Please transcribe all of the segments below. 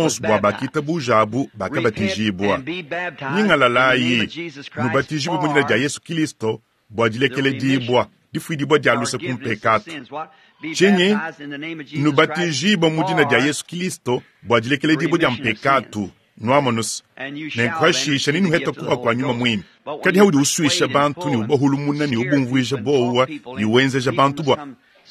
bonso bua bakitabujabu bakabatijibua. Nyingalalayi, nubatijibue mu dina dia Yesu Kilisto bua dilekeledibua, difuidibua dia luse ku mpekatu. Tshinyi? Nubatijibue mu dina dia Yesu Kilisto bua dilekeledibua dia mpekatu. Nuamonus, nenku hashisha nenuheta kuha kua Nyuma Muimpe. Kadi haudi usuisha bantu ne ubahulumuna ne ubumvuija bowa ne wenzeja bantu bua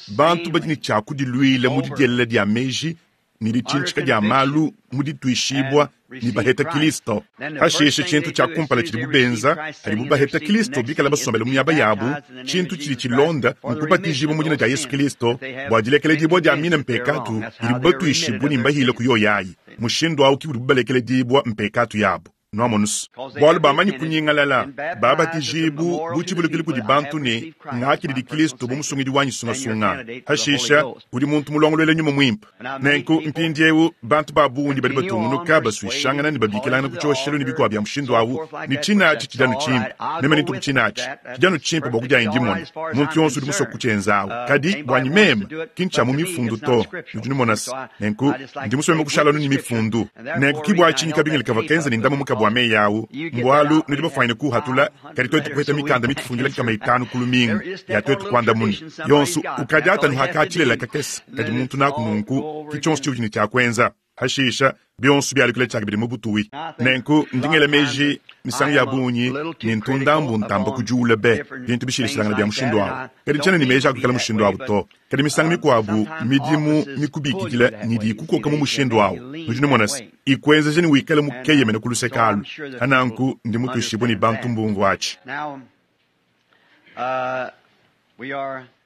bantu badi ne tshia kudiluila mu didielela dia meji. ne ditshintshika dia malu mu dituishibua ne baheta Kilisto. Pashishe tshintu tshia kumpala tshidibu benza padibu baheta Kilisto bikale basombele mu miaba yabu, tshintu tshidi tshilonda nkubatijibua mu dina dia Yesu Kilisto bua dilekeledibua dia mine mpekatu idibu batuishibue ne mbahile ku yoyayi. Mushindu au ke udibu balekeledibua mpekatu yabu. Nuamonus, bualu bamanyi kunyingalala, babatijibu bu tshivulukilu kudi bantu ne, ngakididi Kilisto bu musungidi wanyi sungasunga. Pashisha, udi muntu mulongoluela nyuma muimpe. Nenku mpindieu bantu ba bungi badi batungunuka basuishangana ne babikilangana ku tshioshelu ne bikuabu bia mushindu au, ne tshinatshi tshidi anu tshimpe. Meme nintuku tshinatshi tshidi anu tshimpe bua kudianyi dimona. Muntu yonso udi musue kutshienza awu, kadi buanyi meme ki ntshia mu mifundu to. Nudi numona se, nenku ndi musue meme kushala anu ne mifundu. Nenku ki bua tshinyi kabingila kavua kenza ne ndama mukabu wa meyi awu, mbualu nudi bafuanyine kuuhatula, kadi tuetu kupeta mikanda mitufundila nkama itanu ku lumingu ya tuetu kuandamuna yonso. Ukadi atanu hakatshilela kakese kadi muntu naku nunku, ki tshionso tshiudi ne tshia kuenza. Hashisha, bionso bialukila tshiakabidi mu butuwi. Nenku ndi ngela meji misangu ya bungi ne ntu ndambu ntamba kudiula be bintu bishilashilangane bia mushindu awu. Kadi tshiena ne meji a kuikala mushindu awu to. Kadi misangu mikuabu midimu mikubikidila nyidi ikukoka mu mushindu awu. Nudi numona se, ikuenzeja ne wikale mukeyemene ku luseke alu. Pa nanku ndi mutuishibue ne bantu mbumvua atshi.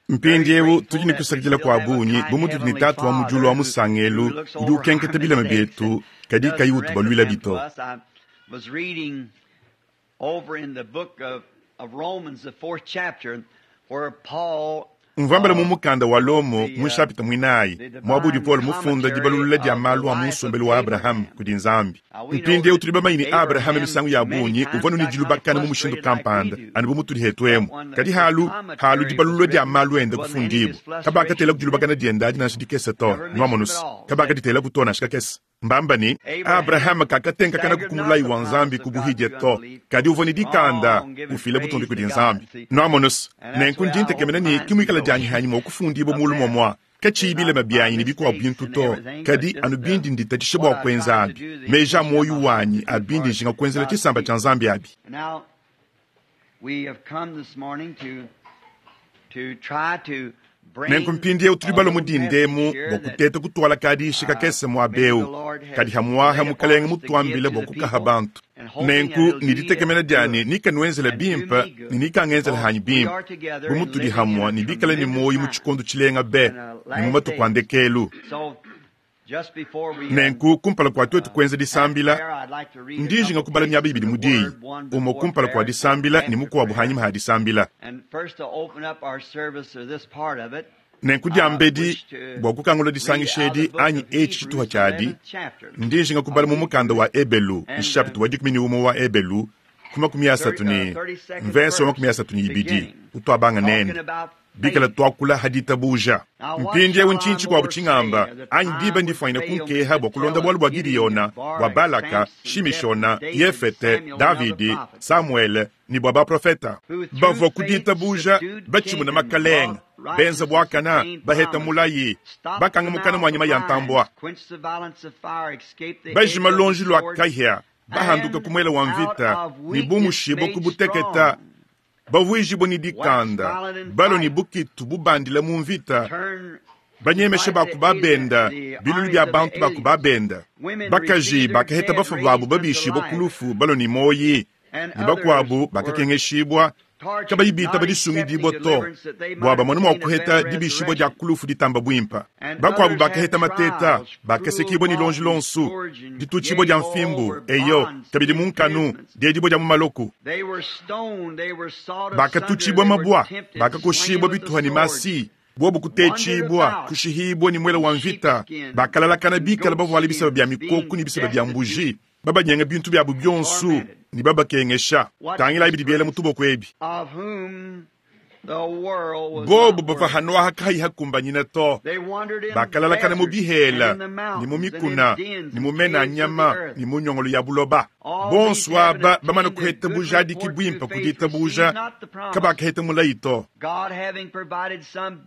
Mpindieu tudi ne kusakidila kua bungi bu mutudi ne Tatu wa mu diulu wa musangelu udi ukenketa bilema bietu kadi kayi utubaluilabi to. Mvua mbala mu mukanda wa Lomo mu nshapita muinayi, muaba udi Paulo mufunda dibalulula dia malu a mu nsombelu wa Abrahame kudi Nzambi. Mpindieu tudi bamanye ne, Abrahame misangu ya bungi uvua anu ne dilubakana mu mushindu kampanda, anu bu mutudi hetu emu. Kadi halu, halu dibalulula dia malu ende kufundibua, kabakatelaku dilubakana diende adi nansha dikese to. Nuamonu's, kabakaditelaku to nansha kakese. Mbamba ne, Abrahame kakatenkakanaku ku mulayi wa Nzambi ku buhidia to, kadi uvua ne dikanda, ufila butumbi kudi Nzambi. Nuamonu's, nenku ndi ntekemena ne ki muikala dianyi hanyi mua kufundibua mulu muamua, katshiyi bilema bianyi ne bikuabu bintu to, kadi anu bindi nditatshisha bua kuenza abi, meji a muoyo wanyi a bindi njinga kuenzela tshisamba tshia Nzambi abi. Nenku mpindieu tudi balue mu dinda emu bua kuteta kutuala kadishi kakese muaba eu, kadi hamuaha Mukelenge mutuambile bua kukaha bantu. Nenku ne ditekemena dia ne nikanuenzele bimpe ne nikangenzele hanyi bimpe, bu mutudi hamue ne bikale ne muoyo mu tshikondo tshilenga be ne mu matuku a ndekelu. Nenku kumpala kua tuetu kuenza disambila, ndi njinga kubala miaba ibidi mu Diyi, umue kumpala kua disambila ne mukuabu hanyima ha disambila. Nenku diambedi, bua kukangula disangisha edi anyi etshi tshituha tshiadi, ndi njinga kubala mu mukanda wa Ebelu, nshapita wa 11 wa Ebelu, ku 30 ne mvese wa 32 utuabanga nende, bikala tuakula ha ditabuja. Mpindieu ntshinyi tshikuabu tshingamba? Anyi diba ndifuanyine kunkeha bua kulonda bualu bua Gideona, bua Balaka, Shimishona, Yefete, Davidi, Samuele ne bua baprofeta bavua ku ditabuja batshimuna makalenge, benza buakana, baheta mulayi, bakanga mukana mua nyama ya ntambua, bajima luonji lua kahia, bahanduka ku muele wa mvita ne bumushibua ku buteketa, bavuijibua ne dikanda, balua ne bukitu bubandila mu mvita, banyemesha ba ku babenda bilulu bia bantu ba ku babenda, bakaji bakaheta bafua babu babishibua ku lufu balua ne muoyi, ne bakuabu bakakengeshibua kabayi bitaba disungidibua to, bua bamone mua kuheta dibishibua dia ku lufu ditamba buimpe. Bakuabu bakaheta mateta, bakasekibua ne luonji luonso, ditutshibua dia mfimbu, eyo, kabidi mu nkanu, diedibua dia mu maloko. Bakatutshibua mabua, bakakoshibua bituha ne masi, bobu kutetshibua, kushihibua ne muele wa mvita, bakalalakana bikale bavuale biseba bia mikoko ne biseba bia mbuji, babanyenga bintu biabu bionso ne babakengesha. Tangilayi bidi biela mu tuboko ebi. Bobu bavua hanoaha kayi hakumbanyina to, bakalalakana mu bihela ne mu mikuna ne mu mena a nyama ne mu nyongolo ya buloba. Bonso aba bamana kuheta bujadiki buimpe ku ditabuja, kabakaheta mulayi to.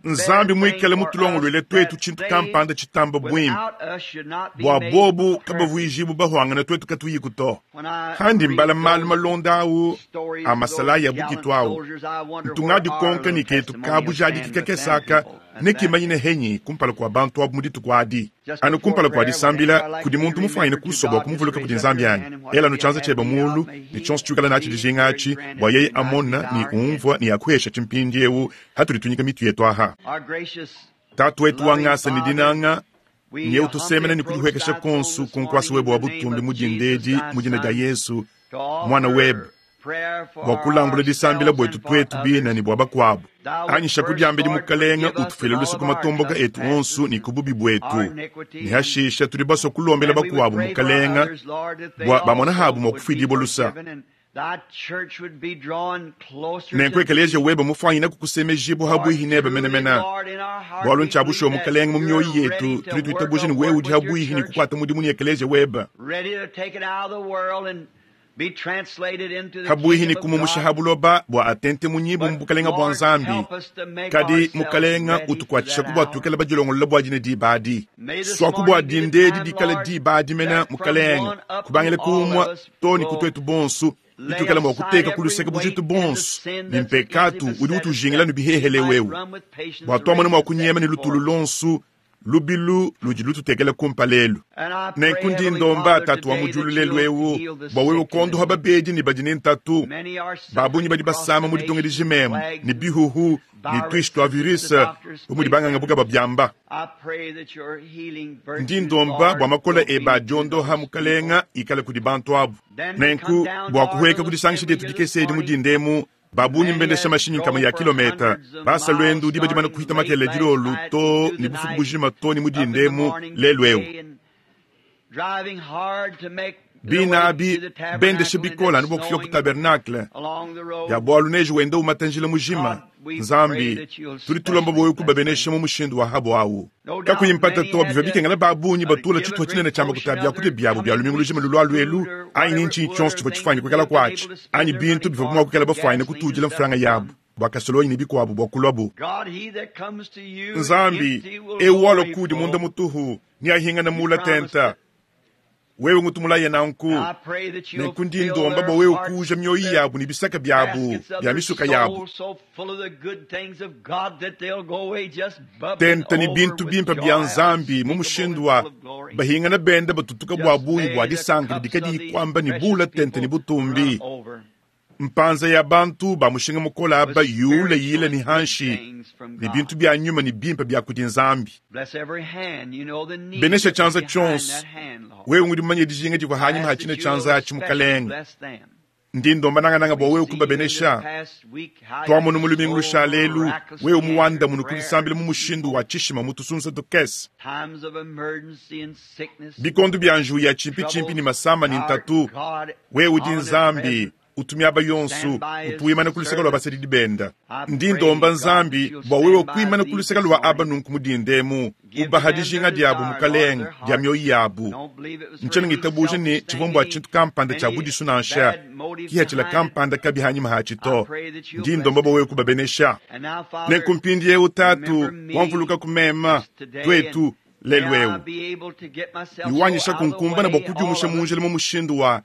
Nzambi muikale mutulongoluele tuetu tshintu kampanda tshitamba buimpe, bua bobu kabavuijibu bahuangana tuetu katuyiku to. Handi mbala malu malonda au a masalayi a bukitu au, ntu ngadikonka. ndikonka ne ketu ka bujadiki kakese aka nekimanyine henyi kumpala kua bantu abu mu dituku adi. Anu kumpala kua disambila, kudi muntu mufuanyine kusua bua kumuvuluka kudi Nzambi anyi? Ela anu tshianza tshiebe muulu ne tshionso tshiwikala natshi dijinga atshi, bua yeye amona ne umvua ne akuheshatshi mpindieu hatudi tunyika mitu yetu aha. Tatu wetu wa ngasa ne dinanga, nyeu tusemena ne kudihuekesha konsu ku nkuasa webe wa butumbi mu dinda edi mu dina dia Yesu, Muana webe, bua kulambula disambila buetu tuetu bine ne bua bakuabu. Anyisha ku diambedi Mukelenge utufuile luse ku matomboka etu onsu ne ku bubi buetu, ne hashisha tudi basue kulombela bakuabu Mukelenge bua bamona habu mua kufuidibua lusa. Nenku ekeleziya webe mufuanyine kukusemejibua habuihi nebe menemene, bualu ntshia bushuwa Mukelenge mu mioyo yetu tudi tuitabuja ne wewe udi habuihi ne kukuata mudimu ne ekeleziya webe, habuihi ne kumumusha ha buloba bua atente munyibu mu bukelenge bua Nzambi. Kadi Mukelenge utukuatshishaku bua tuikale badilongolola bua dine diba adi. Suaku bua dinda edi dikale diba adi mene, Mukelenge, kubangila ku umue too ne ku tuetu bonso, bituikala mua kuteka ku luseke bujitu bonso ne mpekatu udi utujingila ne bihehele wewe, bua tuamone mua kunyema ne lutulu luonso lubilu ludi lututekela kumpala elu. Nenku ndi ndomba Tatu wa mu diulu lelu eu bua wewe kuondoha babedi ne badi ne ntatu. Ba bungi badi basama mu ditunga dijima emu ne bihuhu ne tuishi tua virus bu mudi banganga buka babiamba. Ndi ndomba bua makola ebe a diondoha, Mukalenga, ikale kudi bantu abu. Nenku bua kuhueka ku disangisha dietu dikese edi mu dinda emu, ba bungi mbendesha mashinyi nkama ya kilometa, basa luendu diba dimane kuhita makelela dilolo to ne bufuku bujima to ne mu dinda emu lelu eu. Bina abi bendesha bikole anu bua kufika ku tabernacle ya bualu neji wenda umata njila mujima. Nzambi, tudi tulomba bua wewe kubabenesha mu mushindu wa habo awu. Kakuyi mpata to, bivua bikengela ba bungi batula tshituha tshinene tshia makuta a biakudia biabu bia lumingu lujima lulualu elu, anyi ni ntshinyi tshionso tshivua tshifuanyine kuikala kuatshi, anyi bintu bivuabu mua kuikala bafuanyine kutudila mfranga yabu bua kasolonyi ne bikuabu bua kuluabu. Nzambi, eu walua kudi munda mutuhu, neahingane mula tenta. Wewe ngutumulaye nanku, nenku ndi ndomba bua wewe kuuja mioyo yabu ne bisaka biabu bia misuka yabu tente ne bintu bimpe bia Nzambi mu mushindu wa bahingana benda batutuka bua bungi bua disanka didi kadiyi kuamba ne bula tente ne butumbi. Mpanza ya bantu ba mushinga mukole aba yuule yile ne hanshi ne bintu bia nyuma ne bimpe bia kudi Nzambi. Benesha tshianza tshionso, wewe ngudi mumanye dijinga divua hanyima ha tshine tshianza atshi, Mukelenge. Ndi ndomba nangananga bua wewe kubabenesha. Tuamonu mu lumingu lushala elu, wewe muwandamune ku disambila mu mushindu wa tshishima mu tusunsa tukese. Bikondo bia njiwu ya tshimpitshimpi ne masama ne ntatu, wewe udi Nzambi utu miaba yonso, utu wimana ku luseke lua basadidi benda. Ndi ndomba Nzambi bua wewe kuimana ku luseke lua aba nunku mu dinda emu, ubaha dijinga diabu, Mukalenge, dia mioyo yabu. Ntshiena ngitabuja ne tshivua mbua tshintu kampanda tshia budisu nansha, kihatshila kampanda kabi hanyima hatshi to. Ndi ndomba bua wewe kubabenesha. Nenku mpindieu, Tatu, wamvuluka ku mema, tuetu, lelu eu, ne wanyisha kunkumbana bua kudiumusha mu njila mu mushindu wa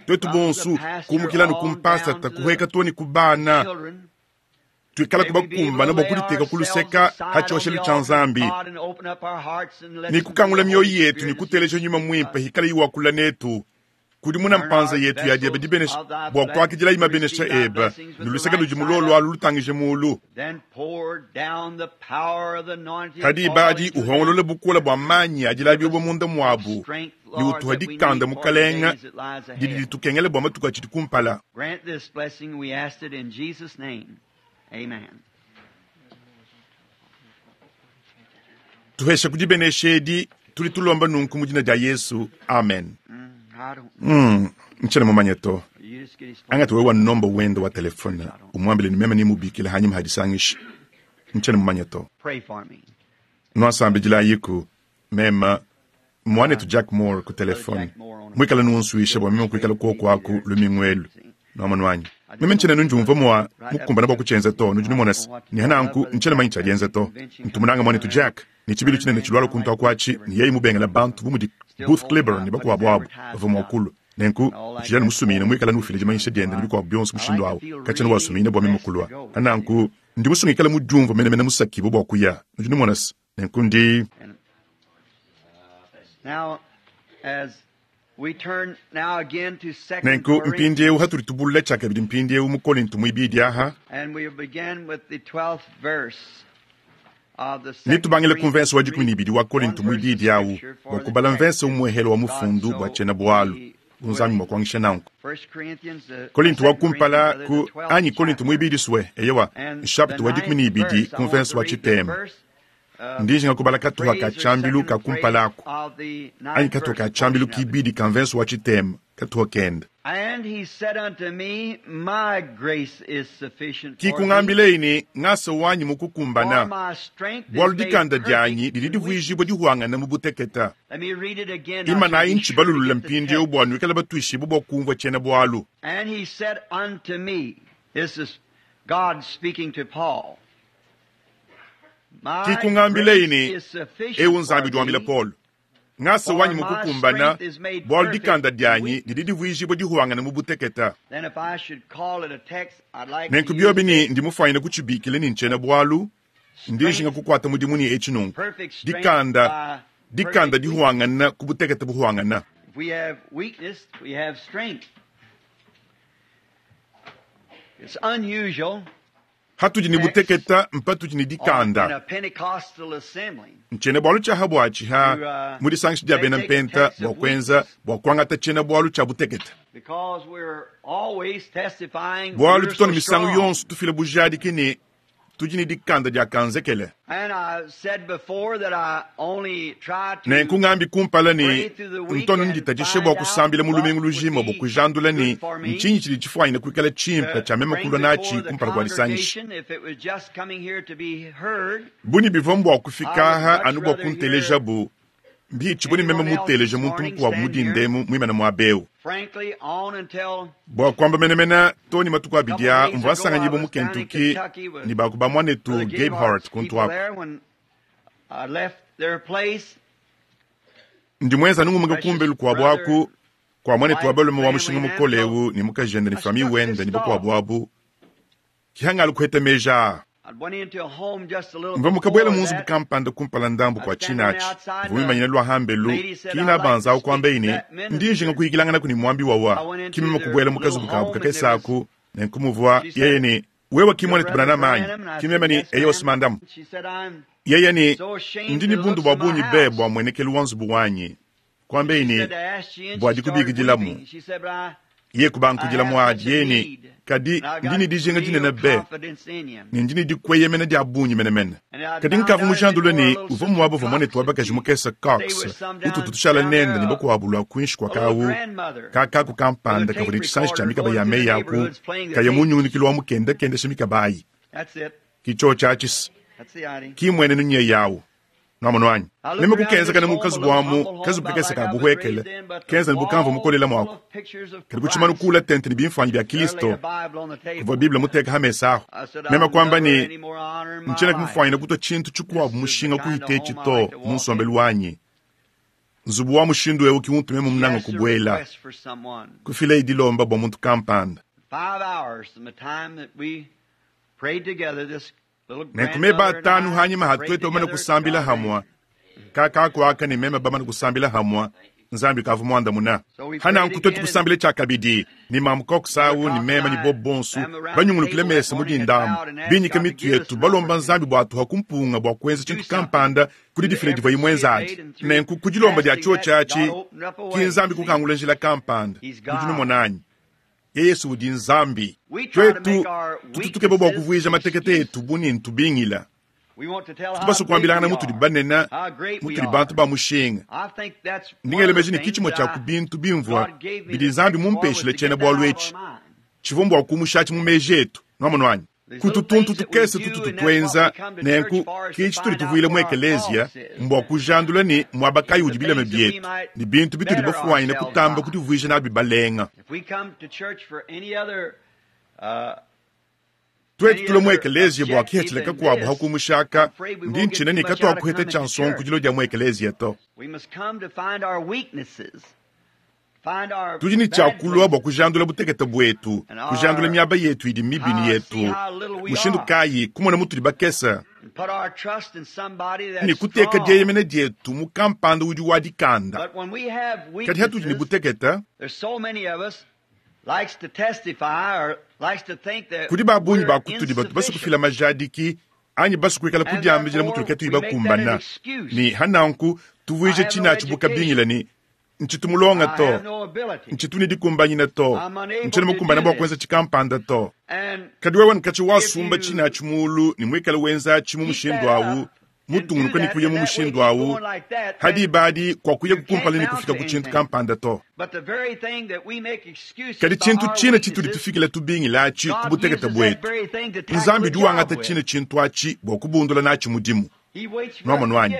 tuetu bonso kumukila ne ku mpasata kuhueka to ne ku bana, tuikala kubakumbana bua kuditeka ku luseka ha tshioshelu tshia Nzambi ne kukangula mioyo yetu ne kuteleja nyuma muimpe hikala iwakula netu. Kudimuna mpanza yetu ya diebe dibenesha bua kuakidilayi mabenesha ebe ne luseke ludi mulolo alu lutangije mulu. Kadi badi uhongolola bukola bua manyi adi labibua munda muabu ne utuha dikanda, Mukelenge, didi ditukengela bua matuku atshidi kumpala. Grant this blessing, we ask it in Jesus' name. Amen. Tuhesha ku dibenesha edi, tudi tulomba nunku mu dina dia Yesu. Amen. I don't Ntshiena mumanye to. You just get his phone. Angata wewe wa nomba wende wa telefone umwambile ni meme nimubikile hanyima hadisangisha. Ntshiena mumanye to. Pray for me. Nwasambidila mema mwanetu Jack Moore ku telefone mwikala nunsuisha bua meme kuikala kuoku aku lumingu elu nwamonu wanyi. Meme ntshiena nunjumva mua mukumbana bua kutshienza to, nudi numona se ne hananku ntshiena manyi tshiadienza to. Ntumunanga mwanetu Jack ne tshibilu tshinene tshilualua kuntu akuatshi ne yeye mubengela bantu bu mudi Booth Clibborn ne bakuabu abu bavua mua kulua. Nenku utshidi musumine muikala nufila dimanyisha diende ne bikuabu bionso mushindu awu katshiena wasumine bua meme kulua. Hananku Ndi musue ngikale mudiumvue menemene musakibue bua kuya. Nudi numona se, nenku ndi. Now, as we turn now again to Second Nenku Corinthians, mpindieu hatudi tubulula tshiakabidi mpindieu mu Kolinto muibidi aha, and we begin with the 12th verse of the Second netubangile ku mvense wa Corinthians. dikumi ne ibidi wa Read Kolinto one verse of muibidi awu scripture bua for the kubala text. mvense umuehele wa God mufundu bua so tshiena-bualu be bu Nzambi willing. mua kuangisha nanku. First Corinthians, the Kolinto wa Second kumpala Corinthians, ku rather, the 12th anyi Kolinto chapter. muibidi sue eyewa And the nshapita wa dikumi ne ninth ibidi verse, ku I want mvense to wa read the tshitema. first Ndi njinga kubala katuha ka phrase or tshiambilu ka second phrase kumpala aku of the anyi ninth katuha ka verse tshiambilu portion of it. kibidi ka mvense wa tshitema katuha kenda. And he said unto me, My grace is sufficient for thee, Kikungambileyi ne ngasa wanyi for mukukumbana my strength is bualu made dikanda perfect dianyi didi in divuijibua weakness. dihuangana mu buteketa. Let me read it again now Ima so nayi be sure to ntshibalulula get the mpindieu text. bua nuikale batuishibue bua kumvua tshiena-bualu. And he said unto me, This is God speaking to Paul. My Kikungambileyi grace ne is sufficient ewu for Nzambi diwambila thee, Paulo. Ngasa for wanyi my mukukumbana strength is made bualu perfect dikanda in dianyi weakness. didi divuijibua dihuangana mu buteketa. Then if I should call it a text, I'd like to Nenku use biobi ne this ndi mufuanyine kutshibikile ne ntshiena-bualu ndi njinga strength, kukuata mudimu ne etshi nunku. perfect strength Dikanda by dikanda perfect weakness. dihuangana ku buteketa buhuangana. If we have weakness, we have strength. It's unusual Hatudi ne text buteketa mpatudi ne on, in dikanda. a Pentecostal assembly Ntshiena-bualu tshia habuatshi to ha mu disangisha dia they bena take a mpenta text bua of kuenza weakness bua kuangata tshiena-bualu tshia buteketa. because we're always testifying Bualu we're tutona so misangu strong. yonso tufila bujadiki ne tudi ne dikanda dia kanzekele. And I said before that I only try Nenku to ngambi kumpala pray ne through the week ntono and nditatshishe find bua out kusambila mu what lumingu would lujima bua be kujandula ne good for me ntshinyi tshidi tshifuanyine kuikala tshimpe to tshia meme bring kulua natshi before the kumpala kua disangisha. congregation. If it was just coming here to be heard, Buni bivua mbua I kufika would aha much anu bua rather hear kuntelejabu mbitshi buni meme anyone else muteleja this muntu morning mukuabu stand here, mudindemu muimana muabewu. frankly, on until Bua kuamba menemene too ne matuku a abidi couple aa days mvua ago I nsanganyibua mu was down in Kentucky Kentucky with ne baku ba muanetu Brother Gabehart Gabehart's kuntu people aku. there when I left their place. Ndi muenza nungumuka Precious kumbelu kuabu brother aku kua muanetu wa wife, balume wa family, mushinga and so mukolewu ne mukajende ne I famille struck wende this ne thought. bakuabu abu kihangalu kuheta meja aa. I went into a home just a little Mvua mukabwela before mu nzubu that. kampanda kumpala ndambu I kua was standing tshinatshi outside mvua and mimanyina the lua hambelu lady said, kina I'd like to banza awu speak kuamba to ine that ndi minister. njinga kuyikilangana kuni muambi I wawa went into kimema their kubuela mu little kazubu kabu home and there kakese was, aku nenkumuvua she yeye said, ne wewe Your kimwana brother tubana manyi Branham? And I said, kimema ne Yes, eyo ma'am. simandamu She said, I'm yeye ne so ashamed ndi to ne the bundu looks bua of my bungi be house. bua muenekelu wa nzubu wanyi kuamba She ine said, I asked you, and bua she started dikubikidilamu weeping. She said, But ye I kubankudila have such muadi a yeye ne need, kadi and I've ndi got ne dijinga real dinene be confidence in you. ne ndi ne dikweyemena dia bungi menemene And I kadi found nkavua out it mujandula before a ne little uvua sister muaba uvua Cox muanetu wa that bakaji we mukese stayed Cox with some ututu down tushala down nende there, ne bakuabu lua kuinshi kua a little kawu grandmother kakaku with a kampanda tape kavua ne tshisanji tshia recorder mikaba going ya through the meyi aku neighborhoods playing the kaya tapes. munyungunikilo wa mukenda kendesha mikaba ayi That's it. kicho tshiatshisa That's the idea. kimwenenu nye yawu nwamonu wanyi I looked meme around kukenza this kana mu home, a kazubu little amu humble home, kazubu about kakese like ka I was raised buhwekele in, but the kenza ne bukamvu wall mukolela full mwako of pictures of kadi kuchimanu Christ. kula tente ne bimfanyi bya There laid Kristo a Bible on the kuvua table. Biblia muteka hamesa aho I said, meme I'll kuamba never ne any more honor in my ntshiena life. kumufwanyina kutwa tshintu tshikuabu This is the mushinga kind of kuhita home I to like to mu walk in. nsombelu wanyi nzubu wa mushindu ewu kimuntu meme She munanga asked a kubuela request for someone. kufila idilomba bua muntu kampanda 5 hours from the time that we prayed together, this little nenku meba grandmother and atanu I hanyima prayed hatwete bamane together, kusambila God hamwa answered. kakakuaka ne meme bamane kusambila hamwa nzambi kavu muandamuna So we prayed hananku twetu again, and kusambila tshiakabidi ni mamu Cox Brother awu ni Cox and meme ni I, bob bonsu them around the banyungulukile table that mesa morning had mudindamu bowed and asked binyika God to mitu give us yetu an balomba nzambi opportunity bua atuha kumpunga bua kuenza to do tshintu something kampanda kudi through the difila divua efforts imwe she had nzadi made, and through nenku kudilomba dia asking tshiwo that, God tshiatshi opened up a ki way. nzambi See, kukangula njila kampanda He's udi God. numonanyi ye Yesu udi nzambi We try to twetu make our tututukeba bua weaknesses kuvuija matekete excuses. etu buni ntubingila We want to tell how tubaso big kuambilangana we mutudi are, banena how great we mutudi bantu are. ba mushinga I think that's one of the ndingelemeji ne things kichimwe that tshia ku bintu bimvua God gave me bidi the nzambi text for was mumpeshile to tshiena get that bualu out of etshi our mind. tshivua mbua kumushatshi mu meji etu nwamonu wanyi These kutu little tuntu things that we tukese do, tutu and that's what we tutwenza come to church nenku for, is to kichi tuli find out tuvuile mu where our ekeleziya faults is. mbua kujandula ne muaba kayi The udi bilema things that we bietu might ne bintu bitudi better bafuanyine ourselves kutamba by. kutuvuija nabi balenga If we come to church for any other twetu any tule mu other ekeleziya bua objective kihethile than kakuabu this, hakumushaka I'm afraid we ndi won't get ntshina too ne much out of katwakuheta coming tshia to nsonku church. dilo dia mu ekeleziya to We must come to find our weaknesses. Tudi ne tshia kulua bua kujandula butekete buetu, kujandula miaba yetu idi mibi ne yetu. Mushindu kayi kumona mutudi bakese ne kuteka dieyemena dietu mu kampanda udi wa dikanda. Kadi hatudi ne butekete, kudi ba bungi ba kutudi batu basue kufila majadiki anyi basue kuikala kudiambila mutudi katuyi bakumbana, ne hananku tuvuije tshinatshi bu kabingila ne ntshitu mulonga to, ntshitu ne dikumbanyina to, ntshiena mukumbana bua kuenza tshikampanda to. Kadi wewe nkatshi wasumba tshinatshi mulu ne muikale wenzatshi mu mushindu awu, mutungunuka ne kuya mu mushindu awu, hadi badi kwa kuya kukumpala ne kufika ku tshintu kampanda to. Kadi tshintu tshina tshitudi tufikila tubingila atshi ku butekete buetu, Nzambi udi wangata tshina tshintu atshi bua kubundula natshi mudimu. Nwamonu anyi?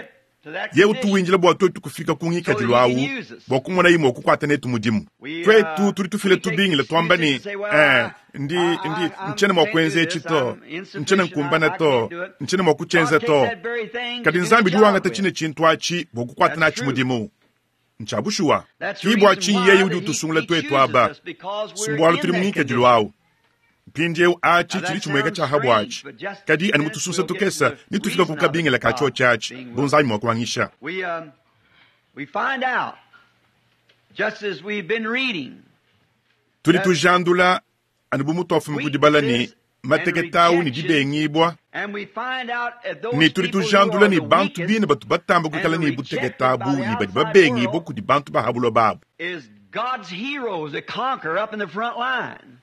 Ye utu windila bua tuetu kufika ku ngikadilu awu bua kumona ye mua kukuata netu mudimu. Tuetu tudi tufila tubingila tuamba ne, ndi, ndi, ntshiena mua kuenza etshi to, ntshiena nkumbana to, ntshiena mua kutshienza to. Kadi Nzambi udi wangata tshine tshintu atshi bua kukuata natshi mudimu. Ntshia bushuwa. Ki bua tshinyi yeye udi utusungula tuetu aba, si mbualu tudi mu ngikadilu awu. Mpindieu atshi tshidi tshimueka tshia habu atshi, kadi anu mutusunsa tukese ne tufika ku kabingila ka tshiotshi atshi bu Nzambi mua kuangisha. Tudi tujandula anu bu mutuafumi ku dibala ne matekete awu ne dibengibua, ne tudi tujandula ne bantu bine batu batamba kuikala ne butekete abu ne badi babengibua kudi bantu ba ha buloba abu. God's heroes that conquer up in the front line.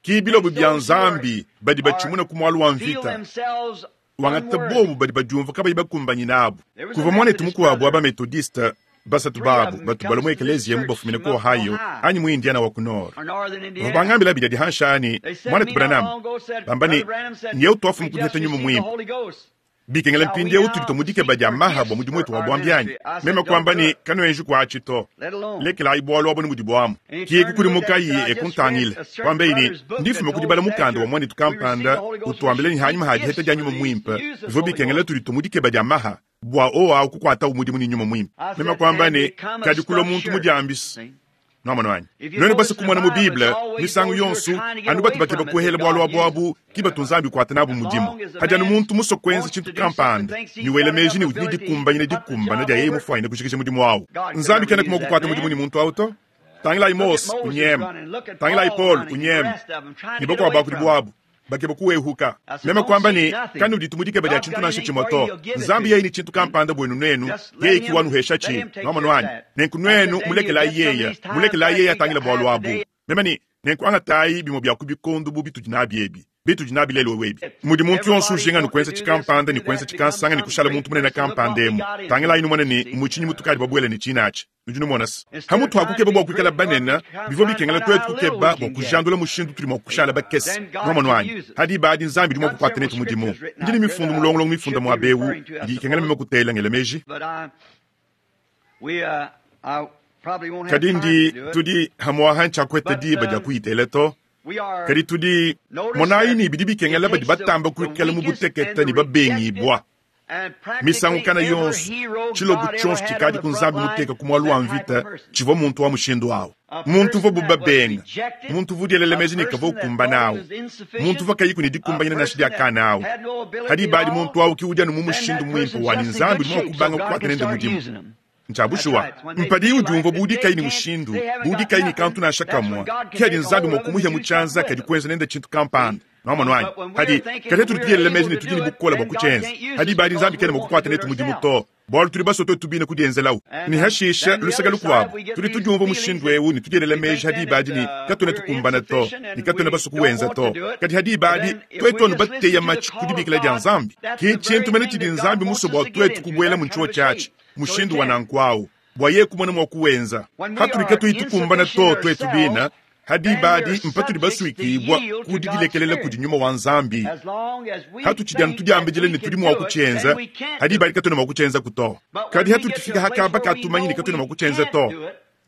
Ki bilobo bia Nzambi badi batshimuna ku mualu wa mvita, wangata bobu badi badiumvua kabayi bakumbanyine abu. Kuvua muanetu mukuabu wa ba-Methodiste, basatu babu batu balua mu ekeleziya mu bafumine ku Ohio anyi mu Indiana wa ku Nord. Bavua bangambila abidi adi hansha ne muanetu Branham, bamba ne, Nyeu tuafumu ku diheta nyuma muimpe. Bikengela mpindieu tudi mu dikeba dia maha bua mudimu wetu wa buambi anyi? Meme kuamba ne, kanuenji kuatshi to. Lekelayi bualu abu ne mudibu amu. Ki kukudimukayi e kuntangila. Kuambeyi ne, ndifume ku dibala mukanda wa muanetu kampanda utuambila ne hanyima ha diheta dia nyuma muimpe bivua bikengela tudi mu dikeba dia maha bua owawu kukuatawu mudimu ne nyuma muimpe. Meme kuamba ne, kadi kulua muntu mudiambisi. Nwamonu anyi? Nuenu base kumona mu Bible, misangu yonso, anu batu bakeba kuhela bualu abu abu, ki batu Nzambi ukuata nabu mudimu. Hadi anu muntu musue kuenza tshintu kampanda, ne wela meji ne udi ne dikumbanyina dikumbana dia yeye mufuanyine kujikija mudimu awu, Nzambi kenaku mua kukuata mudimu ne muntu awu to. Tangilayi Mose unyema, tangilayi Paul unyema, ne bakuabu ba kudibu abu bakeba kuwehuka. Meme kuamba ne, kanuditu mu dikeba dia tshintu nansha tshimue to. Nzambi yeye ne tshintu kampanda buenu nuenu, yeye ki wanuheshatshi. Nwamonu anyi? Nenku nuenu mulekelayi yeye, mulekelayi yeye atangile bualu abu. Meme ne, nenku angatayi bimue bia ku bikondo bu bitudi nabi ebi, bitudi nabi lelu ebi, mudi muntu yonso ujinga ne kuenza tshikampanda ne kuenza tshikansanga ne kushala muntu munene kampanda emu. Tangilayi numone ne mu tshinyi mutukadi babuele ne tshinatshi. Nudi numona se, hamutu ha kukeba bua kuikala banene, bivua bikengela tuetu kukeba bua kujandula mushindu tudi mua kushala bakese. Nwamonu anyi? Hadi badi Nzambi udi mua kukuata netu mudimu. Ndi ne mifundu mulongolongo mifunda muaba eu idi ikengela meme kutela ngela meji. Kadi ndi tudi hamuaha ntshiakueta diba dia kuyitela to. Kadi tudi monayi ne bidi bikengela badi batamba kuikala mu butekete ne babengibua. Misangu kana yonso, tshilobo tshionso tshikadi ku Nzambi muteka ku mualu wa mvita tshivua muntu wa mushindu awu. Muntu uvua bubabenga, muntu uvua udielela meji ne kavua ukumbana awu, muntu uvua kayiku ne dikumbanyina nansha dia kana awu. Hadi badi muntu awu ki udi anu mu mushindu muimpe wa ne Nzambi udi mua kubanga kukuata nende mudimu. Ntshia bushuwa, mpadiye udiumvua bu udi kayi ne mushindu, bu udi kayi ne kantu nansha kamue, ki hadi Nzambi mua kumuhia mu tshianza kadi kuenza nende tshintu kampanda. Nwamonu anyi? Hadi, kadi tudi tudielela meji ne tudi ne bukole bua kutshienza. Hadi badi Nzambi kena mua kukuata netu mudimu to, bualu tudi basue tuetu bine kudienzelawu. Ne hashisha, luseke lukuabu, tudi tudiumvua mushindu eu ne tudielela meji hadi badi ne katuena tukumbana to, ne katuena basue kuwenza to. Kadi hadi badi, tuetu anu bateya matshi ku dibikila dia Nzambi. Ki tshintu mene tshidi Nzambi musue bua tuetu kubuela mu ntshiotshi atshi, mushindu wa nanku awu, bua yeye kumona mua kuwenza. Hatudi katuyi tukumbana to tuetu bine, hadi badi mpatudi basuikibua ku didilekelela kudi nyuma wa Nzambi. Hatutshidi anu tudiambidila ne tudi mua kutshienza, hadi badi katuena mua kutshienza ku to. Kadi hatudi tufika hakaba katumanyi ne katuena mua kutshienza to.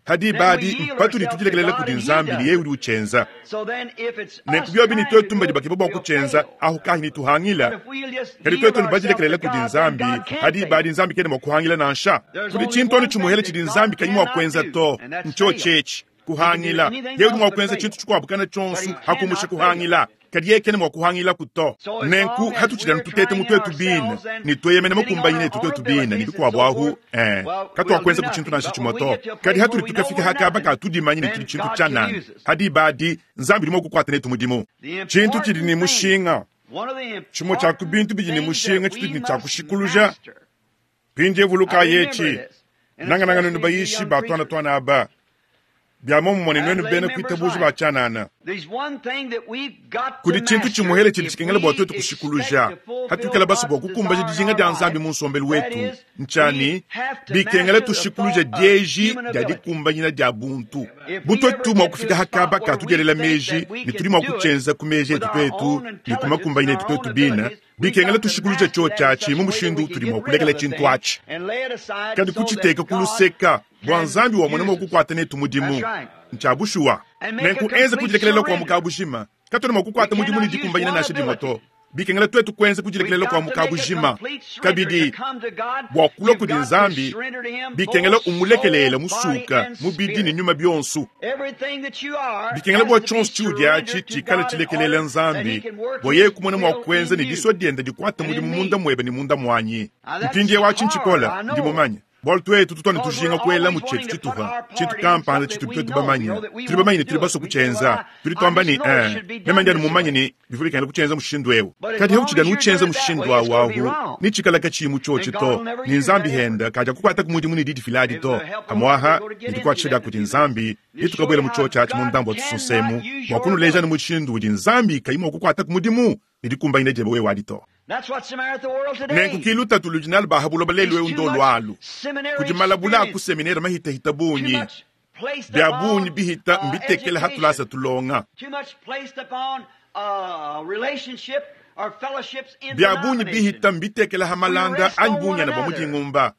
Ha diba adi mpatudi tudilekelela kudi Nzambi ne yeye udi utshienza. Nenku biobi ne tuetu mbadi bakeba bua kutshienza, ahu kahi ne tuhangila. Kadi tuetu ne badilekelela kudi Nzambi, ha diba adi Nzambi kena mua kuhangila nansha. Kudi tshintu anu tshimuhele tshidi Nzambi kayi mua kuenza to, ntshiotshi etshi, kuhangila. Yeye udi mua kuenza tshintu tshikuabu kana tshionso ha kumusha kuhangila. Kadi yeye kena mua kuhangilaku to. Nenku hatutshidi anu tuteta mu tuetu bine ne tueyemena makumbanyine etu tuetu bine ne bikuabu ahu, eh, katuakuenzaku tshintu nansha tshimue to. Kadi hatudi tukafika ha kaba ka tudimanye ne tudi tshintu tshianana, ha diba adi Nzambi udi mua kukuata netu mudimu. Tshintu tshidi ne mushinga, tshimue tshia ku bintu bidi ne mushinga tshitudi ne tshia kushikuluja mpindieu, vulukayi etshi, nangananga nuenu bayishi ba tuana tuana aba, bia muomumue ne nuenu bena kuitabuja ba tshianana. Kudi tshintu tshimuele tshidi tshikengela bua tuetu kushikuluja hatuikala basue bua kukumbaja dijinga dia Nzambi mu nsombelu wetu, ntshia ne, bikengela tushikuluja dieji dia dikumbanyina dia buntu. Bu tuetu mua kufika ha kaba ka tudielela meji ne tudi mua kutshienza ku meji etu tuetu ne ku makumbanyina etu tuetu bine, bikengela tushikuluja tshiotshi atshi mu mushindu utudi mua kulekela tshintu atshi, kadi kutshiteka ku luseka bua Nzambi wamona mua kukuata netu mudimu. Ntshia bushuwa. Nenku enza kudilekelela kua mu kabujima. Katuena mua kukuata mudimu ne dikumbanyina nansha dimue to. Bikengela tuetu kuenza kudilekelela kua mu kabujima. Kabidi, bua kulua kudi Nzambi, bikengela umulekelele musuka, mubidi ne nyuma bionso. Bikengela bua tshionso tshiudi atshi tshikale tshilekelela Nzambi, bua yeye kumona mua kuenza ne disua diende dikuate mudimu munda muebe ne munda muanyi. Mpindieu atshi ntshikole, ndi mumanye. Bualu tuetu tutu anu tujinga kuelamu tshietu tshitupa, tshintu kampanda tshitudi tuetu bamanye. Tudi bamanye ne tudi basue kutshienza. Tudi tuamba ne, Ee, meme ndi anu mumanye ne, bivua bikengela kutshienza mushindu eu. Kadi hautshidi anu utshienza mushindu au ahu, netshikale katshiyi mu tshiotshi to, ne Nzambi henda kadiakukuataku mudimu ne didifila adi to. Pamu'aha, ne dikuatshisha dia kudi Nzambi, netukabuela mu tshiotshi atshi mu ndambu wa tusunsemu, bua kunuleja anu mushindu udi Nzambi kayi mua kukuataku mudimu ne dikumbanyina diebe wewe adi to. Nenku ki lutatu ludi nalu ba ha buloba lelu eu ndolu alu. Kudi malabula a ku seminere mahitahita bungi, bia bungi bihita mbitekela ha tulasa tulonga. Bia bungi bihita mbitekela ha malanda anyi bunyana bua mu dingumba.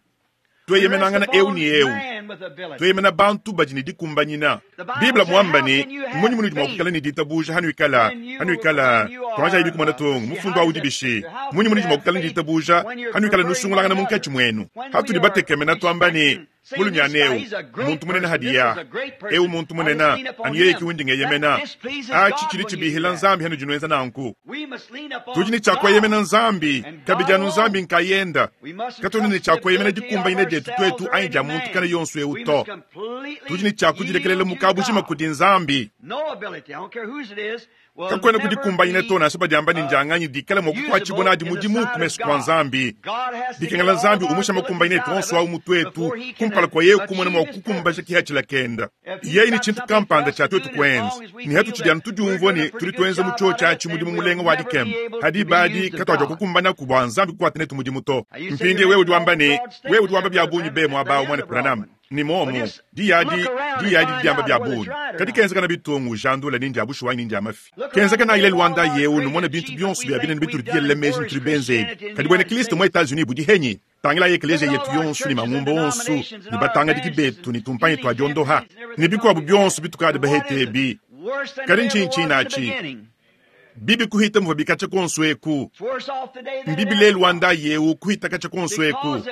Tueyemenangana eu ne eu, tueyemena bantu badi ne dikumbanyina. Bible muamba ne, mmunyi munudi mua kuikala ne ditabuja hanuikala hanuikala tuanjayi bikumona tungu mufundu awu dibishi? Mmunyi munudi mua kuikala ne ditabuja hanuikala nusungulangana munkatshi muenu? Hatudi batekemena tuamba ne, mulumiana eu muntu munene hadiya eu muntu munene anu yeye ki undi ngeyemena. Atshi tshidi tshibihila Nzambi hanudi nuenza nanku. Tudi ne tshia kueyemena Nzambi kabidi anu Nzambi nkayenda. Katuena ne tshia kueyemena dikumbanyina dietu tuetu anyi dia muntu kana yonso eu to. Tudi ne tshia kudilekelela mu kabujima kudi Nzambi. Kakuena kudikumbanyina to nansha badiamba ne ndianganyi dikala mua kukuatshibua nadi mudimu ku mesu kua Nzambi. Bikengela Nzambi umusha makumbanyina etu onso au mu tuetu kumpala kua yeye kumona mua kukumbaja kihatshila kenda. Yeye ne tshintu kampanda tshia tuetu kuenza, ne hatutshidi anu tudiumvua ne tudi tuenza mu tshiotshi atshi mudimu mulenga wa dikema, ha diba adi katuadiakukumbanaku bua Nzambi kukuata netu mudimu to. Mpindieu wewe udi wamba ne, wewe udi wamba bia bungi be muaba au, Muana Branham. Ni muomu, diyi adi, diyi adi diamba bia bungi. Kadi kenzekana bitungu, jandula ni ndia bushuwa anyi ni ndia mafi. Kenzekana ile Luanda yeu numona bintu bionso bia binene bitudi tudielela meji ne tudi benze ebi. Kadi buena Kristo mu Etats-Unis budi henyi? Tangilayi ekeleziya yetu yonso ne mangumba onso ne batangadiki betu ne tumpanyi tua diondoha ne bikuabu bionso bitukadi bahete ebi. Kadi ntshinyi tshinatshi? Bibi kuhita muvua bikatshia kuonso eku. Mbibi lelu wa ndayi eu kuhita katshia kuonso eku.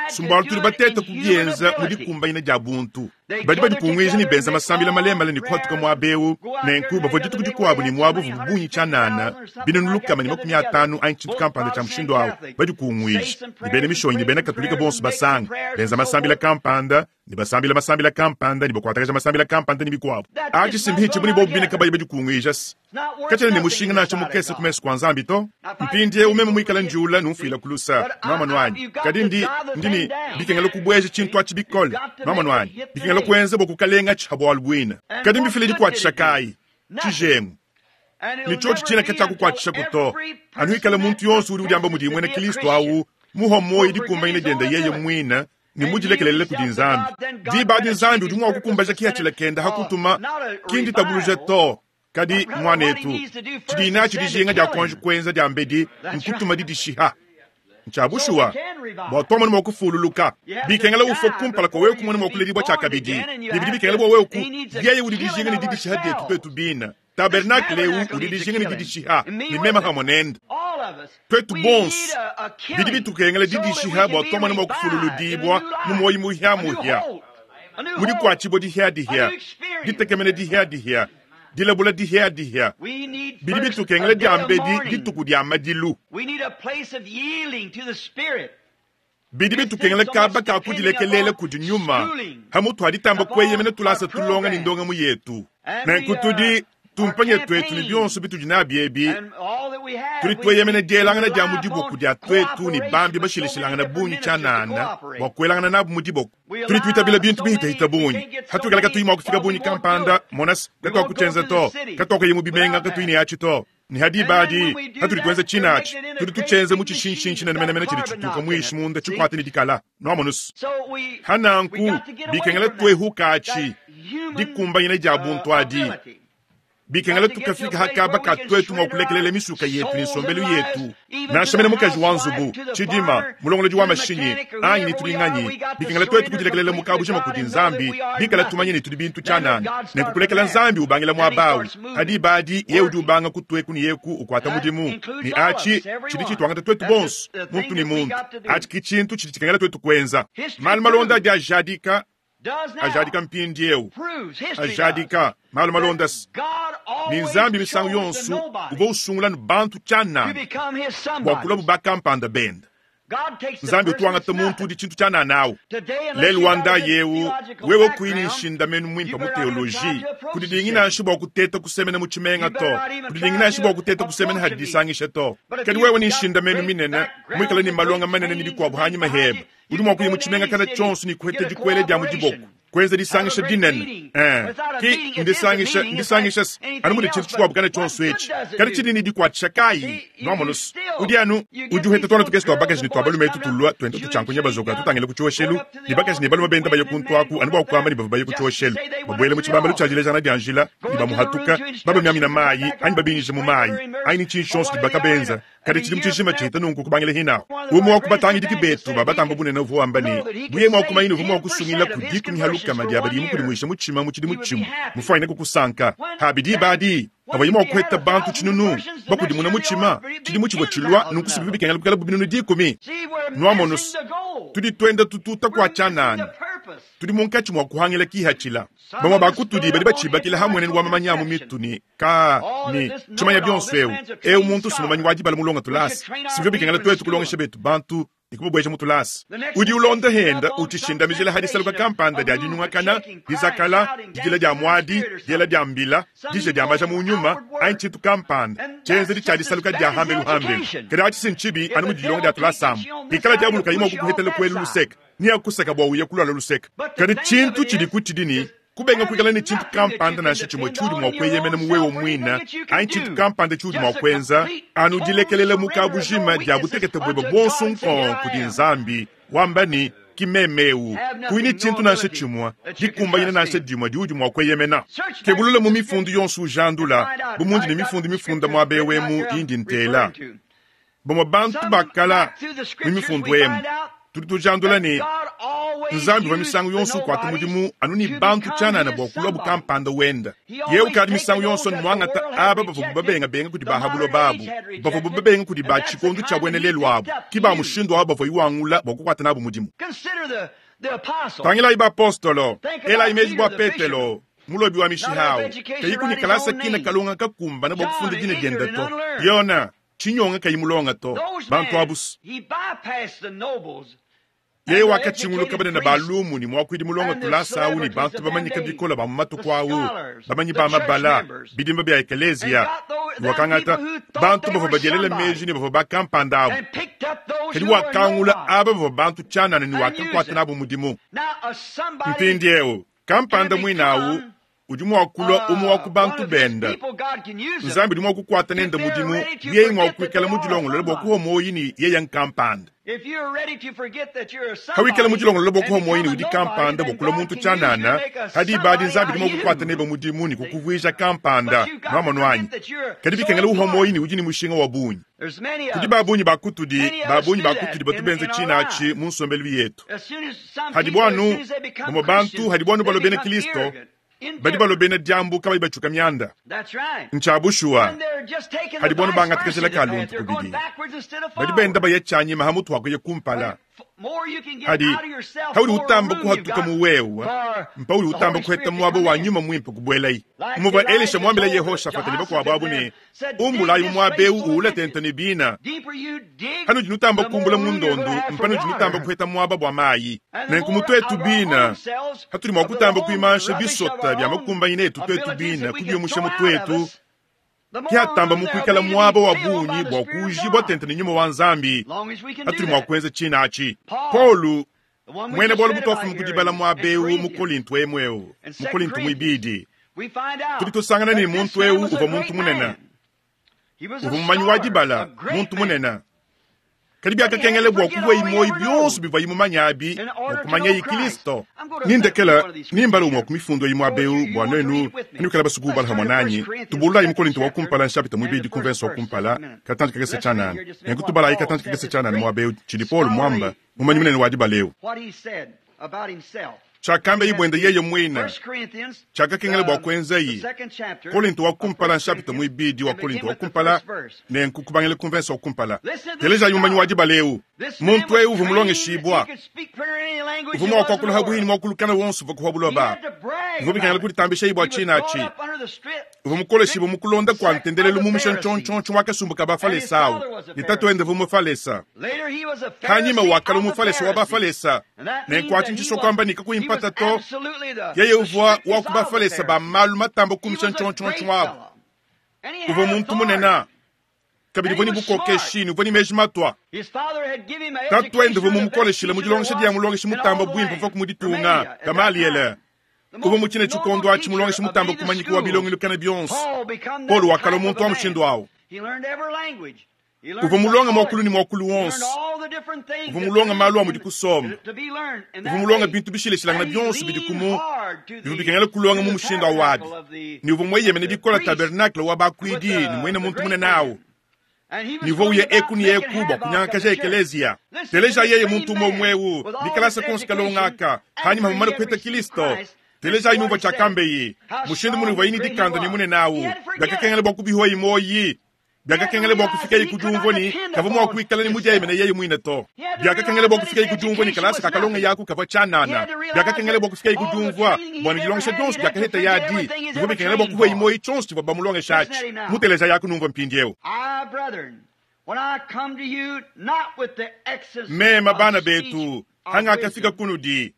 Sumbualu tudi bateta kubienza mu dikumbanyina dia buntu. Badi badikunguija ne benza masambila malemale ne kuhatuka muaba eu. Nenku bavua dituku dikuabu ne muaba uvua bungi tshianana 550 anyi tshintu kampanda tshia mushindu au, badikunguija ne bena mishonyi ne bena Katolika bonso basanga, benza masambila kampanda ne basambila masambila kampanda ne bakuatakaja masambila kampanda ne bikuabu. Atshi si mbihitshibu ne bobu bine kabayi badikunguija se katshiena ne mushinga nansha mukese ku mesu kua Nzambi to. Mpindieu meme muikale njiula numfuila ku lusa, nuamonu anyi? Kadi ndi, ndi ne bikengela kubueja tshintu atshi bikole, nuamonu anyi? Bikengela kuenza bua kukalengatshi ha bualu buine. Kadi mbifile dikuatshisha kayi? Tshijengu. Ne tshiotshi tshiena katshiakukuatshishaku to, anu ikala muntu yonso udi udiamba mudiye muena Kristo au muhua muoyo dikumbanyina diende yeye muine ne mudilekelele kudi Nzambi. Diba adi Nzambi udi mua kukumbaja kihatshila kende ha kutuma, ki nditabuluja to. Kadi, muanetu, tshidi natshi dijinga dia kuanji kuenza diambedi nkutuma didishiha. Ntshia bushuwa, bua tuamona mua kufululuka, bikengela ufue kumpala kua wewe kumona mua kuledibua tshiakabidi, ne bidi bikengela bua wewe ku yeye udi dijinga ne didishiha dietu tuetu bine. Tabernakle eu udi dijinga ne didishiha, ne meme pamue nende. Tuetu bonso bidi bitukengela didishiha bua tuamona mua kufululudibua mu muoyo muhiamuhia, mu dikuatshibua dihiadihia, ditekemena dihiadihia, dilabula dihiadihia. Bidi bitukengela diambedi dituku dia madilu. Bidi bitukengela kaba ka kudilekelela kudi nyuma hamutu ha ditamba kueyemena tulasa tulonga ne ndongamu yetu. Nenku tudi tumpanye tuetu ne bionso bitudi nabi ebi, tudi tueyemena dielangana dia mu diboko dia tuetu ne bambi bashilashilangana bungi tshianana bua kuelangana nabu mu diboko. Tudi tuitabila bintu bihitahita bungi hatuikala katuyi mua kufika bungi kampanda monas katuakutshienza to, katuakuya mu bimenga katuyi ne atshi to. Ne hadiba adi hatudi tuenza tshinatshi, tudi tutshienza mu tshishinshinshi menemene tshidi tshituka muishi munda tshikuate ne dikala nuamonusu. Hananku bikengela tuehuka atshi dikumbanyina dia buntu adi. Bikengela tukafika hakaba ka tuetu mua kulekelela misuka yetu ne nsombelu yetu, nansha mene mukaji wa nzubu, tshidima, mulongolodi wa mashinyi anyi ne tudi nganyi. Bikengela tuetu kudilekelela mu kabujima kudi Nzambi, bikala tumanye ne tudi bintu tshianana, ne kukulekela Nzambi ubangila muaba awu. Hadiba adi yeye udi ubanga kutueku ne yeku ukuata mudimu, ne atshi tshidi tshituangata tuetu bonso, muntu ne muntu. Atshi ki tshintu tshidi tshikengela tuetu kuenza. Malu malonda adi ajadika, ajadika mpindieu, ajadika malu malonda ne Nzambi misangu yonso uvua usungula ne bantu tshianana bua kulua bakampanda bende. Nzambi utuangata muntu udi tshintu tshianana awu. Lelu wa ndayi eu, wewe kuyi ne nshindamenu muimpe mu teoloji, kudidingi nansha bua kuteta kusemena mu tshimenga to, kudidingi nansha bua kuteta kusemena hadi disangisha to. Kadi wewe ne nshindamenu minene, muikale ne malonga manene ne bikuabu hanyima hebe, udi mua kuya mu tshimenga kana tshionso ne kuheta dikuele dia mu diboko, kuenza disangisha dinene. Ki ndisangisha, ndisangisha anu mudi tshintu tshikuabu kana tshionso etshi, kadi tshidi ne dikuatshisha kayi? Nuamonusu udi anu udi uheta tuana tukese tua bakaji ne tua balume etu tulua tuenda tutshiankunya bazoka tutangila ku tshioshelu, ne bakaji ne balume benda baye kuntu aku anu bua kuamba ne bavua baye ku tshioshelu, babuele mu tshibambalu tshia dilejangana dia njila ne bamuhatuka, babamiamina mayi anyi babinjija mu mayi anyi ne tshintu tshionso tshidi bakabenza. Kadi tshidimu tshijima tshihita nunku kubangila hinawu. Umue wa ku batangidiki betu ba batamba bunene uvua wamba ne, buye mua kumanya uvua mua kusungila ku dikumi ha lukama dia badi mukudimuisha mutshima mu tshidimu tshimue, mufuanyine kukusanka. Ha bidi badi abayi mua kuheta bantu tshinunu bakudimuna mutshima tshidimu tshivua tshilua nunku sibibi bikengela bukala bu binunu dikumi. Nuamonusu tudi tuenda tututa kua tshianana, tudi munkatshi mua kuhangila kihatshila. Bamue ba kutudi badi batshibakila hamuenenu wa mamanya mu mitu ne ka ne tshimanya bionso eu eu muntu sumumanyi wa dibala mulonga tulasa. Sivyo bikengela tuetu kulongesha betu bantu ne kubabueja mu tulasa. Udi ulonda henda utshishindamijila hadisaluka kampanda dia dinyungakana, dizakala, didila dia muadi, diela dia mbila, dija dia maja mu nyuma anyi tshintu kampanda tshienzedi tshia disaluka dia hambelu hambelu. Kadi atshi ntshibi anu mudi dilonga dia tulasa amu. Ikala diabulu kayi mua kukuhetela kuelu luseka, ni akusaka bua uye kulala luseka. Kadi tshintu tshidi kutshidi ne kubenga kuikala ne tshintu kampanda nansha tshimue tshiudi mua kueyemena mu wewe muine anyi tshintu kampanda tshiudi mua kuenza, anu dilekelela mu kabujima dia butekete buebe buonso nkong kudi Nzambi, wamba ne ki meme eu, kuyi ne tshintu nansha tshimue dikumbanyina nansha dimue diudi mua kueyemena. Kebulula mu mifundu yonso ujandula, bu mundi ne mifundu mifunda muaba eu emu indi ntela. Bamue bantu bakala mu mifundu emu tudi tujandula ne Nzambi uvua misangu yonso ukuata mudimu anu ne bantu tshianana bua kulua bukampanda wenda. Yeye ukadi misangu yonso ne muangata aba bavua babengabenga kudi bahabulo babu, bavua babenga kudi ba tshikondo tshia buena lelu abu, ki ba mushindu awu bavua iwangula bua kukuata nabu mudimu. Tangilayi bapostolo, elayi meji bua Petelo, mulobi wa mishiha awu, kayi kuni kalasa kina kalonga kakumbana bua kufunda dina diende to. Yona, tshinyonga kayi mulonga to. Bantu abusu. Yeye wakatshinguluka banene ba lumu ne muakuidi mulonga tulasa awu ne bantu bamanyike bikole ba mu matuku awu, bamanyi ba mabala, bidimba bia ekeleziya, ne wakangata bantu bavua badielela meji ne bavua bakampanda abu. Kadi wakangula aba bavua bantu tshianana ne wakakuata nabu mudimu. Mpindieu kampanda muine awu Udi mua kulua umue wa ku bantu bende. Nzambi udi mua kukuata nende mudimu yeye mua kuikala mudilongolole bua kuhua muoyo ne yeye nkampanda. Hawikala mudilongolole bua kuhua muoyo ne udi kampanda bua kulua muntu tshianana, hadi ibadi Nzambi udi mua kukuata nebe mudimu ne kukuvuija kampanda. Nwamonu anyi? Kadi bikengela uhua muoyo ne udi ne mushinga wa bungi. Kudi ba bungi ba kutudi, ba bungi ba kutudi batu benza tshina atshi mu nsombelu yetu. Hadibo anu bamue bantu, hadibo anu balua bena Kristo, badi balua bena diambu kabayi batshuka mianda. Ntshia bushuwa, hadibo anu bangata kajila ka luntu kubidi, badi benda baya tshianyima ha mutu ha kuya kumpala. Hadi haudi utamba kuhatuka mu wewe, mpaudi utamba kuheta muaba wa nyuma muimpe kubuelayi. Muvua Elisha muambila Yehoshafata ne bakuabu abu ne, Umbulayi mu muaba eu uula tente ne bina. Panudi nutamba kumbula mu ndondu, mpanudi nutamba kuheta muaba bua mayi. Nenku mu tuetu bina, hatudi mua kutamba kuimansha bisota bia makumbanyina etu tuetu bina kubiumusha mu tuetu, ke hatamba mu kuikala muaba wa bungi bua kuujibua tente ne nyuma wa Nzambi, hatudi mua kuenza tshina atshi. Paulo, muena bualu butuafuma ku dibala muaba eu mu Kolinto emu eu, mu Kolinto muibidi, tudi tusangana ne muntu eu uvua muntu munene, uvua mumanyi wa dibala, muntu munene. Kadi biakakengela bua kuvuayi muoyo bionso bivuayi mumanye abi bua kumanyayi Kristo. Nindekela nimbala umue wa ku mifundu eyi muaba eu bua nuenu kanuikala basue kuubala hamue nanyi. Tubululayi mu Kolinto wa kumpala nshapita muibidi ku mvense wa kumpala katantshi kakese tshianana. Nenku tubalayi katantshi kakese tshianana muaba eu tshidi Paulo muamba, mumanyi munene wa dibala eu. Tshiakambaye buende yeye muine, tshiakakengela bua kuenzayi. Kolinto wa kumpala, nshapita muibidi wa Kolinto wa kumpala, nenku kubangila ku mvense wa kumpala. Telejayi mumanyi wa dibala eu. Muntu eu uvua mulongeshibua, uvua mua kuakula ha buihi ne muakulu kana wonso uvua ku buloba. Bivua bikengela kuditambishayi bua tshina atshi. Uvua mukoleshibue mu kulonda kua ntendelelu mumusha ntshontshontshon wa kasumbu ka Bafalesa au, ne tatuende uvua Mufalesa. Hanyima wakalua Mufalesa wa Bafalesa, nenku atshi ntshisua kuamba ne kakuyi mpata to, yeye uvua wa ku Bafalesa ba malu matamba kumisha ntshontshontshon abu. Uvua muntu munene, kabidi uvua ne bukokeshi ne uvua ne meji matua. Tatuende uvua mumukoleshile mu dilongesha dia mulongeshi mutamba buimpe uvua mu ditunga, Gamaliele. Uvua mu tshine tshikondo atshi mulongeshi mutamba kumanyika wa bilongelu kana bionso. Paulo wakalua muntu wa mushindu awu. Uvua mulonga muakulu ne muakulu wonso. Uvua mulonga malu a mudi kusomba. Uvua mulonga bintu bishilashilangana bionso bidi kumu bivua bikengela kulonga mu mushindu awu abi. Ne uvua mueyemene bikole tabernakle wa bakuidi ne muena muntu munene awu. Ne uvua uya eku ne eku bua kunyangakaja ekeleziya. Teleja yeye muntu umue umue eu, ne kalasa konso kalonga aka, hanyima mumane kuheta Kristo. Telejayi numvua tshiakambeyi, mushindu mune uvuayi ne dikanda ne munene awu, biakakengela bua kubihuayi muoyi. Biakakengela bua kufikaye ku diumvua ne, kavua mua kuikala ne mudieyemene yeye muine to. Biakakengela bua kufikaye ku diumvua ne, kalasa kakalonga yaku kavua tshianana. Biakakengela bua kufikaye ku diumvua bua ne, dilongesha dionso diakaheta yadi bivua bikengela bua kuhuayi muoyo tshionso tshivua bamulongesha atshi. Muteleja yaku numvua mpindieu. Mema bana betu, hangakafika kunudi,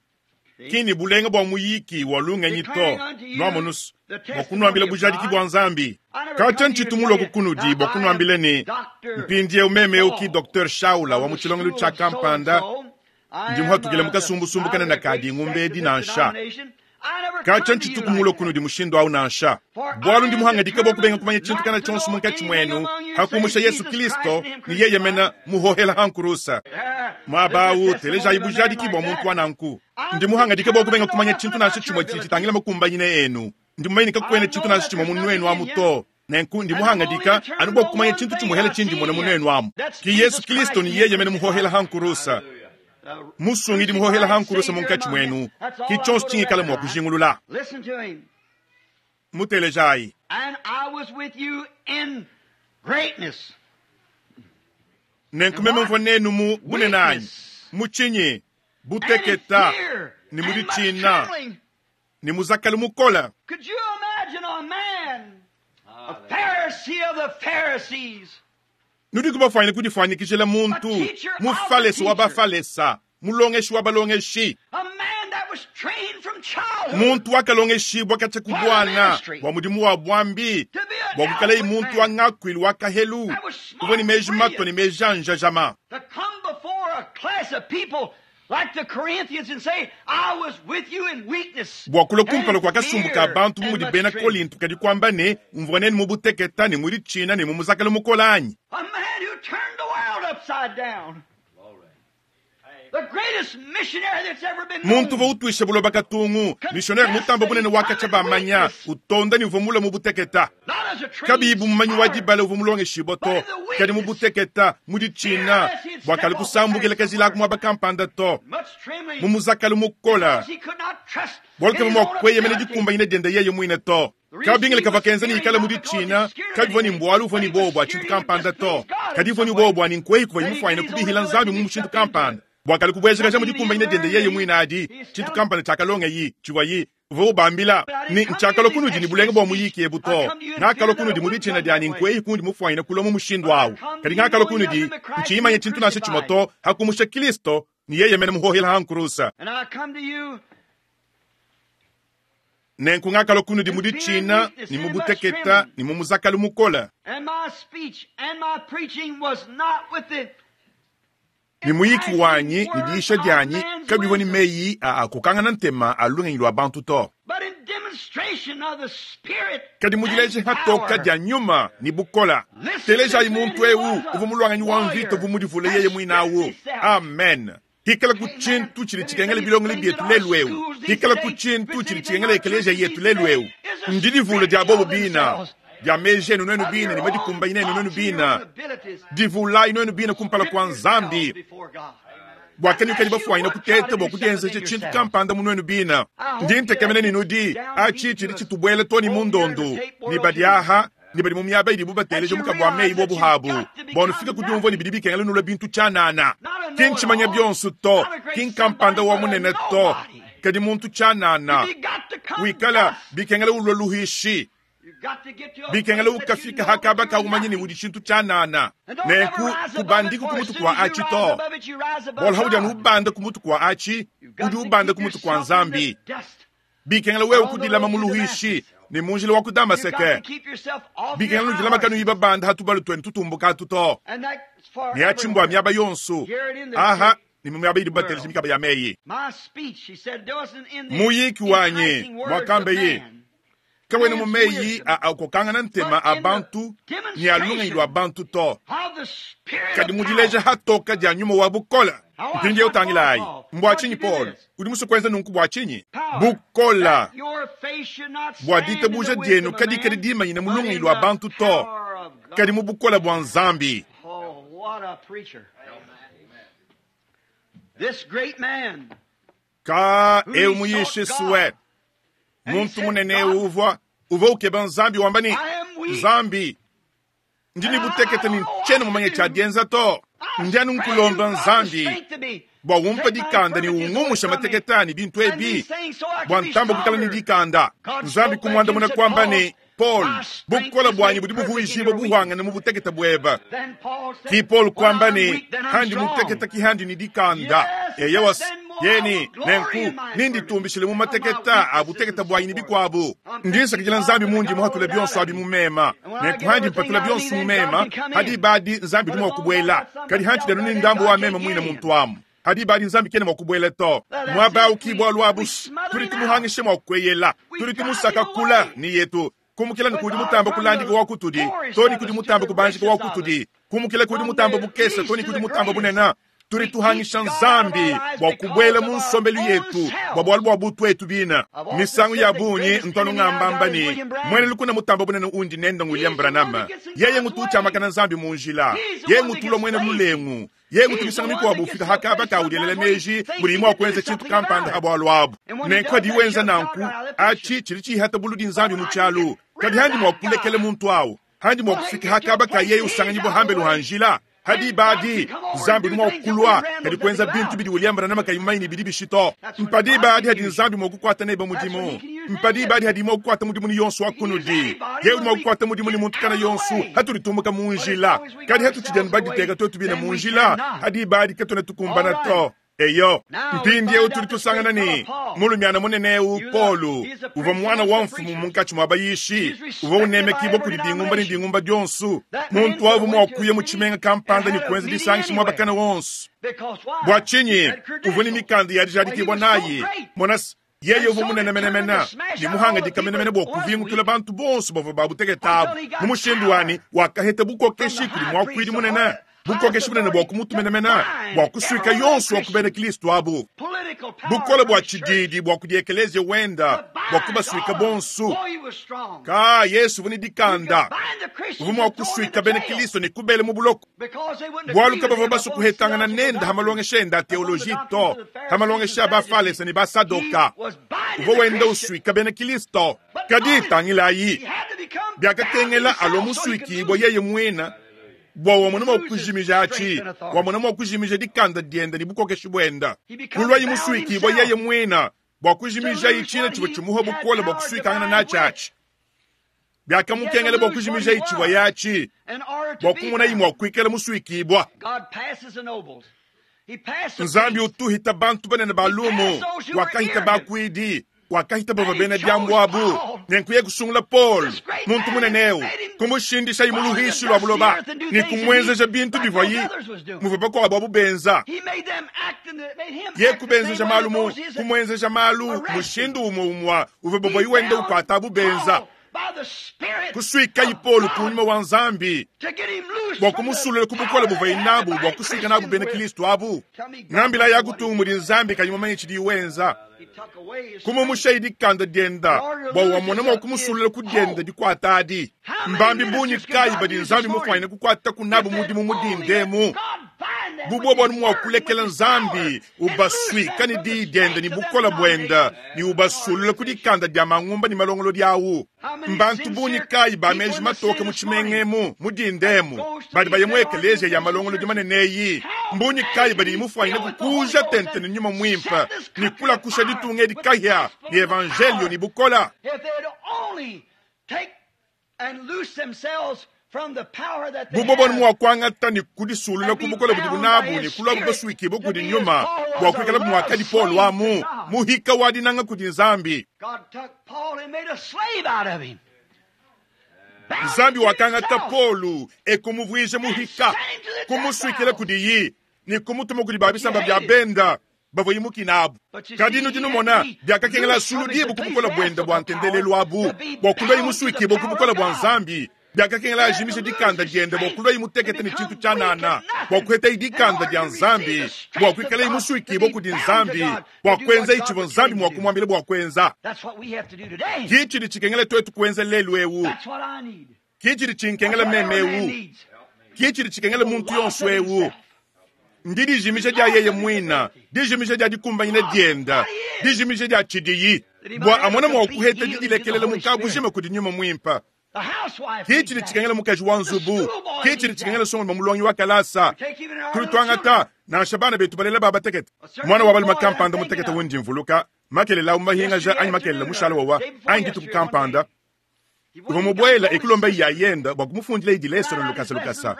ki ne bulenga bua muyiki wa lungenyi to, nuamonus, bua kunuambila bujadiki bua Nzambi. Katshia ntshitu mulue kunudi bua kunuambila ne, mpindieu meme eu ki Dr. Shaula wa mu tshilongelu tshia kampanda, ndi muhatukile mu kasumbusumbu kanene ka dingumba edi nansha. Katshia ntshitu mulue kunudi mushindu au nansha, bualu ndi muhangadike bua kubenga kumanya tshintu kana tshionso munkatshi muenu hakumusha Yesu Kristo ne yeye mena muhohela ha nkurusa. Muaba au telejayi bujadiki bua muntu wa nanku. Ndi muhangadike bua kubenga kumanya tshintu nansha tshimue tshidi tshitangila makumbanyine enu. Ndi mumanye ne kakuena tshintu nansha tshimue mu nuenu amu to. Nenku ndi muhangadika anu bua kumanya tshintu tshimuhela tshindi mona mu nuenu amu. Ki Yesu Kristo ne yeye mene muhohela ha nkurusa. Musungidi muhohela ha nkurusa munkatshi muenu, ki tshionso tshingikala mua kujingulula. Mutelejayi. Nenku meme mvua nenu mu bunene anyi, mu tshinyi, buteketa, ne mu ditshina, ne muzakalu mukole. Could you imagine a man, a Pharisee of the Pharisees, Nudiku bafuanyine kudifuanyikijila muntu, Mufalesa wa Bafalesa, mulongeshi wa balongeshi, a man that was trained from childhood muntu wakalongeshibua katshia ku buana bua mudimu wa buambi, to be an bua kuikalaye eloquent muntu wa man, ngakuilu wa kahelu, that was uvua ne smart meji and matua ne brilliant, meji a njajama. to come before a class of people Bua kulua kumpala kua kasumbu ka bantu bu mudi bena Kolinto kadi kuamba ne, Mvua nenu mu buteketa ne mu ditshina ne mu muzakala mukole anyi? Muntu uvua utuisha buloba katungu, misionere mutambe bunene wa katshia bamanya, utonda ne uvua mulue mu buteketa, kabiyi bu mumanyi wa dibala uvua mulongeshibua to, kadi mu buteketa, mu ditshina, bua kalu kusambukila kajila aku muaba kampanda to, mu muzakalu mukole, bualu kavua mua kueyemena dikumbanyina diende yeye muine to. Kabingila kavua kenza ne ikala mu ditshina kabivua ne mbualu uvua ne buowa bua tshintu kampanda to, kadi uvua ne buowa bua ne nkueyi kuvuaye mufuanyine kubihila Nzambi mu mushindu kampanda bua kalu kubuejakaja mu dikumbanyina diende yeye muine adi tshintu kampanda tshiakalongayi tshivuaye uvua ubambila ne, Ntshiakalua kunudi ne bulenga bua muyiki ebu to, ngakalua kunudi mu ditshina dia ne nkueyi kundi mufuanyine kulua mu mushindu au, kadi ngakalua kunudi ntshiyi manya tshintu nansha tshimue to, ha kumusha Kristo ne yeye mene muhohela ha nkurusa. Nenku ngakalua kunudi mu ditshina ne mu buteketa ne mu muzakalu mukole. Ne muyiki wanyi ne diyisha dianyi kabivua ne meyi a akokangana ntema a lungenyi lua bantu to, kadi mu dileja patoka dia nyuma ne bukola. Telejayi muntu eu uvua muluanganyi wa mvita uvua mudivule yeye muine au. Amen. Hikalaku tshintu tshidi tshikengela bilongelo bietu lelu eu, hikalaku tshintu tshidi tshikengela ekeleziya yetu lelu eu, ndidivula dia bobo bina, dia meji enu nuenu bine ne madikumbanyina enu nuenu bine. Divulayi nuenu bine kumpala kua Nzambi, bua kanuikadi bafuanyine kuteta bua kudienzeja tshintu kampanda mu nuenu bine. Ndi ntekemena ne nudi atshi tshidi tshitubuela too ne mu ndondu ne badi aha ne badi mu miaba idibu bateleja mukabu wa meyi bobu habu, bua nufike ku diumvua ne bidi bikengela nulue bintu tshianana. Ki ntshimanya bionso to, ki nkampanda wa munene to, kadi muntu tshianana wikala bikengela ulua luhishi, bikengela ukafika ha kaba ka umanye ne udi tshintu tshianana. Nenku kubandiku ku mutu kua atshi to, bualu haudi anu ubanda ku mutu kua atshi, udi ubanda ku mutu kua Nzambi. Bikengela wewe kudilama mu luhuishi ne mu njila wa ku Damaseke. Bikengela nudilama kanuyi babanda ha tubalu tuenu tutumbuka atu to. Ne atshi mbua miaba yonso aha ne mu miaba idibu bateleja mikaba ya meyi. Muyiki wanyi, muakambeye, kawena mu meyi a akokangana ntema a bantu ne a lungenyi lua bantu to, kadi mu dileja hatoka dia nyuma wa bukole. Mpindieu tangilayi, mbua tshinyi Paulo udi musue kuenza nunku? Bua tshinyi? Bukole bua ditabuja dienu kadikadi dimanyine mu lungenyi lua bantu to, kadi mu bukole bua Nzambi. Ka eu muyishi sue muntu munene eu uvua uvua ukeba Nzambi wamba ne, Nzambi, ndi ne butekete ne ntshiena mumanye tshia dienza to. Ndi anu nkulomba Nzambi bua umpe dikanda ne ungumusha matekete anyi bintu ebi bua ntamba kuikala ne dikanda. Nzambi kumuandamuna kuamba ne, Paul, bukole buanyi budi buvuijibua buhuangane mu butekete buebe. Ki Paul kuamba ne, Handi mutekete ki handi ne dikanda. Eyowa, yeni, nenku ninditumbishile mu mateketa a butekete buanyi ne bikuabu. Ndi nsakidila Nzambi mundi muhatule bionso abi mu mema. Nenku handi mpatula bionso mu mema, ha diba adi Nzambi udi mua kubuela. Kadi hantshidi anu ne ndambu wa mema muine muntu amu, ha diba adi Nzambi kena mua kubuela to. Muaba au ki bualu abu. Tudi tumuhangisha mua kueyela, tudi tumusaka kula ne yetu, kumukila ne kudi mutamba kulandika wa kutudi to ne kudi mutamba kubanjika wa kutudi, kumukila kudi mutamba bukese to ne kudi mutamba bunene. Tudi tuhangisha Nzambi bua kubuela mu nsombelu yetu bua bualu bua butuetu bina. Misangu ya bungi ntu ngambamba ne, muena lukuna mutamba bunene undi nende William Branham. Yeye ngutu utshiamakana Nzambi mu njila. Yeye ngutulua muena lulengu. Yeye ngutu misangu mikuabu ufika ha kaba ka udielela meji mudiyi mua kuenza tshintu kampanda ha bualu abu. Nenku hadiyi wenza nanku, atshi tshidi tshihata buludi Nzambi mu tshialu. Kadi handi mua kulekela muntu awu, handi mua kufika ha kaba ka yeye usanganyibua hambelu ha njila. Ha diba adi, Nzambi udi mua kulua kadi kuenza bintu bidi William Branham kayi mumanye ne bidi bishi to. Mpa diba adi hadi Nzambi mua kukuata nebe mudimu. Mpa diba adi hadi mua kukuata mudimu ne yonso wa kunudi. Yeye udi mua kukuata mudimu ne muntu kana yonso hatudi tumbuka mu njila. Kadi hatutshidi anu baditeka tuetu bine mu njila, ha diba adi katuena tukumbana to. Eyo, mpindieu tudi tusangana ne, mulumiana munene eu Polu uvua muana wa mfumu munkatshi mua bayishi, uvua unemekibua kudi dingumba ne dingumba dionso. Muntu au uvua mua kuya mu tshimenga kampanda ne kuenza disangisha muaba kana wonso. Bua tshinyi? Uvua ne mikanda ya dijadikibua nayi. Mona se, yeye uvua munene menemene ne muhangadika menemene bua kuvingutula bantu bonso bavua babutekete abu. Mu mushindu wanyi, wakaheta bukokeshi kudi muakuidi munene, bukokeshi bunene bua ku mutu menemene bua kusuika yonso wa ku bena Kristo abu, bukole bua tshididi bua kudi ekeleziya wenda bua kubasuika bonso. Ka Yesu uvua ne dikanda, uvua mua kusuika bena Kristo ne kubela mu buloko, bualu kabavua basue kuhetangana nende ha malongesha ende a teoloji to, ha malongesha a Bafalese ne Basadoka. Uvua wenda usuika bena Kristo. Kadi tangilayi, biakakengela alua musuikibua yeye muine bua wamona mua kujimija atshi, wamona mua kujimija dikanda diende ne bukokeshi buende. Kuluaye musuikibua yeye muine bua kujimijaye tshina tshivua tshimuha bukole bua kusuikangana natshi atshi. Biakamukengela bua kujimijaye tshivuaye atshi bua kumonaye mua kuikala musuikibua. Nzambi utuhita bantu banene ba lumu, wakahita bakuidi, wakahita bavua bena diambu abu. Nenku ye kusungula Paul, muntu munene eu, kumushindishaye mu luhishi lua buloba ne kumuenzeja bintu bivuaye muvua bakuabu abu benza. Ye kubenzeja malu mu kumuenzeja malu mushindu umue umue uvua bavuaye wenda ukuata abu benza. Kusuikayi Paulo ku nyuma wa Nzambi bua kumusulula ku bukole buvuaye nabu bua kusuika nabu bena Kristo abu. Ngambila ya kutungu mudi Nzambi kayi mumanye tshidiye wenza. Kumumushayi dikanda dienda bua wamona mua kumusulula ku dienda dikuata adi. Mbambi bungi kayi badi Nzambi mufuanyine kukuata ku nabu mudimu mu dinda emu? Bu bobu anu mua kulekela Nzambi ubasuika ne diyi diende ne bukole buende ne ubasulula ku dikanda dia mangumba ne malongolodi awu. Mbantu bungi kayi ba meji matoke mu tshimenga emu mu dinda emu badi baya mu ekeleziya ya malongolodi manene eyi? Mbungi kayi badi mufuanyine kukuja tente ne nyuma muimpe ne kulakusha ditunga edi kahia ne evanjelio ne bukole? Bu bobu anu mua kuangata ne kudisulula ku bukole budibu nabu ne kuluabu basuikibue kudi nyuma bua kuikalabu muakadi Paulo amu muhika wa dinanga kudi Nzambi. Nzambi wakangata Paulo e kumuvuija muhika, kumusuikila kudiyi ne kumutuma kudi ba bisamba bia benda bavua imukina abu. Kadi nudi numona, biakakengela asuludibue ku bukole buende bua ntendelelu abu bua kuluaye musuikibue ku bukole bua Nzambi. Biakakengela ajimishe dikanda diende bua kuluaye mutekete ne tshintu tshianana, bua kuhetaye dikanda dia Nzambi, bua kuikalaye musuikibue kudi Nzambi, bua kuenzaye tshivua Nzambi mua kumuambila bua kuenza. Ki tshidi tshikengela tuetu kuenza lelu eu. Ki tshidi tshinkengela meme eu. Ki tshidi tshikengela muntu yonso eu. Ndi dijimija dia yeye muine, dijimija dia dikumbanyina diende, dijimija dia tshidiyi, bua amone mua kuheta didilekelela mu kabujima kudi nyuma muimpe. Ki tshidi tshikengela mukaji wa nzubu, ki tshidi tshikengela nsongalume mulongi wa kalasa. Tudi tuangata nansha bana betu balela ba batekete. Muana wa balume kampanda mutekete undi mvuluka, makelela au mahingaja anyi makelela mushala wawa anyi dituku kampanda, uvua mubuela e kulomba yayenda bua kumufundila idi lesson lukasa lukasa.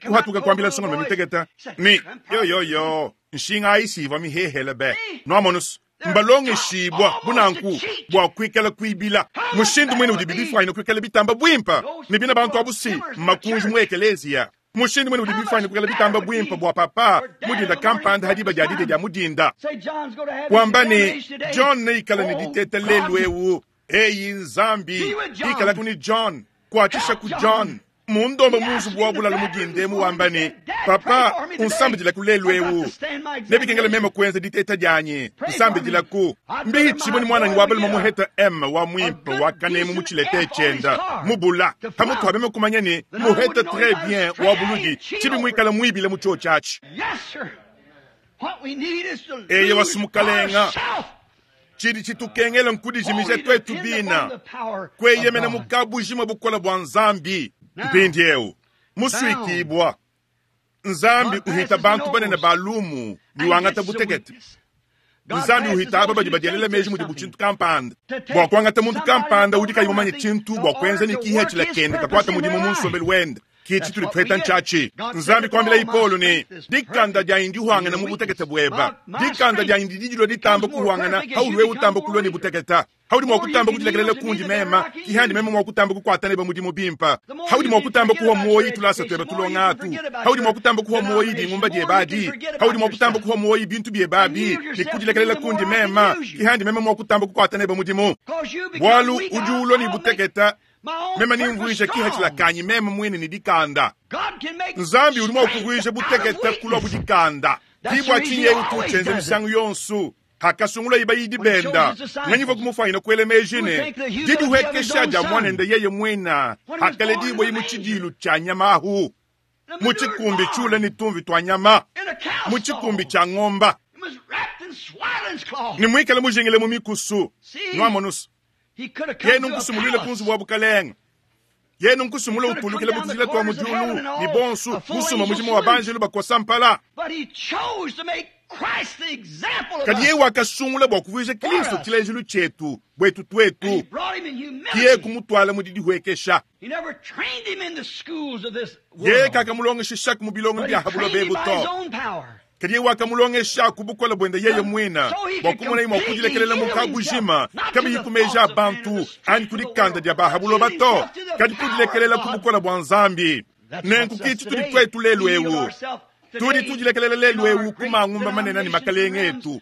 Kuhatuka kuambila nsongalume mutekete ne, Yoyoyo, nshinga ayi si ivua mihehele be. Nuamonusu, mbalongeshibua bu nanku bua kuikala kuibila. Mushindu muine udibi bifuanyine kuikala bitamba buimpe ne bina bantu abu si mmakunji mu ekeleziya. Mushindu muine udibi bifuanyine kuikala bitamba buimpe bua papa mu dinda kampanda ha diba dia didia dia mu dinda wamba ne, John neikale ne diteta lelu eu. Eyi Nzambi, ikalaku ne John, kuatshisha ku John. Mundomba mu nzubu wa bulalu mu dinda emu wamba ne, Papa, unsambidilaku lelu eu. Nebikengele meme kuenza diteta dianyi. Nsambidilaku. Mbihitshibue ne muananyi wa balume muheta M wa muimpe wa kanemu mu tshilete tshienda mubula. Pamutu pa meme kumanya ne, muheta tres bien wa buludi, tshibi muikale muibile mu tshiotshi atshi. Eyewa Mukalenga, tshidi tshitukengela nkudijimija tuetu bina, kueyemena mu kabujima bukole bua Nzambi. Mpindieu musuikibua, Nzambi uhita bantu banene ba lumu ne wangata butekete. Nzambi uhita aba badi badielela meji mudibu tshintu kampanda, bua kuangata muntu kampanda udi kayi mumanye tshintu bua kuenza ne kihatshila kende kakuata mudimu mu nsombelu wende. Ke tshitudi tupeta ntshiatshi. Nzambi kuambilaye Paulo ne, Dikanda dianyi ndihuangana mu butekete bueba. Dikanda dianyi didi dilua ditamba kuhuangana haudi wewe utamba kulua ne buteketa. Haudi mua kutamba kudilekelela kundi mema, ki handi mema mua kutamba kukuata nebe mudimu bimpa. Haudi mua kutamba kuhua muoyi tulasa tueba tulonga atu. Haudi mua kutamba kuhua muoyi dingumba dieba adi. Haudi mua kutamba kuhua muoyi bintu bieba abi, ne kudilekelela kundi mema, ki handi mema mua kutamba kukuata nebe mudimu. Bualu udi ulua ne buteketa, mema nimvuija kihachila kanyi mema muine ne dikanda. Nzambi udi mua kuvuija buteketa kulua bu dikanda. Ki bua tshinyi yeye utu utshienza misangu yonso. Hakasungulaye bayidi benda, nganyi uvua kumufanyina kuela meji ne, didihuekesha dia muanende yeye muina hakaledibua mu tshidilu tshia nyama ahu, mu tshikumbi tshiule ne tumvi tua nyama, mu tshikumbi tshia ngomba, ne muikale mujingile mu mikusu. Nuamonusa, yenu nkusumuluile ku nzubu wa bukalenge, yenu nkusumula utulukila mu tujila tua mu diulu, ne bonsu musuma mujimu wa banjelu bakosa mpala. Kadi yeye wakasungula bua kuvuija Kristo tshilejilu tshietu buetu tuetu, ki yeye kumutuala mu didihuekesha. Yeye kakamulongeshishaku mu bilongelu bia ha buloba ebu to, kadi yeye wakamulongesha ku bukole buende yeye muine, bua kumonaye mua kudilekelela mu kabujima, kabiyi ku meji a bantu anyi ku dikanda dia ba ha buloba to, kadi kudilekelela ku bukole bua Nzambi. Nenku ki tshitudi tuetu lelu eu. Tudi tudilekelela lelu eu ku mangumba manene ne makalenge etu.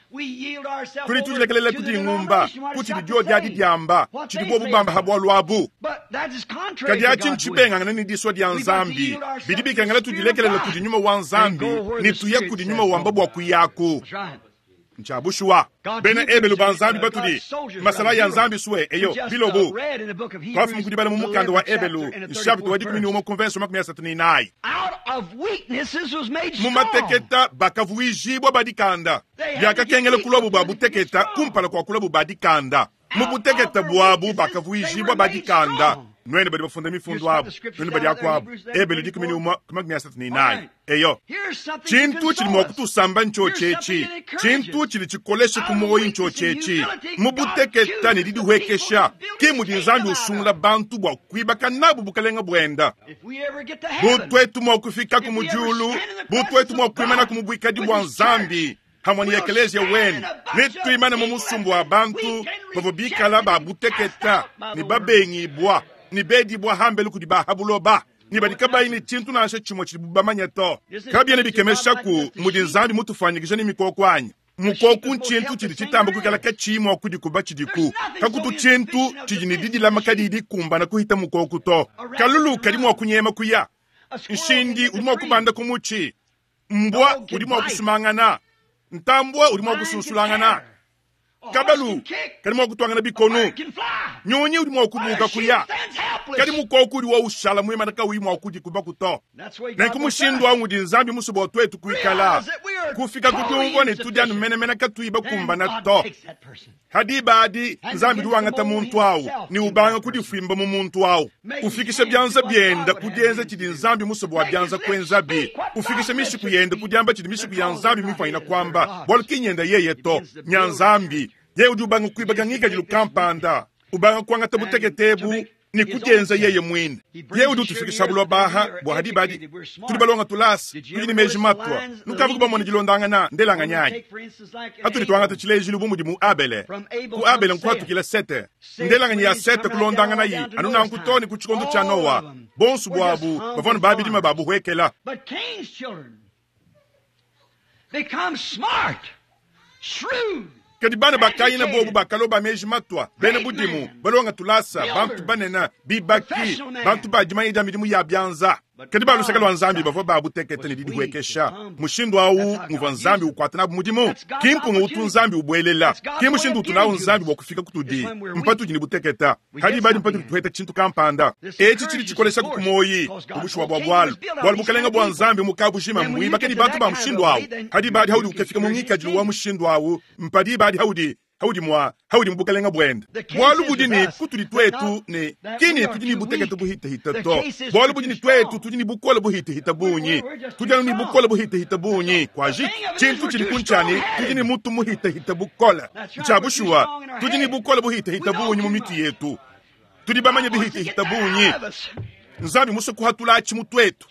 Tudi tudilekelela ku dingumba, ku tshidi diodi adi diamba, tshidi bobu bamba ha bualu abu. Kadi atshi ntshibengangane ne disua dia Nzambi. Bidi bikengela tudilekelela kudi nyuma wa Nzambi ne tuya kudi nyuma wamba bua kuyaku. Ntshia bushuwa, bena Ebelu ba Nzambi batudi masalayi a Nzambi sue eyo bilobu. Twafuma kudibala mu mukanda wa Ebelu nshapita wa 11 ku mvenso 34. Mu mateketa bakavuijibua badikanda. Biakakengela kuluabu ba buteketa kumpala kua kuluabu badikanda. Mu butekete buabu bakavuijibua badikanda. Nuenu badi bafunda mifundu abu, nuenu badi akuabu. Ebelu 11 ku 34. Eyo, tshintu tshidi mua kutusamba ntshiotshi etshi, tshintu tshidi tshikolesha ku muoyo ntshiotshi etshi. Mu buteketa ne didihuekesha ke mudi Nzambi usungula bantu bua kuibaka nabu bukalenge buenda. Bu tuetu mua kufikaku mu diulu, bu tuetu mua kuimanaku mu buikadi bua Nzambi hamwe ne ekeleziya wenu, netuimane mu musumbu wa bantu bavua bikala ba buteketa ne babengibua ne bedibua hambelu kudi ba ha buloba, ne badi kabayi ne tshintu nansha tshimue tshidibu bamanye to. Kabiena bikemeshaku mudi Nzambi mutufuanyikije ne mikoko anyi? Mukoku ntshintu tshidi tshitamba kuikala katshiyi mua kudikuba tshidiku. Kakutu tshintu tshidi ne didilama kadiyi dikumbana kuhita mukoku to. Kalulu kadi mua kunyema kuya, nshindi udi mua kubanda ku mutshi, mbwa udi mua kusumangana, ntambua udi mua kusunsulangana, kabalu kadi mua kutuangana bikonu, nyunyi udi mua kubuka kuya, kadi mukoku udi wa ushala muimana kauyi mua kudikubaku to. Nenku mushindu au udi Nzambi musue bua tuetu kuikala, kufika ku diumvua ne tudi anu menemene katuyi bakumbana to. Ha diba adi Nzambi udi wangata muntu au ne ubanga kudifuimba mu muntu au, ufikisha bianza bienda ku dienza tshidi Nzambi musue bua bianza kuenzabi, ufikisha mishiku yende ku diamba tshidi mishiku ya Nzambi mifuanyina kuamba, bualu ki nyenda yeye to, nya Nzambi. Yeye udi ubanga kuibaka ngikadilu kampanda, ubanga kuangata butekete ebu ne kudienza yeye muine. Yeye udi utufikisha buloba aha bua ha diba adi tudi balonga tulasa, tudi ne meji matua, nukavu kubamona dilondangana ndelanganyi anyi? Hatudi tuangata tshilejilu bu mudi mu Abele. Ku Abele nkuhatukila Sete, ndelanganyi ya Sete kulondanganayi anu nanku too ne ku tshikondo tshia Noa. Bonso buabu bavua ne babidima ba buhuekela. But Cain's children become smart, shrewd, Kadi bana ba Kayina bobu bakalua ba meji matua, bena budimu, balonga tulasa, bantu banene, bibaki, bantu ba dimanya dia midimu ya bianza. Kadi ba luseke lua Nzambi bavua ba butekete ne didihuekesha. Mushindu au nguvua Nzambi ukuata nabu mudimu. Ki mpunga utu Nzambi ubuelela, ki mushindu utu nawu Nzambi bua kufika kutudi. Mpatudi ne buteketa, hadi badi mpatudi tuheta tshintu kampanda. Etshi tshidi tshikolesha ku muoyi, ku bushuwa bua bualu. Bualu bukalenge bua Nzambi mu kabujima mbuibake ne bantu ba mushindu au. Hadi badi haudi ukafika mu ngikadilu wa mushindu au, mpadi badi haudi haudi mua haudi mu bukalenge buende. Bualu budi ne kutudi tuetu ne kini tudi ne butekete buhitahita to. Bualu budi ne tuetu tudi ne bukole buhitahita bungi. Tudi anu ne bukole buhitahita bungi. Kwaji tshintu tshidi kuntshiani tudi ne mutu muhitahita bukole. Ntshia bushuwa tudi ne bukole buhitahita bungi mu mitu yetu. Tudi bamanye bihitahita bungi. Nzambi musue kuhatula mu tuetu.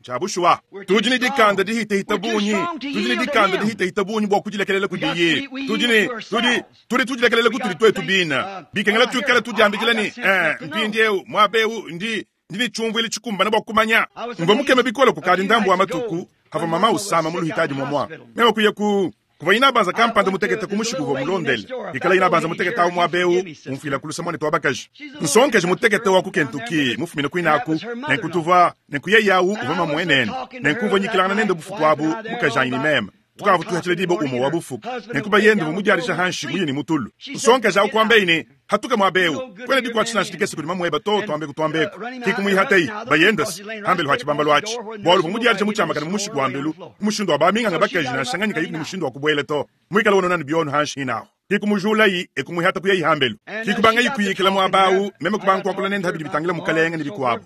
Tshia bushuwa, tudi ne dikanda dihitehita bungi, tudi ne dikanda dihitehita bungi bua kudilekelela kudiye. Tudi ne tudi tudi tudilekelela kutudi tuetu bina. Bikengela tuikale tudiambikila ne, eh, mpindieu muaba eu ndi ndi ne tshiumvuile tshikumbane bua kumanya. Mvua mukeme bikole kukadi ndambu wa matuku havua mama usama mu luhitadi muamua. Meme kuya ku kuvua inabanza kampanda mutekete ku mushiku uvua mulondele. Ikala inabanza mutekete awu muaba eu umfuila ku luse muanetu wa bakaji. Nsongeji mutekete wa ku Kentucky mufumine kuinaku, nenku tuvua nenku yeye awu uvua mamuenene. Nenku mvua nyikilangana nende bufuku abu mukajanyi ne meme. Tukavua tuhatshila diba umue wa bufuku. Nenku bayende uvua mudiadija hanshi muye ne mutulu. Nsongeji awu kuambeyi ne, Hatuka muaba eu, kuena dikuatshisha nansha dikese kudi mamueba to, tuambeku tuambeku. Kikumuihateyi, bayendase, hambelu ha tshibambalu atshi. Bualu uvua mudiadija mutshiamakane mu mushiku wa mbelu, ku mushindu wa baminganga bakaji nansha nganyi kayiku ne mushindu wa kubuela to. Muikale wonona ne biono hanshi hinahu. Kikumujulayi, ekumuihata kuyayi hambelu. Kikubangayi kuyikila muaba au, meme kubanga kuakula nende habidi bitangila mukalenge ne bikuabu.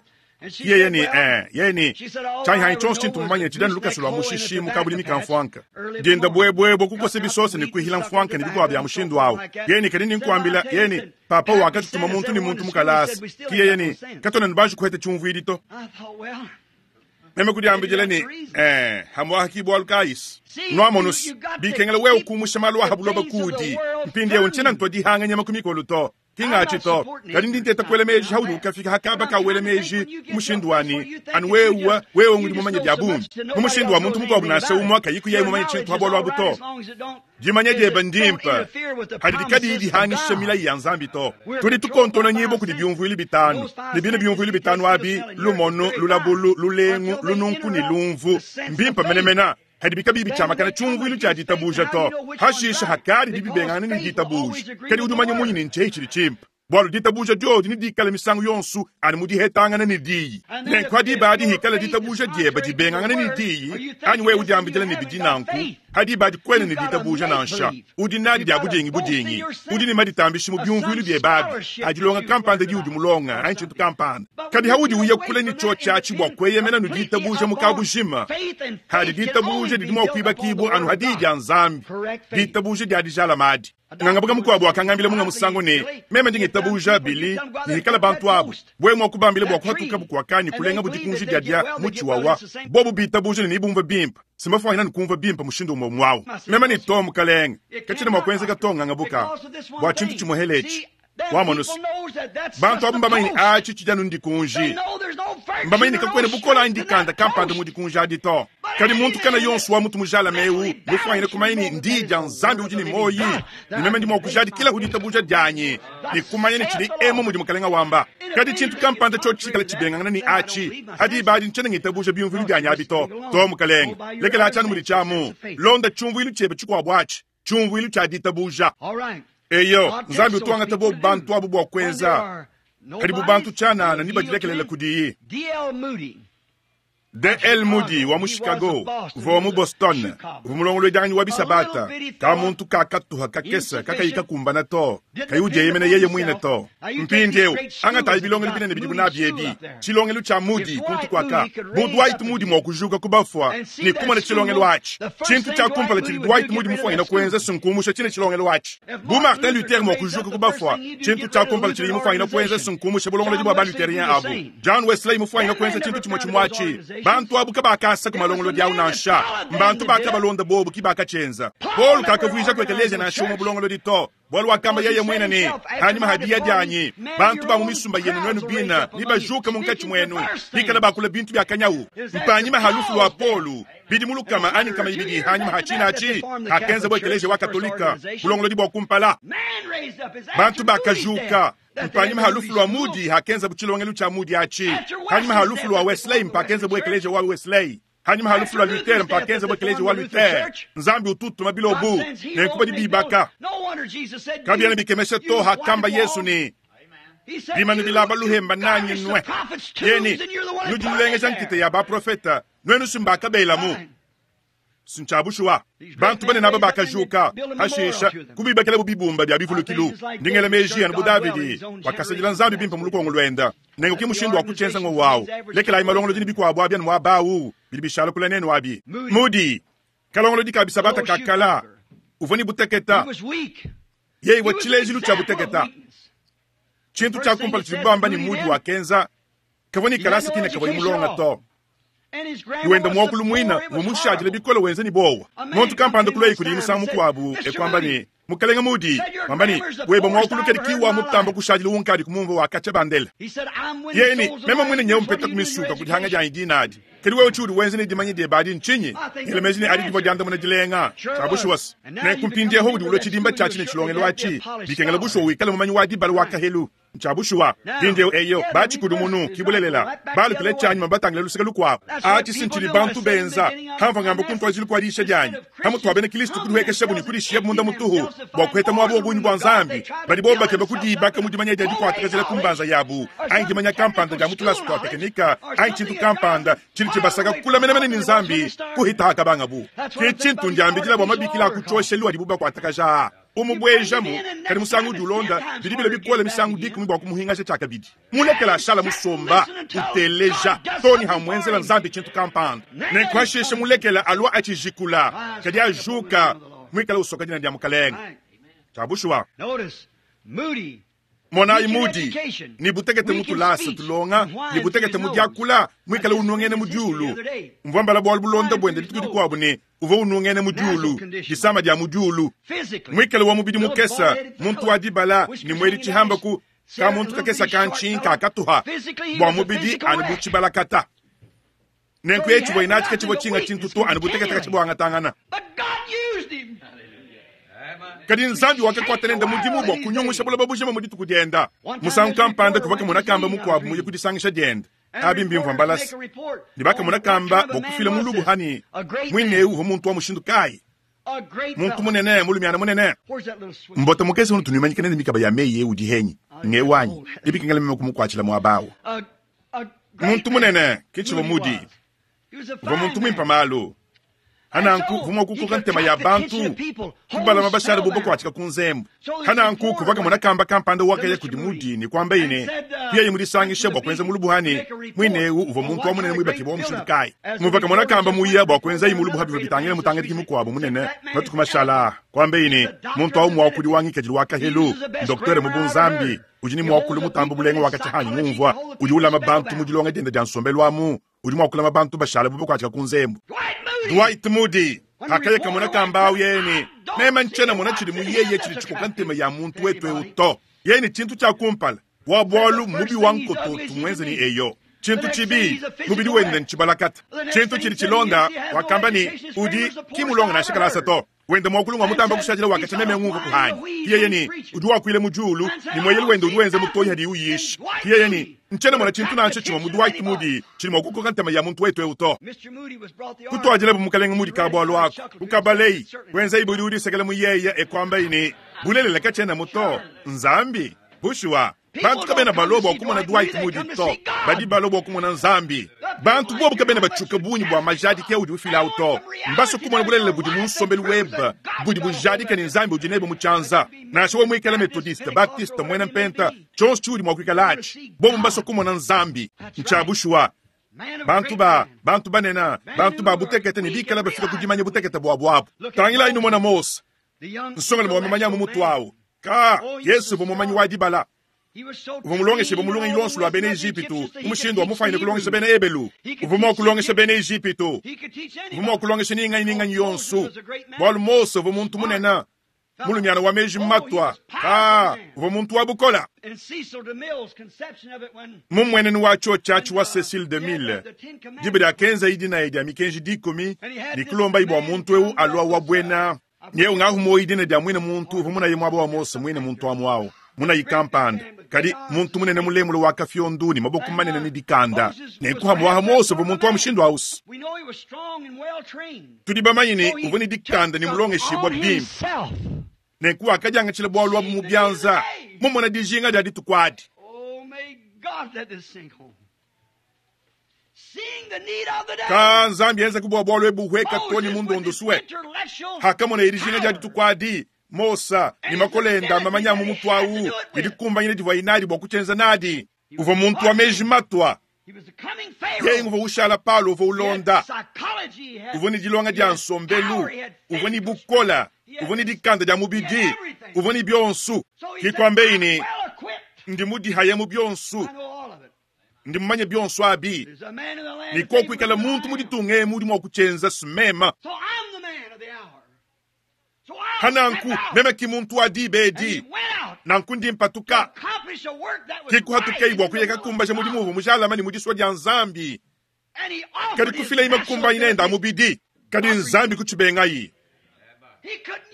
Yeye ne, eh, yeye ne, tshianyi tshionso tshintu mumanye tshidi anu lukasa lua mushishi mu kabulimi ka mfuanka. Dienda buebuebue kukosa bisosa ne kuihila mfuanka ne bikuabu bia mushindu awu. Yeye ne, kadi ninkuambila, yeye ne, papa wakatutuma muntu ne muntu mu kalasa. Ki yeye ne, katuena ne banji kuheta tshiumvuidi to. Meme kudiambidila ne, eh, hamuaha ki bualu kayisi. Nuamonusi, bikengela wewe kumusha malu aha buloba kudi. Mpindieu ntshiena ntua dihanga nyama ku mikolo to. Ki ngatshi to, kadi ndi nteta kuela meji haudi ukafika hakaba ka wela meji mu mushindu wa ne, anu wewe, wewe ngudi mumanye bia bungi. Mu mushindu wa muntu mukuabu nansha umue kayiku yeye mumanye tshintu ha bualu abu to. Dimanya diebe ndimpe, hadidi kadiyi dihangisha milayi ya Nzambi to. Tudi tukontona nyibua kudi biumvuilu bitanu, ne bine biumvuilu bitanu abi, lumonu, lulabulu, lulengu, lununku ne lumvu, mbimpe menemene. Hadibi kabiyi bitshiamakana tshiumvuilu tshia ditabuja to. Hashishe hakadi bibibengangana ne ditabuja. Kadi udi umanya munyi ne ntshihi tshidi tshimpe? Bualu ditabuja diodi nedikale misangu yonso anu mu dihetangana ne diyi. Nenku ha diba adi hikala ditabuja diebe dibengangana ne diyi, anyi wewe udiambidila ne bidi nanku, ha diba adi kuena ne ditabuja nansha. Udi nadi dia budingi budingi. Udi ne maditambishi mu biumvuilu biebe abi, a dilonga kampanda diudi mulonga anyi tshintu kampanda. Kadi haudi uya kule ne tshiotshi atshi bua kueyemena ne ditabuja mu kabujima, hadi ditabuja didi mua kuibakibua anu ha diyi dia Nzambi, ditabuja dia dijalama adi. Ngangabuka mukuabu wakangambila munga musangu ne, meme ndi ngitabuja, Billy, ne hikala bantu abu wewe mua kubambila bua kuhatukabu kuakanyi kulengabu dikunji dia dia mutshi wawa, bobu bitabuja ne nebumvue bimpe. Simbafuanyina ne kumvua bimpe mushindu umue umue au. Meme ne to, mukalenge, katshiena mua kuenzeka to ngangabuka bua tshintu tshimue hele etshi. Wamonusu, bantu abu mbamanye ne atshi tshidi anu ndikunji. Mbamanye ne kakuena bukole anyi dikanda kampanda mu dikunji adi to. Kadi muntu kana yonso wa mutu mujalame eu mufuanyine kumanya ne ndiyi dia Nzambi udi ne muoyi, ne meme ndi mua kujadikilahu ditabuja dianyi ne kumanya ne tshidi emu mudi mukalenga wamba. Kadi tshintu kampanda tshiotshi tshikale tshibengangana ne atshi, ha diba adi ntshiena ngitabuja biumvuilu bianyi abi to. To, mukalenge, lekela atshi anu mudi tshiamu. Londa tshiumvuilu tshiebe tshikuabu atshi, tshiumvuilu tshia ditabuja. Eyo, Nzambi utu wangata bobu bantu abu bua kuenza, kadi bu bantu tshianana ne badilekelela kudiyi. D.L. Moody wa mu Chicago uvua wa mu Boston, uvua mulongoluedianganyi wa bisabata, ka muntu kakatuha kakese kakayi kakumbana to, kayi udieyemena yeye muine to. Mpindieu angatayi bilongelu binene bidibu nabi ebi, tshilongelu tshia Moody kuntu kuaka, bu Dwight Moody mua kujuka ku bafua ne kumona tshilongelu atshi, tshintu tshia kumpala tshidi Dwight Moody mufuanyine kuenza sinkumusha tshine tshilongelu atshi. Bu Martin Luther mua kujuka ku bafua, tshintu tshia kumpala tshidiye mufuanyine kuenza sinkumusha bulongolodi bua ba-Lutherien abu. John Wesley mufuanyine kuenza tshintu tshimue tshimue atshi. Bantu abu kabakasa ku malongolodi au nansha. Mbantu bakabalonda bobu ki bakatshienza. Paulo kakavuijaku ekeleziya nansha umue bulongolodi to, bualu wakamba yeye muine ne, Hanyima ha diya dianyi, bantu ba mu misumba yenu nuenu bine nebajuke munkatshi muenu, bikale bakula bintu bia kanyawu. Mpanyima ha lufu lua Paulo, bidimu lukama anyi nkama ibidi hanyima ha tshina atshi, hakenzabo ekeleziya wa Katolika bulongolodi bua kumpala. Bantu bakajuka mpanyima ha lufu lua Moody hakenzabu tshilongelu tshia Moody atshi. Hanyima ha lufu lua Wesley mpakenzabu ekeleziya wa Wesley. Hanyima ha lufu lua Luther mpakenzabu ekeleziya wa Luther. Nzambi utu utuma bilobu, nenku badi bibaka. Kabiena bikemesha to hakamba Yesu ne, bimanu bilaba luhemba nanyi nue. Yeni, nudi nulengeja nkita ya baprofeta, nuenu si mbakabelamu. Ntshia bushuwa, bantu banene aba bakajuka, hashisha kubibakelabu bibumba bia bivulukilu. Ndi ngela meji anu bu Davidi wakasadila Nzambi bimpe mu lukongo luenda. Nenku ke mushindu wa kutshienza ngowu awu. Lekelayi malongolodi ne bikuabu abi anu muaba awu, bidi bishala kule nenu abi. Mudi kalongolodi ka bisabata ka kala, uvua ne buteketa. Yeye uvua tshilejilu tshia buteketa. Tshintu tshia kumpala tshidibu bamba ne Mudi wakenza. Kavua ne kalasa kine kavuaye mulonga to. Wenda muakulu muina uvua mushadile bikole wenza ne buowa. Muntu kampanda kuluaye kudiye musangu mukuabu e kuamba ne, Mukalenge Moody, wamba ne, weba muakulu kadi ki wa mutamba kushadila unkadi kumumvua wa katshia bandela. Yeye ne, meme muine nyewu mpeta ku misuka ku dihanga dianyi dina adi. Kadi wewe tshiudi wenza ne dimanya diebe adi ntshinyi? Ngela meji ne adi divua diandamuna dilenga. Tshia bushuwa se, nenku mpindieu udi ulua tshidimba tshiatshi ne tshilongelu atshi, bikengela bushuwa wikale mumanyi wa dibala wa kahelu. Ntshia bushuwa. Mpindieu eyo, batshikudimunu, ki bulelela, balukile tshianyima batangile luseke lukuabu. Atshi si ntshidi bantu benza. Pamvua ngamba ku ntuadijilu kua diyisha dianyi, pamutu wa bena Kristo kudihuekeshabu ne kudishiyabu munda mutuhu bua kuheta muaba wa bungi bua Nzambi, badi bobu bakeba kudiibaka mu dimanya dia dikuatakajila ku mbanza yabu, anyi dimanya kampanda dia mu tulasa tua tekinika, anyi tshintu kampanda tshidi tshibasaka kule menemene ne Nzambi kuhita hakabangabu. Ke tshintu ndiambidila bua mabikila a ku tshioshelu adibu bakuatakaja aa. Umubuejamu, kadi musangu udi ulonda, bidi bilua bikole misangu dikumi bua kumuhingasha tshiakabidi. Mulekela ashala musomba, uteleja, too ne hamuenzela Nzambi tshintu kampanda. Nenku hashishe mulekela alua atshijikula, kadi ajuka, muikale usoka dina dia Mukalenge. Tshia bushuwa. Monayi mudi ne butekete mu tulasa tulonga, ne butekete mu diakula, muikale unungena mu diulu. Mvua mbala bualu bulonda buende dituku dikuabu ne, uvua unungena mu diulu, disama dia mu diulu, muikale wa mubidi mukese, muntu wa dibala ne muedi tshihamba ku ka muntu kakese ka ntshinka katuha bua mubidi anu bu tshibalakata. Nenku yeye tshivua natshi katshivua tshinga tshintu to anu butekete katshibuangatangana. Kadi Nzambi wakakuata nende mudimu bua kunyungusha buloba bujima mu dituku dienda. Musangu kampanda kuvua kamona kamba mukuabu muye ku disangisha diende. Abi mbimvua mbalasa. Ne bakamona kamba bua kufila mulubu hani muine eu uvua muntu wa mushindu kayi? Muntu munene, mulumiana munene. Mbota mukese unutu nuimanyika nende mikaba ya meyi eu udi henyi? Ngewanyi. Ibikengela meme kumukuatshila muaba awu. Muntu munene, ke tshivua Moody. Uvua muntu muimpe malu. Hananku uvua mua kukoka ntema ya bantu, kubalama bashale bu bakuatshika ku nzembu. Hananku kuvua kamona kamba kampanda wakaya kudi Moody ne kuambaye ne, kuyaye mu disangisha bua kuenza mulubu ne muine eu uvua muntu wa munene muibakibua wa mushindu kayi. Muvua kamona kamba muya bua kuenzaye mulubu bivua bitangila mutangadiki mukuabu munene matuku mashala aa, kuambaye ne, muntu au muakudi wa ngikadilu wa kahelu, ndoktere mu bunzambi, udi ne muakulu mutambe bulenga wa katshia hanyi ngumvua, udi ulama bantu mu dilonga diende dia nsombelu amu, udi mua kulama bantu bashala bu bakuatshika ku nzembu. Dwight Moody hakaya kamona kamba au yeye ne, meme ntshiena mona tshidi mu yeye tshidi tshikoka ntema ya muntu wetu eu to. Yeye ne tshintu tshia kumpala wa bualu mubi wa nkototu muenze ne eyo. Tshintu tshibi mubidi wende ntshibalakata. Tshintu tshidi tshilonda wakamba ne udi ki mulonga nansha kalasa to. Wende muakulu ngua mutamba kushadila wakatshia meme ngumvua kuhanyi. Yeye ne udi wakuila mu diulu ne mueyelu wende udi wenza mutoyi hadiye uyisha. Yeye ne ntshiena mona tshintu nansha tshimue mu Dwight Moody tshidi mua kukoka ntema ya muntu wetu eu to. Kutuadilabu mukalenge Moody ka bualu aku, kukabalei, kuenzayi budi udisekela mu yeye e kuambayi ne bulelela katshiena to. Nzambi, bushuwa, bantu kabena balua bua kumona Dwight Moody to, badi balua bua kumona Nzambi. Bantu bobu kabena batshiuka bungi bua majadiki audi ufilawu to. Mbasue kumona bulelela budi mu nsombelu webe budi bujadika ne Nzambi udi nebe mu tshianza. Nansha wewe muikale Methodiste, Baptiste, muena Mpenta, tshionso tshiudi mua kuikala atshi, bobu mbasue kumona Nzambi. Ntshia bushuwa. Bantu ba bantu banene, bantu ba butekete ne bikale bafika ku dimanya butekete buabu abu. Tangilayi numona Mose, nsongalume wa mamanya mu mutu awu. Ka, Yesu uvua mumanyi wa dibala. Uvua mulongeshibue mu lungenyi luonso lua bena Ejipitu mu mushindu wa mufuanyine kulongesha bena Ebelu. Uvua mua kulongesha bena Ejipitu. Uvua mua kulongesha ni nganyi ni nganyi yonso, bualu Mose uvua muntu munene, mulumiana wa meji matua. Ka, uvua muntu wa bukole. Mu mmuenenu wa tshiotshi wa Cecil DeMille, diba diakenzaye dinaya dia mikenji dikumi ne kulombaye bua muntu eu alua wa buena Nyeu ngahu muoyi dina dia muine muntu uvua munaye muaba wa Mose muine muntu amu awu munayi kampanda kadi muntu munene mulemule wa kafiondu ne maboko manene ne dikanda nenku hamuaha Mose uvua muntu wa mushindu ausi. Tudi bamanye ne uvua ne dikanda ne mulongeshibua bimpe, nenku wakadiangatshila bualu abu mu bianza mumona dijinga dia dituku adi. Ka Nzambi enza bua bualu ebu hueka to ne mundondosue. Hakamona dijinga dia dituku adi, Mose ne makole enda mamanya mu mutu awu ne dikumbanyina divua inadi bua kutshienza nadi. Uvua muntu wa meji matua. Yeye uvua ushala Paulo uvua ulonda. Uvua ne dilonga dia nsombelu, uvua ne bukola, uvua ne dikanda dia mubidi, uvua ne bionso. Ke kuambeyi ne, ndi mudihaya mu bionso. Ndi mumanye bionso abi. Ne kuakuikala muntu mu ditunga emu udi mua kutshienza mema. Pa nanku, meme ki muntu wa diba edi. Nanku ndi mpatuka. Ke kuhatukayi bua kuya kakumbaja mudimu uvua mujalame ne mu disua dia Nzambi. Kadi kufilayi makumbanyina ende a mubidi. Kadi Nzambi kutshibengayi.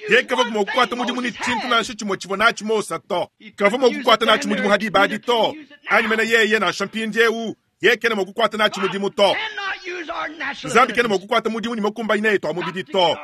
Yeye kavua mua kukuata mudimu ne tshintu nansha tshimue tshivua natshi Mose to. Kavua mua kukuata natshi mudimu ha diba adi to, anyi mene yeye nansha mpindieu, yeye kena mua kukuata natshi mudimu to. Nzambi kena mua kukuata mudimu ne makumbanyina etu a mubidi to.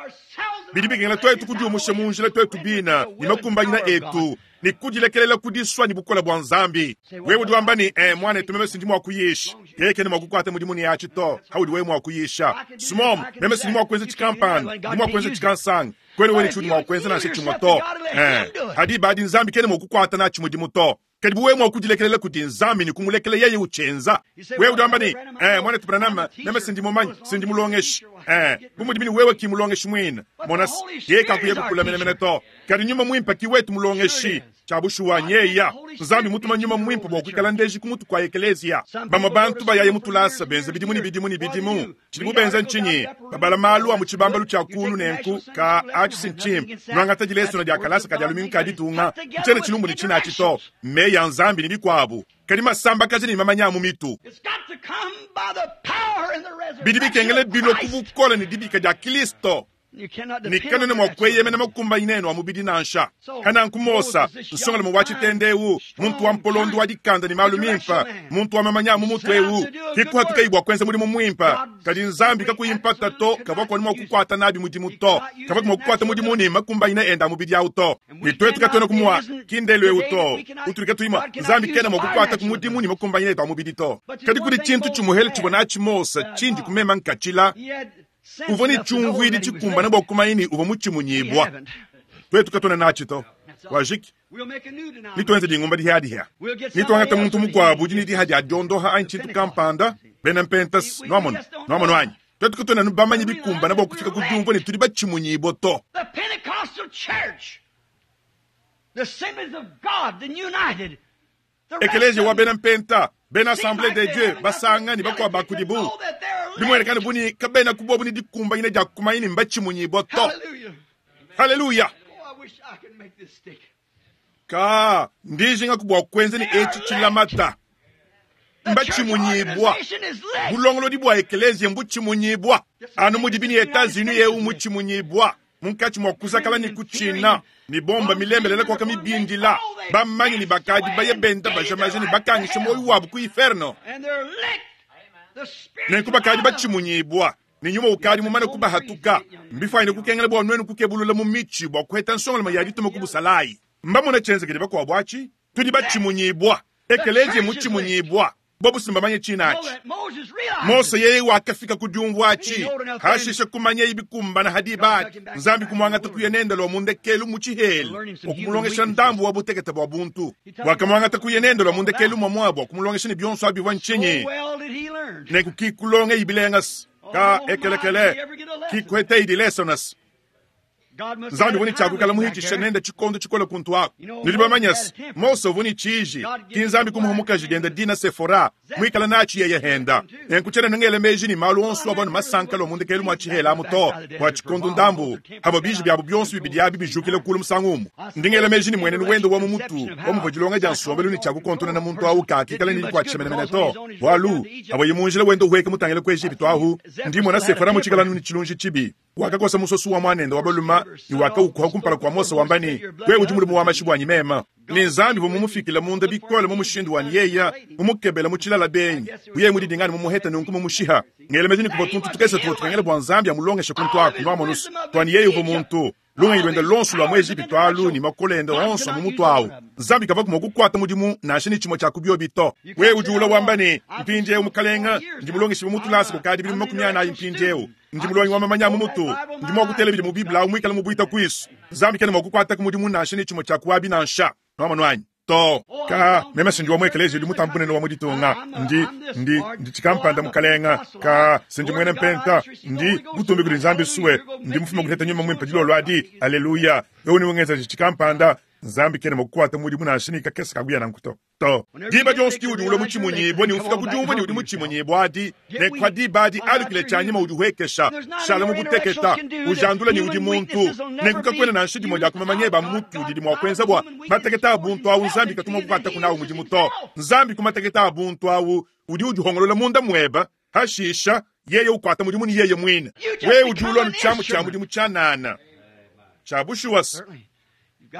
Bidi bikengela tuetu kudiumusha mu njila tuetu bine ne makumbanyina etu ne kudilekelela ku disua ne bukole bua Nzambi. Wewe udi wamba ne, eh, muanetu, meme sindi mua kuyisha. Yeye kena mua kukuata mudimu ne atshi to, haudi wewe mua kuyisha. Smom, meme sindi mua kuenza tshikampanda, ndi mua kuenza tshikansanga. Kuena wewe ne tshiudi mua kuenza nansha tshimue to. Eh, hadi badi Nzambi kena mua kukuata natshi mudimu to. Kadi bu wewe mua kudilekelela kudi Nzambi ne kumulekela yeye utshienza. Wewe udi wamba ne, eh, muanetu Branham, meme sindi mumanyi, sindi mulongeshi. Eh, bu mudi bini wewe ki mulongeshi muine. Mona, yeye kakuya kukula menemene to. Kadi nyuma muimpe ki wetu mulongeshi. Tshia bushuwa nyeya. Nzambi mutuma nyuma muimpe bua kuikala ndeji ku mutu kua ekeleziya. Bamue bantu bayaye mu tulasa benza bidimu ne bidimu ne bidimu. Tshidibu benza ntshinyi? Babala malu a mu tshibambalu tshia kulu nenku ka atshi si ntshimpe. Nuangata dilesona dia kalasa ka dia lumingu ka ditunga. Ntshiena tshilumbu ne tshina atshi to. Meyi a Nzambi ne bikuabu. Kadi masambakaja ne mamanya a mu mitu. Bidi bikengela bilua ku bukole ne dibika dia Kristo. Ne kanuena mua kueyemena makumbanyina enu a mubidi nansha. Pananku Mose, nsongalume wa tshitende eu, muntu wa mpolondo wa dikanda ne malu mimpe, muntu wa mamanya a mu mutu eu, ke kuhatukayi bua kuenza mudimu muimpe. Kadi Nzambi kakuyi mpata to, kavua kuanu mua kukuata nabi mudimu to. Kavua mua kukuata mudimu ne makumbanyina ende a mubidi au to. Ne tuetu katuena ku mua ki ndelu eu to, utudi katuyi mua, Nzambi kena mua kukuata ku mudimu ne makumbanyina etu a mubidi to. Kadi kudi tshintu tshimuhele tshivua natshi Mose tshindi ku mema nkatshila. Uvua ne tshiumvuidi tshikumbane bua kumanya ne uvua mutshimunyibua. Tuetu katuena natshi to. Wajiki. Nituenze dingumba dihiadihia. Nituangate muntu mukuabu udi ne diha dia diondoha anyi tshintu kampanda, bena Mpentas, nuamonu, nuamonu anyi? Tuetu katuena anu bamanye bikumbane bua kufika ku diumvua ne tudi batshimunyibua to. The Pentecostal Church, the Assemblies of God, the United, Ekeleziya wa bena Mpenta, bena Assemblee de Dieu basanga ne bakuabu ba kudibu, bimueneka bu ne kabena ku bobu ne dikumbanyina dia kumanya ne mbatshimunyibua to. Haleluya! Ka ndijingaku bua kuenza ne etshi tshilamata. Mbatshimunyibua. Bulongolodi bua ekeleziya mbutshimunyibua, anu mudibi ne Etats-Unis eu mutshimunyibua. Munkatshi mua kuzakala ne kutshina, ne bomba milembelela kuaka mibindila, bamanyi ne bakadi baye benda baja maja ne bakangisha muoyo wabu ku inferno. Nenku bakadi batshimunyibua, ne nyuma ukadi mumane kubahatuka. Mbifuanyine kukengela bua nuenu kukebulula mu mitshi bua kuheta nsongalume ya dituma ku busalayi. Mbamona tshienzekele bakuabu atshi. Tudi batshimunyibua. Ekeleziya mutshimunyibua. Bobu si mbamanye tshina atshi. Mose yeye wakafika ku diumvua atshi, hashishe kumanyeyi bikumbana ha diba adi. Nzambi kumuangata kuya nende lua mu ndekelu mu tshihela bua kumulongesha ndambu wa butekete bua buntu. Wakamuangata kuya nende lua mu ndekelu muamua bua kumulongesha ne bionso abi bivua ntshinyi? Nenku ki kulongeyi bilengas ka ekelekele ki kueteyi dilesonas. Nzambi uvua ne tshia kuikala muhitshishe nende tshikondo tshikole kuntu aku. Nudi bamanye se, Mose uvua ne tshiji, ki Nzambi kumuha mukaji diende dina Sefora, muikale natshi yeye henda. Nenku tshiena ngela meji ne malu onso avua ne masanka lua mu ndekelu mua tshihela amu to, bua tshikondo ndambu, pavua biji biabu bionso bibidi abi bijukile kulu musangu umue. Ndi ngela meji ne muenenu wende wa mu mutu wa muvua dilonga dia nsombelu ne tshia kukontonona muntu au kakikala ne dikuatshisha menemene to, bualu avuaye mu njila wenda uhueka mutangile ku Ejipitu ahu, ndi mmona Sefora mutshikale anu ne tshilunji tshibi. Wakakosa musosu wa muanende wa balume ne wakaukuha kumpala kua Mose wamba ne, Wewe udi mulume wa mashi buanyi meme. Ne Nzambi uvua mumufikile munda bikole mu mushindu wa ne yeye mumukebele mu tshilala benyi, bu yeye mudidinga ne mumuhete nunku mumushiha. Ngela meji ne kuvua tuntu tukese tuvua tukengela bua Nzambi amulongeshe kuntu aku, nuamonu's, tua ne yeye uvua muntu. Lungenyi luende luonso lua mu Ejipitu alu ne makole ende onso a mu mutu au, Nzambi kavuaku mua kukuata mudimu nansha ne tshimue tshia ku biobi to. Wewe udi ulua wamba ne, Mpindieu, Mukalenge, ndi mulongeshibue mu tulasa kukadi bidimu 40 mpindieu. Ndi mulongi wa mamanya a mu mutu. Ndi mua kutela bidi mu Bible au muikale mubuita kuisu. Nzambi kena mua kukuataku mudimu nansha ne tshimue tshia ku abi nansha. Nuamonu anyi? To. Ka, meme si ndi wa mu ekeleziya udi mutambe bunene wa mu ditunga. Ndi, ndi, ndi tshikampanda, mukalenga. Ka, si ndi muena mpenta. Ndi, butumbi kudi Nzambi sue, ndi mufume kuheta Nyuma Muimpe dilolo adi. Aleluya. Eu ni ungenzeje tshikampanda. Nzambi kena mua kukuata mudimu nansha ne kakese ka kuya nanku to. To. Diba dionso diudi ulua mutshimunyibue ne ufika ku diumvua ne udi mutshimunyibue adi, ne kwa diba adi alukile tshianyima udihuekesha, shala mu buteketa, ujandula ne udi muntu. Nenku kakuena nansha dimue dia ku mamanya ebe a mu mutu didi mua kuenza bua mateketa a buntu au Nzambi katu mua kukuataku nawu mudimu to. Nzambi ku mateketa a buntu au udi udihongolola munda muebe, hashisha yeye ukuata mudimu ne yeye muine. Wewe udi ulua ne tshiamu tshia mudimu tshianana tshia bushuwa.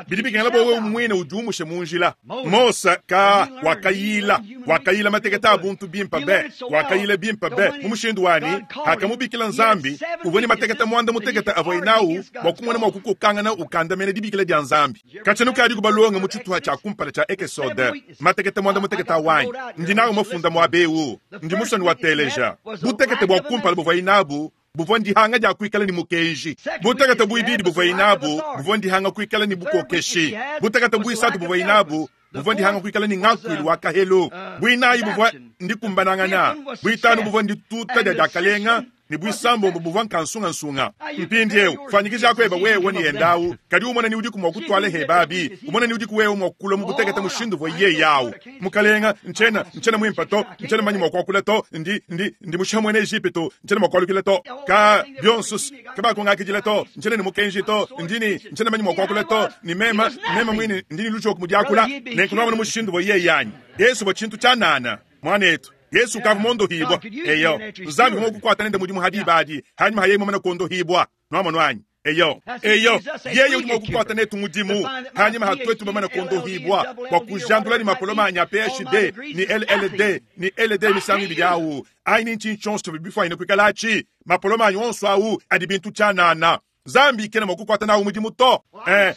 Bidi bikengela bua wewe muine udiumushe mu njila. Mose ka wakayila, wakayila mateketa a buntu bimpe be, wakayila bimpe be mu mushindu wani akamubikila Nzambi, uvua ne mateketa muanda mutekete avuaye nawu bua kumona mua kukokangana ukandamena dibikila dia Nzambi. Katshia nukadi kubalonga mu tshituha tshia kumpala tshia Ekesode, mateketa muanda mutekete awanyi ndi nawu mafunda muaba eu, ndi musue nuateleja. Butekete bua kumpala buvuaye nabu buvua ndihanga dia kuikala ne mukenji. Butekete buibidi buvuaye nabu buvua ndihanga kuikala ne bukokeshi. Butekete buisatu buvuaye nabu buvua ndihanga kuikala ne ngakuilu wa kahelu. Buinayi buvua ndikumbanangana. Buitanu buvua ndituta dia diakalenga ne buisambombo buvua nkansungansunga. Mpindieu fuanyikija eba wewe ne yendawu, kadi umona ni udiku mua kutuala hebabi, umona ni udiku wewe mua kulua mu butekete mushindu uvua yeye awu. Mukalenga, ntshiena ntshiena muimpe to, ntshiena manyi mua kuakula to, ndi ndi ndi mushiha muena Ejipitu, ntshiena mua kualukila to, ka bionso kabakungakidila to, ntshiena ne mukenji to, ndi ne ntshiena manyi mua kuakula to, ne mema mema muine ndi ne lujoku mu diakula, nenku nuamona mushindu uvua yeye anyi. Yesu uvua tshintu tshianana, muanetu. Yesu ukavua mondohibua. Eyo, Nzambi uvua kukuata nende mudimu ha diba adi, hanyuma hayeye mumane kuondohibua. Nuamonu anyi? Eyo, eyo, yeye udi mua kukuata netu mudimu hanyuma ha tuetu bamane kuondohibua bua kujandula ne mapoloma anyi a PhD ne LLD ne LD misangu ibidi awu anyi ne ntshinyi tshionso bifuanyine kuikalatshi mapoloma anyi onso awu adi bintu tshianana. Nzambi kena mua kukuata nawu mudimu to.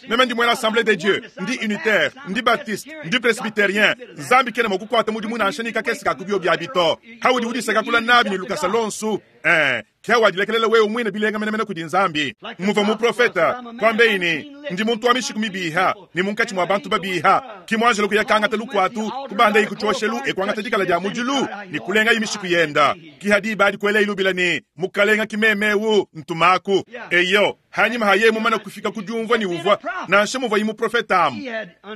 Meme ndi muena Assemblée de Dieu, ndi unitaire, ndi baptiste, ndi presbytérien. Nzambi kena mua kukuata mudimu nansha ne kakese ka kubio biabi to. Haudi udisakakula nabi ne lukasa lonsu. Kia wadilekelela wewe muine bilenga menemene kudi Nzambi. Muvua muprofeta kuambeyi ne ndi muntu wa mishiku mibiha ne munkatshi mua bantu babiha. Ki muanjelo kuya kangata lukuatu kubandayi ku tshioshelu e kuangata dikala dia mudilu ne kulengayi mishiku yenda. Ki hadiba adi kuela ilubila ne mukalenga ki memewu ntumaku. Eyo hanyima haye mumana kufika ku diumvua ne uvua nansha muvuaye muprofeta amu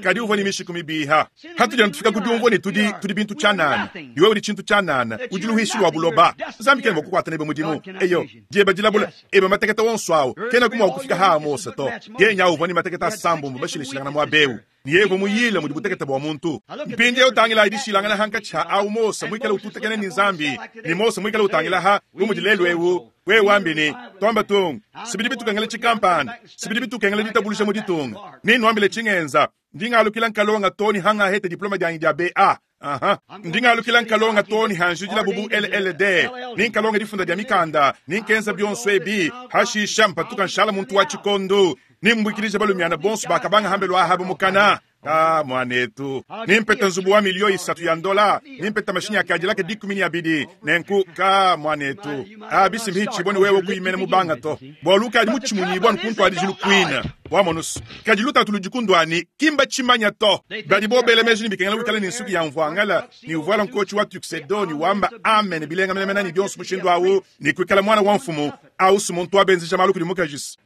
kadi uvua ne mishiku mibiha. Hatudi tufika ku diumvua ne tudi tudi bintu tshianana, iwe udi tshintu tshianana, udi luhishi lua buloba. Nzambi kena mua kukuata nebe mudimu. Eyo dieba dilabula eba mateketa onso awu kena ku mua kufika ha Mose to. Yeye nyawu uvua ne mateketa asambombo bashilashilangana muaba eu. Ne yeye uvua muyile mudi butekete bua muntu. Mpindieu tangila dishilangana hankatshi ha awu Mose muikale ututekena ne Nzambi ne Mose muikale utangila ha bu mudi lelu eu. Wewe wambi ne tuamba tungu sibidi bitukengela tshikampanda, sibidi bitukengela ditabuluja mu ditunga. Ne nuambile tshingenza ndi ngalukila nkalonga to ne hangahete diploma dianyi dia BA. Aha. Ndi ngalukila nkalonga to ne hanjidila bubu LLD ni nkalonga difunda dia mikanda ni nkenza bionso ebi hashisha mpatuka nshala muntu wa tshikondo ni mbuikilija balumiana bonso bakabanga hambelu ahabu mukana. Ah, mwanetu nimpeta nzubu wa milio isatu ya ndola nimpeta mashinyi akadilaka 12 nenku ka mwanetu abisimbi hitshibone wewe kuimena mubanga to bwalu kadi mutshimunyibwa nkuntu adijilu kuina wamonusu kadi lutatu ludikundwani kimba tshimanya to badi bobela meji ni bikengela wikala ni nsuki ya mvuangala ni uvuala nkochi wa tuxedo ni wamba amen bilenga menemene ni bionso mushindu awu ni kuikala mwana wa mfumu au muntu abenzesha malu kudi mukajisi.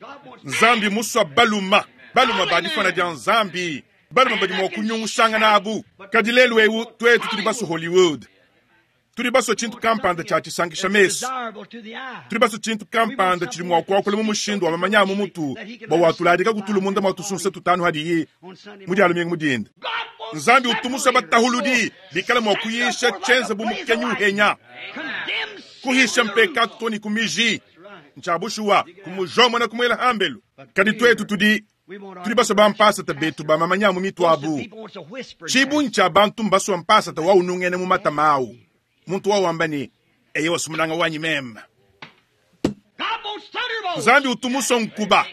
Nzambi muswa baluma baluma badifana dia Nzambi baluma badi mua kunyungushangana abu. Kadi lelu eu tuetu tudi basu Hollywood, tudi basu tshintu kampanda tshia tshisankisha mesu, tudi basu tshintu kampanda tshidi mua kuakula mu mushindu wa mamanya mu mutu bua watuladika kutulu munda mua tusunsa tutanu hadiyi mu dia lumingu mudinda. Nzambi utumusa batahuludi bikala mua kuyisha tshienza bu mukenyi uhenya kuhisha mpekatu to ni kumiji ntshabushuwa kumujomona kumuela hambelu. Kadi tuetu tudi tudi baswa bampasata betu bamamanya mu mitu abu. Tshibunyi tshia bantu mbaswa mpasata wa unungene mu matama awu. Muntu wa wamba ne eye wasumunanga wanyi meme. Nzambi utumuswa nkuba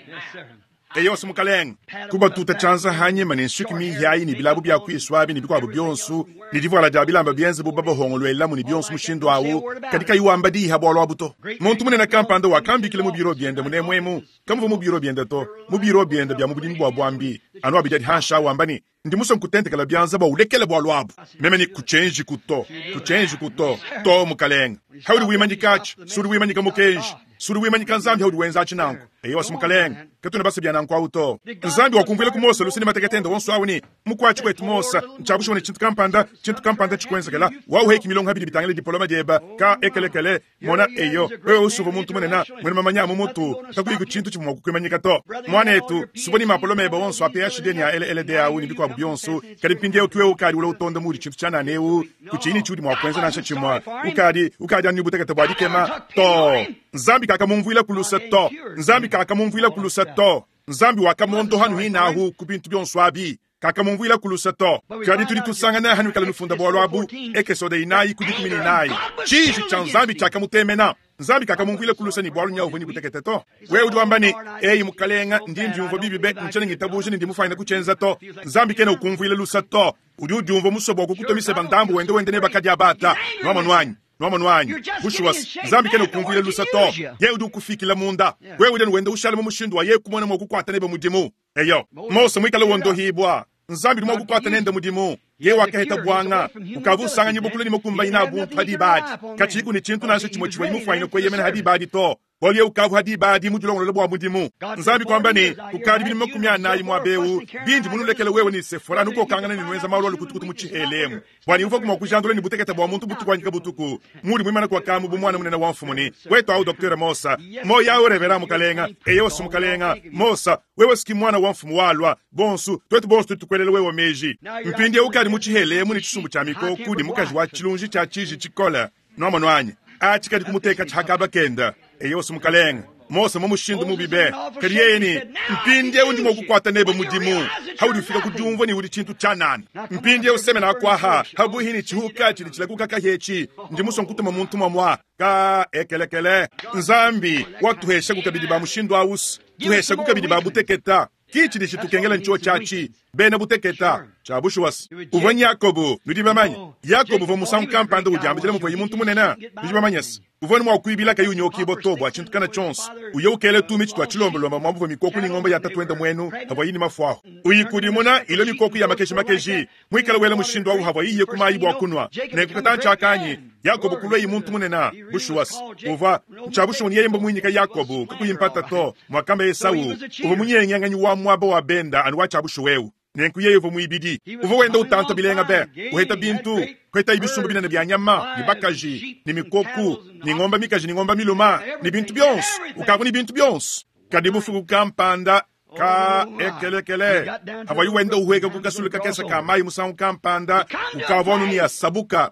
eye wasumukalenga kubatuta tshianza hanyima ne nsuki mihiayi ne bilabu bia kuiswabi ne bikuabu bionso ne divuala dia bilamba bienze bu babahongoluelamu ne bionso mushindu awu kadi kayi wamba diha bualu abu to. Muntu munene kampanda wakambikila mu biro biende munemwemu kamuva mu biro biende to mu biro biende bia mu budimi bua buambi anu abidi adi hansha wamba ne ndi musue nkutentekela bianza bua ulekele bualu abu. Meme ni kuchenji kuto kuchenji kuto to mukalenga haudi wimanyikatshi sudi wimanyika mukenji. Sudi wimanyika Nzambi haudi wenza atshi nanku. Eyowa mukalenge, katuena basa bia nanku awu to. Nzambi wakumvuila ku Mose luse ne matekete ende onso awu ne mukuatshi kwetu Mose, ntshiabushiwa ne tshintu kampanda, tshintu kampanda tshikuenzekela, wauheki milongo habidi bitangila diploma dieba, ka ekelekele, mona eyo, wewe usuva muntu munene, mwene mamanya mu mutu, kakuyi ku tshintu tshivua mua kukuimanyika to. Mwanetu, suva ni mapoloma eba onso a PhD ni a LLD awu ni bikuabu bionso, kadi mpindieu kiwe ukadi ula utonda mudi tshintu tshianana eu, kutshinyi tshiudi mua kuenza nansha tshimue, ukadi ukadi anu butekete bua dikema to. Nzambi kakamumvuila ku luse to. Nzambi kakamumvuila ku luse to. Nzambi wakamondoha nuhinahu ku bintu bionso abi. Kakamumvuila ku luse to. Kadi tudi tusangana hanu kala nufunda bwalo abu, Ekesode inayi ku dikumi ne inayi. Tshiji tshia Nzambi tshiakamutemena. Nzambi kakamumvuila ku luse ne bwalu nya uvua ne butekete to. Wewe udi wamba ne, eyi mukalenga, ndi ndiumvua bibi be, ntshiena ngitabuja ne ndi mufuanyine kutshienza to. Nzambi kena ukumvuila luse to. Udi udiumvua musue bua kukutomisa bandambu wende wende ne bakadia bata. Nwamonu anyi? Nwamonu anyi? Bushuwa, Nzambi kena ukumvuila luse to. Ye udi ukufikila munda. Wewe udi wenda ushala mu mushindu wa ye kumona mua kukuata nebe mudimu. Eyo, Mose muikale wondohibwa. Nzambi udi mua kukuata nende mudimu. Ye wakaheta bwanga. Ukavu usanganya bukulu ne mukumbanyi na buntu hadi badi. Kachiku ne tshintu nansha tshimue tshivua mufuanyine kueyemena hadi badi to. Bwalu ye ukavu hadi badi mu dilongolola bua mudimu. Nzambi kwamba ne, ukadi bili makumi anayi mwa beu, bindi munulekele wewe ni Sefora nukokangana ne nwenza malu alukutukutu mu tshihelemu. Bwani uva kumwa kujandula ni butekete bua muntu butuku anyika butuku. Mudi mwimana kwa kamu bu mwana munene wa mfumu ni. Wetu au Dr. Mosa. Moya au revera mukalenga. Eyo su mukalenga. Mosa, wewe siki mwana wa mfumu walwa. Bonsu, twetu bonsu tutukwelele wewe meji. Mpindi ukadi mu tshihelemu ni tshisumbu tshia mikoku ni mukaji wa tshilunji tshia tshiji tshikola. Nwamonu anyi. Atshikadi kumuteka tshihakaba kenda. Eyo su mukalenga. Mose mu mushindu mubi be. Kadi yeye ni mpindi undi mua kukuata nebe mudimu. Haudi ufika kudiumvua ni udi tshintu tshianana. Mpindi usemena akwaha. Habuhi ni tshihuka tshidi tshilakuka kahetshi. Ndi musua nkutuma muntu mwamwa. Ka ekelekele. Nzambi watuhesha kukabidi ba mushindu awusu. Tuhesha kukabidi ba buteketa. Kichi dishi tukengela nchuo chachi. Bena buteketa. Chabushuwas. Uvua Yakobo, nudi bamanye. Yakobo uvua musangu kampanda udiambila muvua muntu munene. Nudi bamanye se. Uvua mua kuibila kayi unyoki boto bua tshintu kana tshionso. Uye ukele tumi tshitwa tshilombolomba mwa muvua mikoku ni ngombe ya tatuenda mwenu, havua yini mafuaho. Uyikudimuna ilo mikoku ya makeshi makeshi. Mwikala wela mushindu awu havua yiye kumayi bua kunwa. Nekukata ntshakanyi. Yakobo kulwa yi muntu munene. Bushuwas. Uvua nchabushuwa ni yeye mwinyika Yakobo kukuyimpata to. Mwakamba Esau. Uvua munyengenganyi wa mwaba wa benda anu wa chabushuwewu. Nenku yeye uvua muibidi. Uvua wenda utanta bilenga be. Uheta bintu. Kweta ibisumbu binene bya nyama, ni bakaji, ni mikoku, ni ngomba mikaji, ni ngomba miluma, ni bintu byonso. Ukavu ni bintu byonso. Kadi bufuku kampanda ka ekelekele. Havua wenda uhweka kukasuluka kesa ka mayi musangu kampanda, ukavu anu ni asabuka.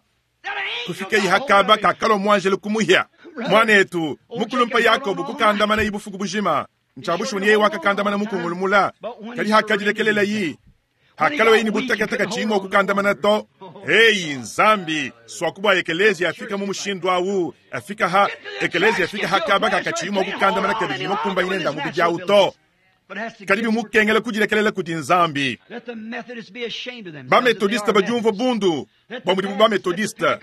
Kufika ihakaba kakalo mwanjele kumuhya. Mwanetu, mukulumpa Yakobo kukandamana ibufuku bujima. Nchabushu ni yeye wakakandamana mukungulumula. Kadi hakadilekelela yi. Hakalo yini butakataka chimo kukandamana to. Hey Nzambi, swakubwa ekelezi afika mu mushindu awu, afika ha ekelezi afika hakaba kakachimo kukandamana kabidi mukumba inenda mu bijau to. Kadi bimukengela kudilekelela kudi Nzambi. Ba metodiste badiumvua bundu, bua mudimu ba metodiste,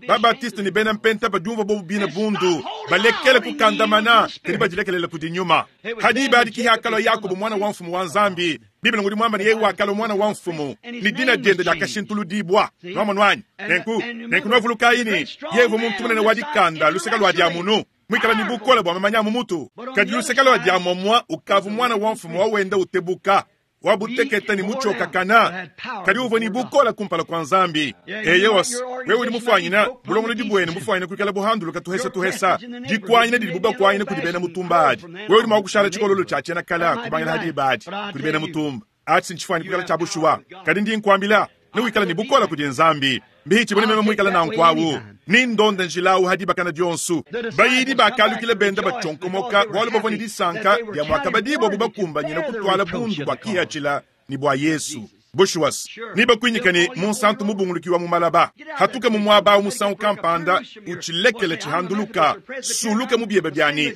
ba baptiste ni bena mpenta badiumvua bobu bina bundu, balekele kukandamana kadi badilekelela kudi nyuma. Hadi ibadiki hakalo Yakobo mwana wa mfumu wa Nzambi. Biblia ngudi mwamba ni yeye wakalo mwana wa mfumu. Ni dina diende dia kashintuludibwa. Nwamonu anyi. Nenku, nenku nwavuluka yini, yevu muntu munene wa dikanda, luseka lwa dia munu. Mwikala ni bukola bwa mamanya mumutu. Kadi luseka lwa dia momwa, ukavu mwana wa mfumu wa wenda utebuka. Wa buteketa ni muchoka kana. Kadi uvua ni bukola kumpala kwa Nzambi. Eyewas, wewe udi mufanyina, bulongolodi bwenu mufanyina kuikala buhanduluka tuhesa tuhesa. Dikwanyina didi buba kwanyina kudi bena mutumba adi. Wewe udi mwa kushala tshikololo tshia tshiena kala kubangila hadi ibadi kudi bena mutumba. Atsi ntshifanyina kuikala tshia bushuwa. Kadi ndi nkuambila, ne wikala ni bukola kudi Nzambi. Mbihi bone meme mwikala na nkwawu. Ni ndonda njilawu hadi bakana dionsu. Bayidi bakalukile benda bachonkomoka bwalu bavua ni disanka ya mwakabadibo bubakumbanyina kutwala bundu bwa kihachila ni bwa Yesu. Bushuwas, ni bakwinyika ni munsantu mubungulukiwa mu malaba. Hatuka mu mwaba musangu kampanda uchilekele chihanduluka, suluka mu biebe byani.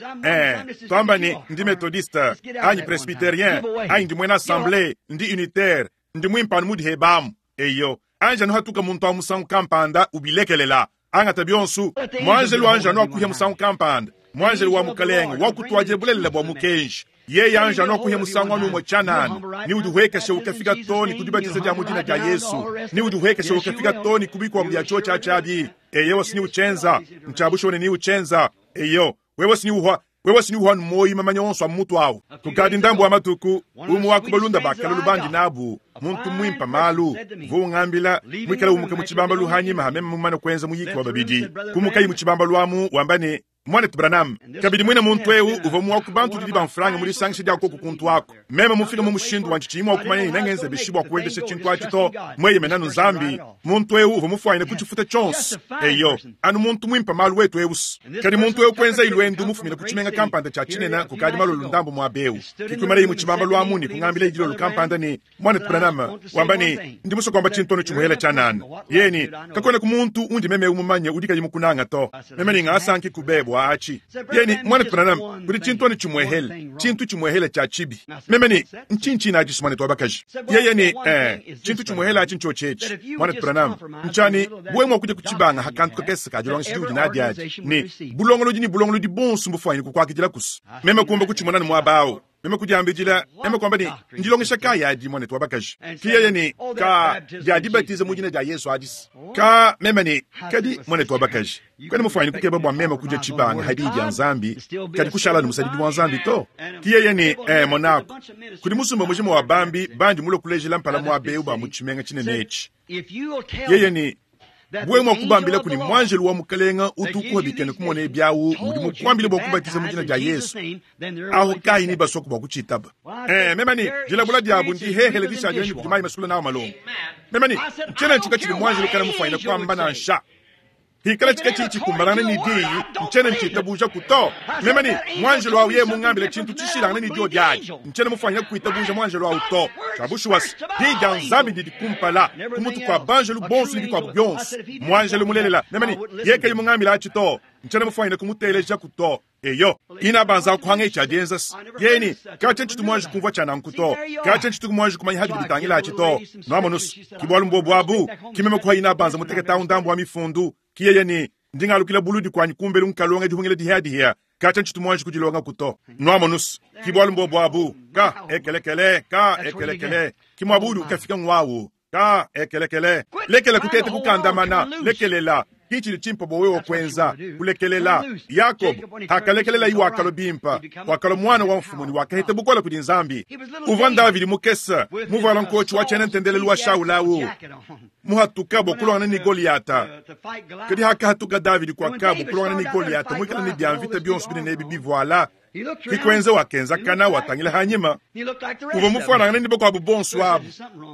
Twamba ni ndi methodiste, anyi presbyterien, anyi ndi mwena assemblée, ndi unitaire, ndi mwimpanu mudi hebamu. Eyo, anja no hatuka muntu wa musangu kampanda ubilekelela. Angata bionsu, mwanjelu anja no akuhya musangu kampanda. Mwanjelu wa mukalenge, wa kutwaje bulelela bwa mukenji. Yeye anja no kuhya musangu anu mwe chanana. Ni uduhwekeshe ukafika toni kudibatiza dia mudina dia Yesu. Ni uduhwekeshe ukafika toni kubikwa mdia cho cha chabi. Eyo sini uchenza, mchabusho ni uchenza. Eyo, wewe sini uhwa, Wewe si uvua muoyi mamanya onso a mutu awu. Kukadi ndambu wa matuku, umue wa ku balunda ba kale lubandi nabu, muntu muimpe malu, uvua ungambila muikale umuka mu tshibambalu hanyima ha meme mumane kuenza muyiki wa babidi. Kumukayi mu tshibambalu amu wamba ne, Mwanetu Branham, kabidi mwine muntu eu uvua umue wa ku bantu didi bamfranga mu disangisha dia koku kuntu aku. Meme mufike mu mushindu wa ntshiyi mua kumanya ne nengenze bishi bua kuendesha tshintu atshi to, mueyemene anu Nzambi. Muntu eu uvua mufuanyine kutshifuta tshionso. Eyo, anu muntu muimpe malu wetu eu. Kadi muntu eu kuenzayi luendu mufumine ku tshimenga kampanda tshia tshinene kukadi malolo ndambu muaba eu. Ke kuimanayi mu tshibambalu amu ne kungambilayi dilolo kampanda ne, Mwanetu Branham, wamba ne, Ndi musue kuamba tshintu anu tshimuhela tshianana. Yeye ne, Kakuenaku muntu undi meme eu mumanye udi kayi mukunanga to. Meme ne ngasanki ku be bua atshi. Yeye ne, Mwanetu Branham, kudi tshintu anu tshimuehele, tshintu tshimuehele tshia tshibi. Meme ne, Ntshinyi tshine atshi, mwanetu wa bakaji? Yeye ne, Ee, tshintu tshimuehele atshi ntshiotshi etshi, mwanetu Branham. Ntshia ne, wewe mua kudia ku tshibanga ha kantu kakese ka dilongesha diudi nadi adi, ne bulongolodi ne bulongolodi buonso mbufuanyine kukuakidila kusu. Meme kumba kutshimona ne muaba au. Meme kudiambidila, meme kuamba ne, Ndilongesha kayi adi, mwanetu wa bakaji? Ke yeye ne, Ka, dia dibatiza mu dina dia Yezu adis. Ka, meme ne, Kadi, mwanetu wa bakaji, kuena mufuanyine kukeba bua meme kudia tshibanga ha diyi dia Nzambi, kadi kushala anu musadidi wa Nzambi to. Ke yeye ne, Ee, monaku, kudi musumba mujima wa bambi bandi mulue kulejela mpala muaba eu ba mu tshimenga tshinene etshi. Yeye ne, Wewe mua kubambila kuni muanjelu wa Mukalenga utu ukuha bikena kumona ebi awu udi mukuambile bua kubatiza mu dina dia Yesu, aho kayi ne basoku bua kutshitaba. Eh, meme ne, dilabula diabu ndihehele dishadile ne kudi mayi masukula nawu malongo. Meme ne, ntshiena ntshuka tshidi muanjelu kana mufuanyine kuamba nansha. Hikala tshika tshidi tshikumbanangana ne diyi, ntshiena ntshitabujaku to. Meme ne, muanjelu awu yeye mungambile tshintu tshishilangane ne diodi adi, ntshiena mufuanyine kuitabuja muanjelu awu to. Tshia bushuwa se, diyi dia Nzambi didi kumpala, ku mutu kua banjelu bonso ne bikuabu bionso. Muanjelu mulelela, meme ne, yeye kayi mungambile atshi to, ntshiena mufuanyine kumutelejaku to. Eyo, ina banza kuhanga etshi adienza se, yeye ne, Katshia ntshitu muanji kumvua tshia nanku to. Katshia ntshitu muanji kumanya habidi bitangila atshi to. Nuamonus, ki bualu mbuobu abu, ki meme kuha ina banza mutekete awu ndambu wa mifundu. Ki yeye ne, Ndi ngalukila buludi kuanyi kumbelu nkalonga dihungila dihiadihia. Katshia ntshitu muanji kudilongaku to. Nuamonus, ki bualu mbuobu abu. Ka ekelekele, ka ekelekele, ki muaba udi ukafika nguawu. Ka ekelekele, lekela kuteta kukandamana, lekelela. Ki tshidi tshimpe bua wewe kuenza, kulekelela. Yakobo hakalekelelayi wakalua bimpe, wakalua muana wa mfumu ne wakaheta bukole kudi Nzambi. Uvua Ndavidi mukese, muvuala nkotshi wa tshiena ntendelelu wa Shaula au, muhatuka bua kuluangana ne Goliata. Kadi hakahatuka Davidi kuakabo kuluangana ne Goliata muikale ne bia mvita bionso binene ebi bivuala, Ke kuenza wakenzakana watangila hanyima, uvua mufuanangane ne bakuabu bonso abu.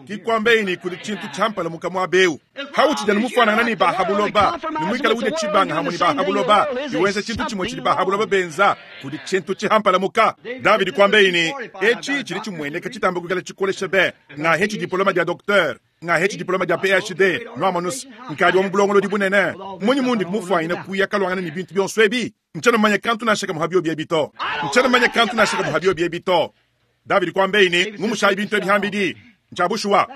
Ke kuambaye ne, kudi tshintu tshiampalamuka muaba eu. Hautshidi anu mufuanangane ne ba ha buloba, ne muikale udia tshibanga hamue ne ba ha buloba, ne wenza tshintu tshimue tshidi ba ha buloba benza, kudi tshintu tshihampalamuka. Davidi kuambaye ne, Etshi tshidi tshimueneka tshitamba kuikala tshikolesha be, ngahetshi diploma dia docteur. Ngahetshi diploma dia PhD, nuamonus, nkadi wa mu bulongolodi bunene. Mmunyi mundi kumufuanyina kuya kaluangana ne bintu bionso ebi? Ntshiena mumanye kantu nansha kamue ha biobi ebi to. Ntshiena mumanye kantu nansha kamue ha biobi ebi to. Davidi kuambeyi ne, Ngumushayi bintu ebi hambidi. Ntshia bushuwa.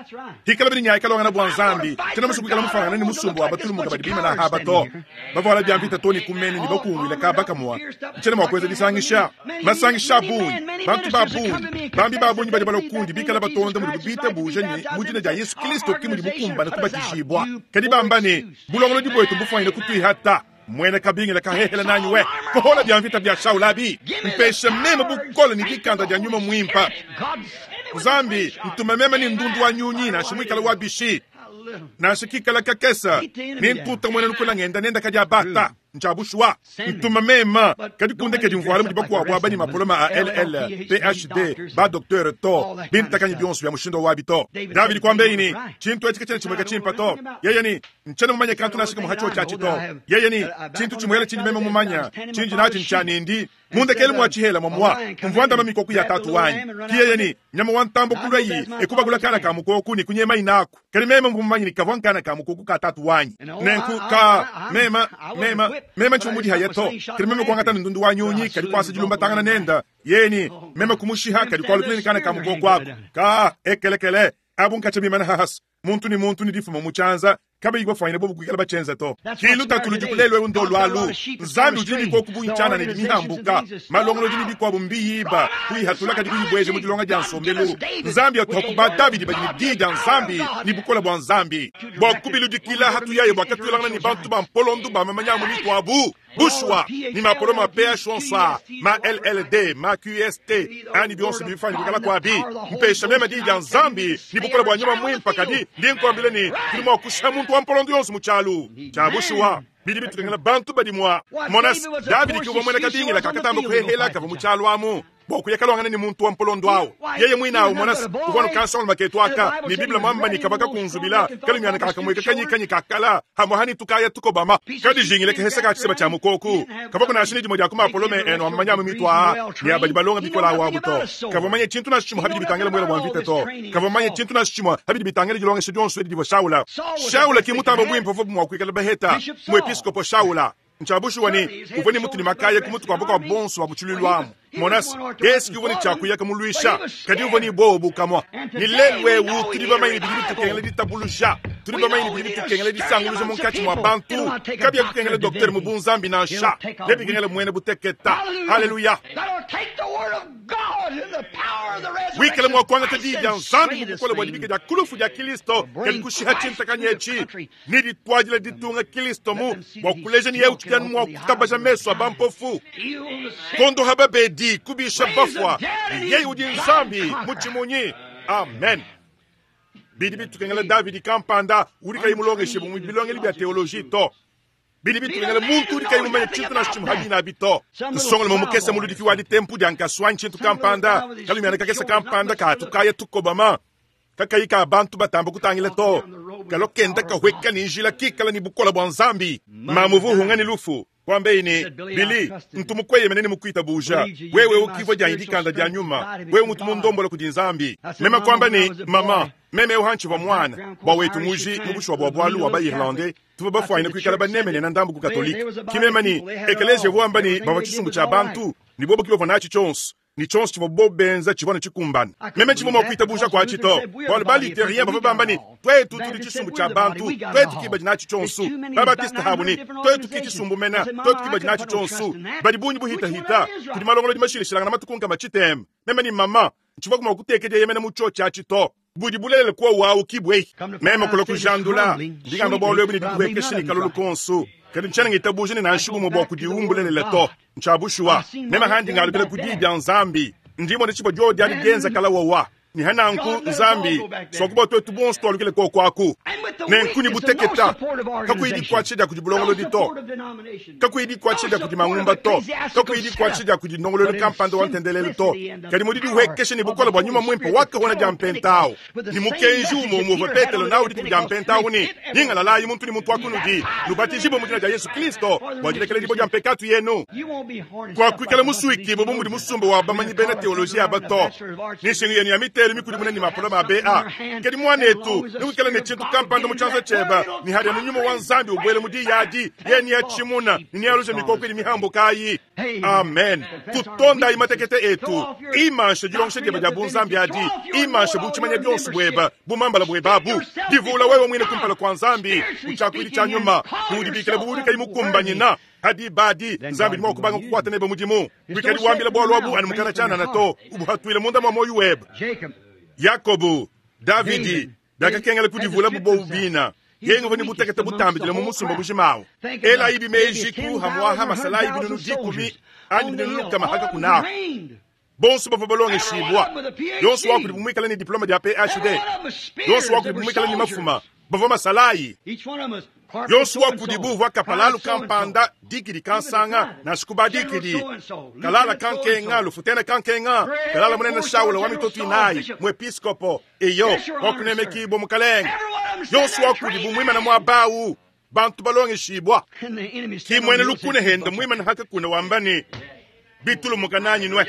Hikala bidi nyaya kalongana bua Nzambi, tshiena musue kuikala mufuanangane ne musumba wa batulumuka badi bimana haba to. Bavuala bia mvita to ne ku menu ne bakunguila kaba kamua. Ntshiena mua kuenza disangisha, masangisha a bungi, bantu ba bungi, bambi ba bungi badi balua kundi bikala batonda mudibu bitabuja ne mu dina dia Yesu Kilisto ke mudi mukumbane kubatijibua. Kadi bamba ne, Bulongolodi buetu mbufuanyine kutuihata. Muena kabingila kahehela nanyi we, kohola bia mvita bia Shaula abi, mpesha meme bukole ne dikanda dia nyuma muimpe. Nzambi, ntume meme ne ndundu wa nyunyi nansha muikale wa bishi, nansha kikala kakese, ne ntuta muena lukuna ngenda nenda kadia bata. Ntshia bushuwa, ntuma meme, kadi kundekedi mvuala mudi bakuabu aba ne mapoloma a LL, PhD, ba docteur to, bintakanyi bionso bia mushindu wabi to. Davidi kuambeyi ne, tshintu etshi katshiena tshimueka tshimpe to. Yeye ne, Ntshiena mumanye kantu nansha kamue ha tshiotshi atshi to. Yeye ne, Tshintu tshimuele tshindi meme mumanya, tshindi natshi ntshia ne ndi mu ndekelu mua tshihela muamua mvua ndama mikoku ya tatu wanyi. Ki yeye ne, Nyama wa ntambo kuluayi e kubakula kana ka mukoku ne kunyemayi naku. Kadi meme mvua mumanye ne kavua nkana ka mukoku ka tatu wanyi. Nenku ka meme, meme, meme ntshivua mudihaya to. Kadi meme kuangata ne ndundu wa nyunyi kadi kuasa dilumbatangana nenda. Yeye ne, Meme kumushiha kadi kualukila ne kana ka mukoku aku. Ka ekelekele, abu nkatshia bimana hahasa. Muntu ne muntu ne difuma mu tshianza. Kabayi bafwanyine bobu kuikala batshienza to. Ki lutatu ludiku lelu eu ndolu alu. Nzambi udi ne mikoku bungi tshianana idi mihambuka. Malongolodi ne bikuabu mbiyiba, kuyihatula kadi kuyibueja mu dilonga dia nsombelu. Nzambi atuaku ba Davidi badi ne Diyi dia Nzambi ne bukole bua Nzambi bua kubiludikila hatuyaye bua katuelangana ne bantu ba mpolondu ba mamanya amu mikuabu. Bushuwa, ni mapolo ma PH onso aa, ma LLD, ma QST, anyi bionso bidi bifanya kuikala kuabi, mpesha meme diyi dia Nzambi ne bukole bua nyuma muimpe, kadi ndi nkuambila ne tudi mua kushiha muntu wa mpolondo yonso mu tshialu. Tshia bushuwa, bidi bitukengela bantu badi mua mona Davidi ki uvua muena kabingila kakatamba kuhehela kavua mu tshialu amu bua kuya kalwangana ne muntu wa mpolondo awu. Yeye muine awu mona uvua nukansonga maketu aka ne Biblia mwamba ni kabaka kunzubila kalumiana kakamweka kanyikanyi kakala hamwe hani tukaya tukobama kadijingile kehesa ka tshiseba tshia mukoku kavua kunasha ni dimue dia ku mapolome enu amamanya amu mitua ne abadi balonga bikola awu abu to. Kavua manye tshintu nansha tshimue habidi bitangila muela wa mvita to. Kavua manye tshintu nansha tshimue habidi bitangila dilongesha dionso edi divua Shaula. Shaula ki mutamba buimpe uvua mua kuikala baheta muepiskopo Shaula. Nchabushuwa ni uvua ni mutu ni makaya ku mutu kwa bukua bonso ba mu tshiluilu amu. Monas, Yesu ki uvua ni tshiakuyaka mulwisha, kadi uvua ni bobu kamwa. Ni lelu eu tudi bamanye bidi bitukengela ditabuluja, tudi bamanye bidi bitukengela disanguluja munkatshi mua bantu. Kabia kukengela docteur mu bunzambi nansha, nebikengela muena buteketa. Haleluya. Wikale mua kuangata diyi dia Nzambi mu bukole bua dibika dia kulufu dia Kristo, kadi kushiha tshintakanyi etshi ni dituadila ditunga Kristo mu bua kuleja ni yeu tshidi mua kutabaja meso a bampofu. Kondo haba bedi kubisha bafua, yeye udi Nzambi mutshimunyi. Amen. Bidi bitukengela Davidi kampanda udi kayi mulongeshe mu bilongeli bia theologie to. Bidi bitukengela muntu udi kayi mumanye tshintu nansha tshimue habina abi to. Nsongolo mukese muludiki wa ditempu dia nkasua ntshintu kampanda, kalumiana kakese kampanda katukaya tukobama. Kakayi ka bantu batamba kutangila to. Kalokenda kahweka ni njila kikala ni bukola bua Nzambi. Mamuvu hunga ni lufu. Kwambe ni Bili ntumu kweye menene mukwita buja. Wewe ukivwa dia indikanda dia nyuma. Wewe mutu mundombola kudi Nzambi. Mema kwamba ni mama, meme uhanchi wa mwana. Bwa wetu muji mubushwa bwa bwalu wa ba Irlande. Tuba bafwanyina kuikala banemene na ndambu ku Katolika. Kimema ni ekelezia vuamba ni bava tshisumbu tshia bantu. Ni bobo kibavua natshi tshionso. Ni tshionso tshivua bo benza tshivua ne tshikumbana. Meme tshivua mua kuita buja kwa tshito. Bualu ba luthérien bavua bamba ni twetu tudi tshisumbu tshia bantu, twetu ki badi natshi tshionso. Ba Baptiste habu ni twetu ki tshisumbu mena, twetu ki badi natshi tshionso. Badi bungi buhitahita, kudi malongolodi mashilashilangana matuku nkama tshiteme. Meme ni mama, tshivua mua kutekedia yemena mu tshio tshia tshito. Budi bulelele kwa wau kibwe. Meme kula kujandula, ndigamba bwalu ebu ni dikuhekesha ni kalulu konso. Kadi ntshiena ngitabuja ni nansha bumue bua kudiumbulelele to. Ntshiabushuwa. Meme handi ngalukila ku diyi dia Nzambi. Ndimo ne tshibo dio dia digenza kala wawa. Ni hananku Nzambi, sokuba twetu bonso twalukile kokwaku. Nenku ni buteketa. Kakuyi dikwatshe dia kudi bulongolodi to. Kakuyi dikwatshe dia kudi mangumba to. Kakuyi dikwatshe dia kudi ndongololo kampanda wa ntendelelo to. Kadi mudi dihwekeshe ni bukola bua nyuma mwimpe wakahona dia mpentao. Ni mukenji umwe umwe Petelo nawo dituku dia mpentao ni ningalalayi muntu ni muntu wakunudi. Nubatizibwe mu dina dia Yesu Kristo bua dilekela dibo dia mpekatu yenu. Kwa kuikala musuiki bo mudi musumba wa bamanyi bena teoloji aba to. Ni nshingu yenu ya mitelu mikudi munene mapolo ma BA. Kadi mwanetu, nikuikala ne tshintu kampanda mu tshianza tshiebe, ni hadi mu nyuma wa Nzambi ubwele mu diyadi, ye ni ya tshimuna, ni ya luja mikoko idi mihambo kayi. Amen. Tutonda imatekete etu. Imanshe dilongesha diebe dia bunzambi adi. Imanshe buchimanya bionso bweba, bumambala bwebabu. Divula wewe mwine kumpala kwa Nzambi, uchakwili cha nyuma, kudibikila budi kayi mukumbanyina. Hadi badi Nzambi ni mwakubanga kukwata nebe mudimu. Wikali wambila bwalo abu anumukana chana na to. Ubuhatuile munda mwa moyo webe. Yakobo, Davidi, bakakengela kudivula bubo ubina. Yengo vani butekete butambidile mu musumba bujimawo. Ela ibi meji ku hamwaha masala ibi nunu dikumi, anyi binunu lukama haka kunaho. Bonso bavua balongeshibwa. Yonso wakudi bumwikala ni diploma dia PhD. Yonso wakudi bumwikala ni mafuma. Bavua masalayi. Yonso wakudi buvua kapalalu kampanda dikidi kansanga na sikuba dikidi. Kalala kankenga, lufutena kankenga, kalala munene Shaula wa mitoto inayi, muepiskopo, eyo, wakunemekibwa mukalenge. Yonso wakudi bumwimana mwabawu, bantu balongeshibwa. Kimwene lukune henda mwimana haka kuna wambani, bitulu mukananyi nwe.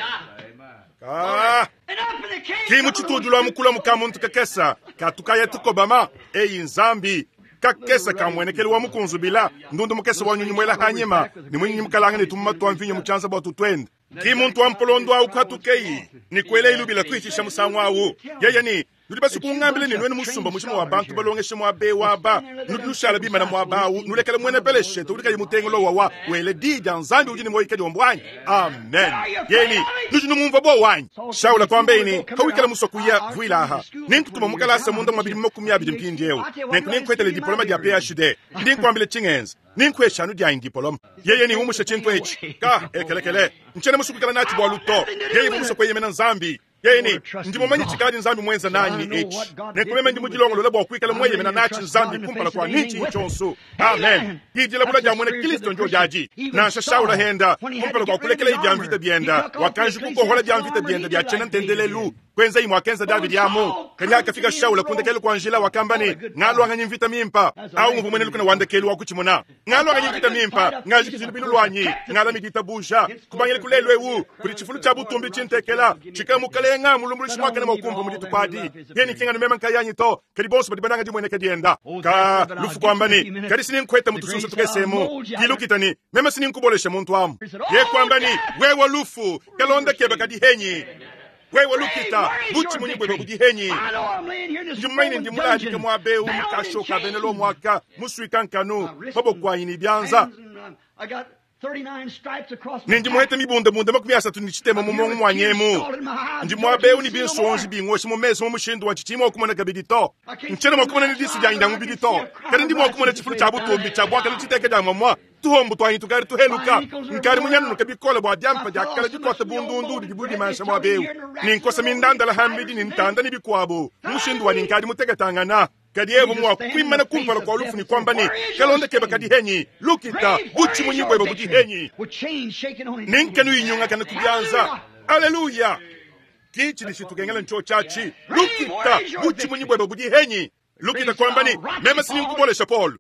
Kimu chitudu lwa mukula mukamuntu kakesa, katukaya tukobama, eyi Nzambi. Kakesa kamwenekele wa mukunzubila, ndundu mukesa wa nyunyu mwela hanyima, ni mwinyi mukalanga ni tumma twa mvinyo muchanza bwa tutwende. Ki muntu wa mpolondo au katukei, ni kwele ilubila kuitisha musangu au. Yeye ni, Nudi basue kungambila ne nuenu musumba mujima wa bantu balongeshe muaba eu aba, nudi nushala bimana muaba au, nulekela muena Peleshete udi kayi mutengula wawa wela di dia Nzambi udi ne muoyo kadiombo anyi? Amen. Yeni, nudi numumvua buowa anyi? Shaula kuambaye ne, Pawikala musue kuya, vuila aha. Nenkutuma mu kalasa munda mua bidimu 20 mpindieu. Nenku nenkuetele diploma dia PhD. Ndi nkuambila tshingenza. Nenkuesha anu dianyi diploma. Yeye ne umusha tshintu etshi. Ka, ekelekele. Ntshiena musue kuikala natshi bualu to. Yeye musue kueyemena Nzambi. Yeye ne, ndi mumanye tshikadi Nzambi muenza nanyi ne etshi. Nenku meme ndi mudilongolola bua kuikala mueyemena natshi Nzambi kumpala kua ne tshinyi tshionso. Amen. Didilabula dia muena Kristo ndio diadi. Nansha Shaula henda kumpala kua kulekela bia mvita bienda, wakanji kukohola bia mvita bienda bia tshiena ntendelelu, kuenza imue akenza Davidi amu. Kadi hakafika Shaula ku ndekelu kua njila, wakamba ne, Ngaluanganyi mvita mimpa. Au nguvua muena lukuna wa ndekelu wa kutshimuna. Ngaluanganyi mvita mimpa, ngajikiji lubilu luanyi, ngalami ditabuja. Kubangila ku lelu eu, kudi tshifulu tshia butumbi tshintekela, tshikala mukalenga mulumbuluishi muakane mua kumpa mu dituku adi. Yeye ki nganu meme nkayanyi to, kadi bonso badi bananga dimueneka dienda. Ka lufu kuamba ne, kadi sininkueta mu tusunsa tukese emu. Kilukita ne, meme sininkubolesha muntu amu. Ye kuamba ne, wewe lufu, kalonda kebe kadi henyi. Wewe lukita, butshimunyi buebe budi henyi. Ndi mumanye ne ndi muladike muaba eu mu kasho ka bena Lomo aka, musuika nkanu, maboko anyi ne bianza. Ne ndi muhete mibundabunda 33 mu muongo muanyi emu. Ndi muaba eu ne binsonji bingosha mu mesu mu mushindu wa tshitshiyi mua kumona kabidi to. Ntshiena mua kumona ne disu dianyi dia mubidi to, kadi ndi mua kumona tshifulu tshia butumbi tshia buakane tshiteka dia muamua. Tuhombo tuanyi tukadi tuheluka, nkadi munyanunuka bikole bua diampa dia kala dikuata bundundu didi budimansha muaba eu, ne nkosa mindandala hambidi ne ntanda ne bikuabo mu mushindu wanyi nkadi muteketangana. Kadi yeye mua kuimana kumpala kua lufu ne kuamba ne, Kalonda kebe kadi henyi, lukita, butshimunyi buebe budi henyi. Ne nkanu inyungakana ku bianza. Aleluya! Ki tshidi tshitukengela ntshotshatshi. Lukita, butshimunyi buebe budi henyi. Lukita kuamba ne, meme sininkubolesha Paulo.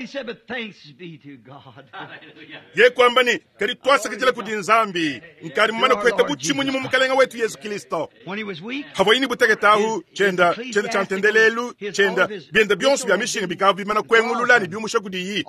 Ye kuamba ne, kadi tuasakidila kudi Nzambi, nkadi mumane kuheta butshimunyi mu Mukalenga wetu Yesu Kristo. Havuaye ne butekete ahu, tshienda tshienda tshia ntendelelu tshienda bienda bionso bia mishinga bikavua bimana kuengulula ne biumusha kudiyi.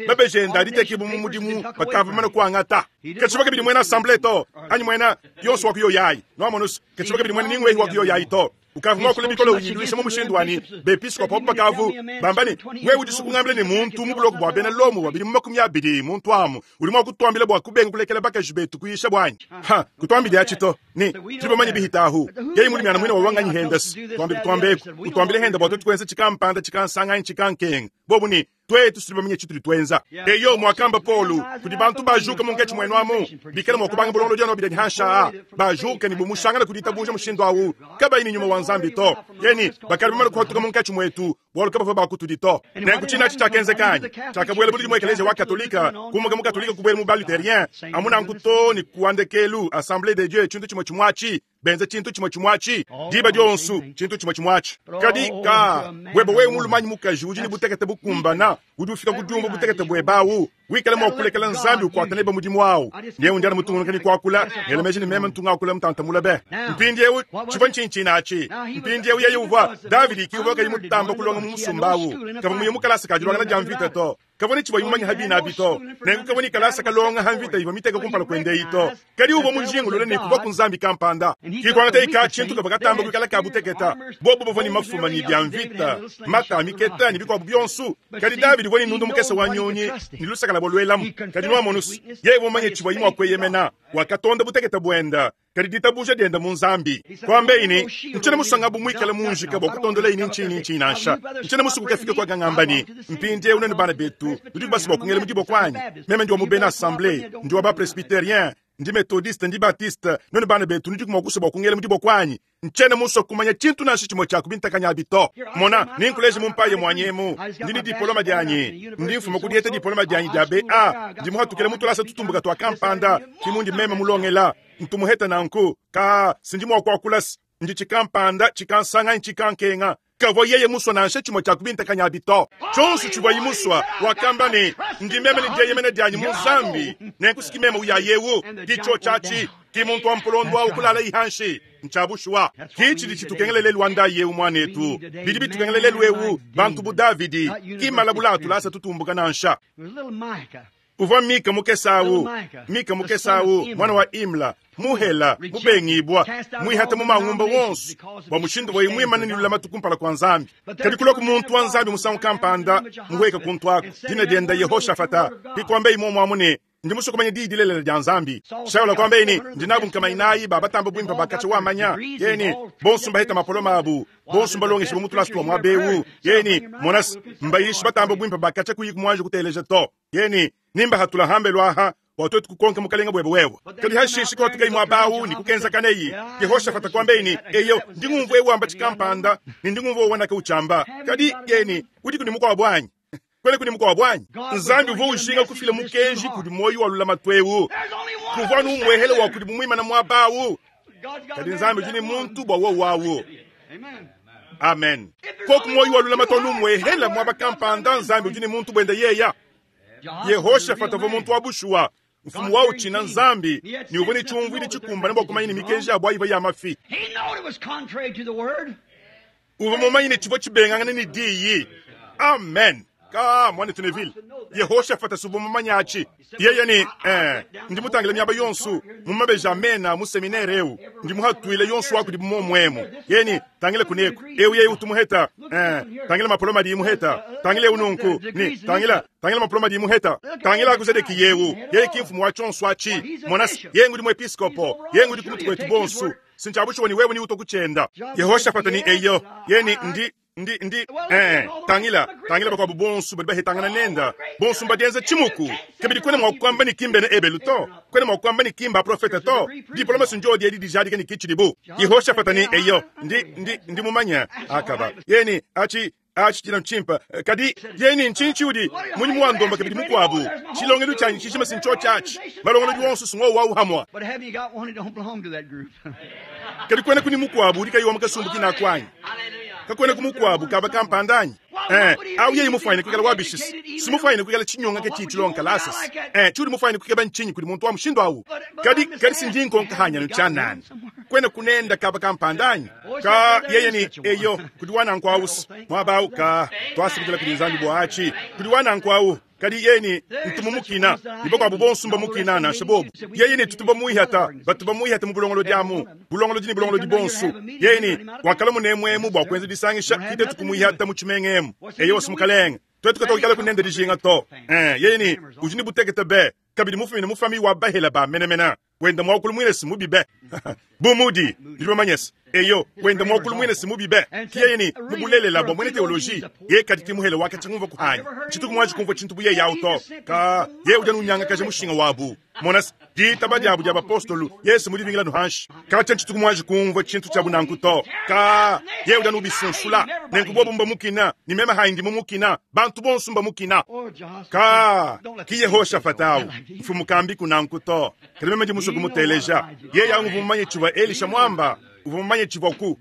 Mabeji enda aditekibua mu mudimu bakavua bamana kuangata. Katshivua kabidi muena assemble to, anyi muena yonso wa kuyoyayi. Nuamonusu, katshivua kabidi muena ningwehi wa kuyoyayi to. Ukavua muakule bikole uyiluisha mu mushindu wa ne, bepiskopo abu bakavu bamba ne, wewe udi kungambila ne muntu mu buloko bua bena Lomo wa bidimu 20 muntu amu udi mua kutuambila bua kubenga kulekela bakaji betu kuyisha buanyi. Ha, kutuambidi atshi to. Ne, tudi bamanye bihita ahu. Yeye mulimi muine wa wanganyi hendasi. Tuambe kutuambeku, utuambile henda bua tuetu kuenza tshikampanda tshikansanganyi tshikankenga. Bobu ne, tuetu tudi bamanye tshitudi tuenza. Eyo, muakamba Paulo, kudi bantu bajuka munkatshi muenu amu, bikale mua kubanga bulongolodi anu bidadi hansha a, bajuka ne bumushangana ku ditabuja mushindu awu, kabayi ne nyuma wa Nzambi to. Yeni, bakadi bamane kuhatuka munkatshi muetu, bualu kabavua ba kutudi to. Nenku tshina atshi tshiakenzeka anyi? Tshiakabuela buludi mu ekeleziya wa Katolika, kumuka mu Katolika kubuela mu ba-Lutherien, amu nanku to ne ku wa ndekelu, Assemblee de Dieu, tshintu tshimue tshimue atshi. Benza tshintu tshimue tshimue atshi diba dionso, tshintu tshimue tshimue atshi. Kadi ka buebe wewe mulume anyi mukaji udi ne butekete bukumbana, udi ufika ku diumvua butekete buebe awu, wikale mua kulekela Nzambi ukuata nebe mudimu awu. Nyewu ndi anu mutungunuke ne kuakula, ngela meji ne meme ntu ngakula mutanta mule be. Mpindiewu tshivua ntshinyi atshi? Mpindiewu yeye uvua Davidi ki uvua kayi mutamba kulonga mu musumba awu, kavua muye mu kalasa ka diluangana dia mvita to. Kavua ne tshivua mumanye ha bina abi to, nenku kavua ne kalasa kalonga ha mvita ivua miteka kumpala kuende eyi to. Kadi uvua mujingulule ne kuvua ku Nzambi kampanda. Ki kuangata ka tshintu kavua katamba kuikala ka buteketa. Bobu bavua ne mafuma ne bia mvita, mata a miketa ne bikuabu bionso. Kadi Davidi uvua ne ndundu mukese wa nyunyi ne lusaka lua luelamu. Kadi nuamonusu, yeye uvua mumanye tshivuaye mua kueyemena. Wakatonda butekete buenda, kadi ditabuja dienda mu Nzambi. Kuambeyi ne, ntshiena musue ngabu muikale munjika bua kutondolayi ni ntshinyi ni ntshinyi nansha. Ntshiena musue kukafika kwa gangamba ne, mpindieu nuenu bana betu nudi basue bua kungela mu diboko anyi? Meme ndi wa mu bena Assemblee, ndi wa ba Presbyterien, ndi Methodiste, ndi Baptiste. Nuenu bana betu nudi mua kusua bua kungela mu diboko anyi? Ntshiena musue kumanya tshintu nansha tshimue tshia kubintakanya abi to. Mona, nenkuleje mu mpaye muanyi emu. Ndi ne dipoloma dianyi. Ndi mfuma ku dieta dipoloma dianyi dia BA. Ndi muhatukile mu tulasa tutumbuka tua kampanda, ki mundi meme mulongela. Ntu muheta nanku, ka sindi mua kuakula ndi tshikampanda tshikansanga tshikankenga. Kavua yeye musua nansha tshimue tshia kubintakanya abi to. Tshionso tshivuaye musua, wakamba ne, ndi meme ne dieyemena dianyi mu Nzambi, nenku siki meme uyayewu. Ki tshotshatshi, ki muntu wa mpolondo awu kulala ihanshi. Ntshia bushuwa. Ki tshidi tshitukengela lelu wa ndayi eu muanetu. Bidi bitukengela lelu eu bantu bu Davidi, ki malabula atulasa tutumbuka nansha. Uvua Mika mukese awu, Mika mukese awu, mwana wa Imla, muhela, mubengibwa, mwihata mu mangumba wonso, bua mushindu wayi mwimane ni lulamatu kumpala kwa Nzambi. Kadi kulwa ku muntu wa Nzambi musangu kampanda, muhweka kuntu ako, dina dienda Yehoshafata, hikwamba imwe mwamu ne, ndi musokomanya diyi dilelela dia Nzambi. Shaula kwamba eni, ndi nabu nkamainayi ba batamba bwimpa bakacha wamanya, yeni, bonso mbaheta mapoloma abu, bonso mbalongesha bumutulasu wa mwabewu, yeni, monas, mbayishi batamba bwimpa bakacha kuyiku mwanje kuteleja to, yeni, nimba hatula hambe lwaha, watoto kukonka mukalenga bwebe wewe. Kadi hashishi kwa tukai mwabawu ni kukenza kaneyi. Yehoshafata kwamba eni, eyo, ndi ngumvu ewu amba chikampanda, ni ndi ngumvu wanaka uchamba. Kadi, yeni, udi kuni mukwa bwanyi. Kwele kuni mukwa bwanyi. Nzambi uvo ushinga kufila mukenji kudi moyo wa lulama twewu. Kuvwa numwehele wa kudi mumwima na mwabawu. Kadi Nzambi ujini muntu bwa wo wawu. Amen. Koku moyo wa lulama tonu mwehela mwaba kampanda Nzambi ujini muntu bwenda yeya. Yehoshafata vo muntu wa bushuwa. Mfumu wao china Nzambi ni uvone chumvu ili chikumba nabo kumanyini mikenji abo ayiva ya mafi. He knowed it was contrary to the word. Uvo mumanyini chivo chibengangane ni diyi. Amen. Ka mwana Tuneville. Yehoshafata subo mumanyachi. Yeye ni ndi mutangile myaba yonsu mumabeja amena mu seminaire eu. Ndi muhatuile yonsu wako di momwemo. Yeni tangile kuneko. Eu yeye utumuheta. Tangile mapoloma di muheta. Tangile ununku ni tangila tangile mapoloma di muheta. Tangila akuzedeki yewu. Yeye kimfumu wa chonsu achi. Monas yengu di muepiskopo. Yengu di kumutu kwetu bonsu. Sinchabusho ni wewe ni utokuchenda. Yehoshafata ni eyo. Yeni ndi ndi ndi tangila tangila bakwa bonsu bali bahetangana nenda bonsu mbadienza chimuku kabidi kwene mwakwamba ni kimbe ne ebelu to kwene mwakwamba ni kimba profeta to diploma sunjo di edi dijadi ni kichiribu Yehoshafata ni eyo ndi ndi ndi mumanya akaba yeni achi achi china mchimpa kadi yeni nchinchi udi munyi muwandomba kabidi mukwabu chilongelo chanyi chishima sincho chachi malongelo diwonsu sungo wa uhamwa But have you got one that don't belong to that group? kadi kwene kuni mukwabu udi kayiwa mukasumbu kinakwanyi kakwene kumukwabu kaba kampandanyi au yeye mufaine kwikala wabishisi simufaine kwikala chinyonga ke chichilonka lasisi chuli mufaine kwikaba nchinyi kuli muntu wa mushindo awu kadi kadi sindinkonka hanya nuchanani kwene kunenda kaba kampandanyi ka yeye ni eyo kuli wananku awusi mwabawu ka twasikitila kuli nzambi bwachi kuli wananku awu kadi yeni ntumumukina nibakwabu bonsumba mukina na shabobu yeye ni tutuba muihata batuba muihata mu bulongolo dyamu bulongolo dini bulongolo di bonsu yeni wakala munemwemu bwa kwenza disangisha kite tukumuihata mu chimengemu eyo wasimukalenga twetu katokikala kunenda dijinga to yeni ujini butekete be kabidi mufumine mufami wa bahela ba menemena wenda mwakulu mwine simubibe bumudi ndibamanyesa eyo wenda mwakulu mwine simubibe kiyeni mubulelela bwa mwene teoloji ye kadi kimuhele wake chingumva kuhanya chituku mwaji kumva chintu buye yauto ka ye uja nunyanga kaje mushinga wabu monas ditaba diabu dia bapostolu yesu mudibingila nuhanshi kacha chituku mwaji kumva chintu cha bunankuto ka ye uja nubisunsula nenkubobu mba mukina ni mema haindi mumukina bantu bonsu mba mukina ka ki Yehoshafata mfumu kambi kunankuto kadi mema ndi muso kumuteleja ye yangu vumanye chiva Elisha mwamba uvumanye chiva ku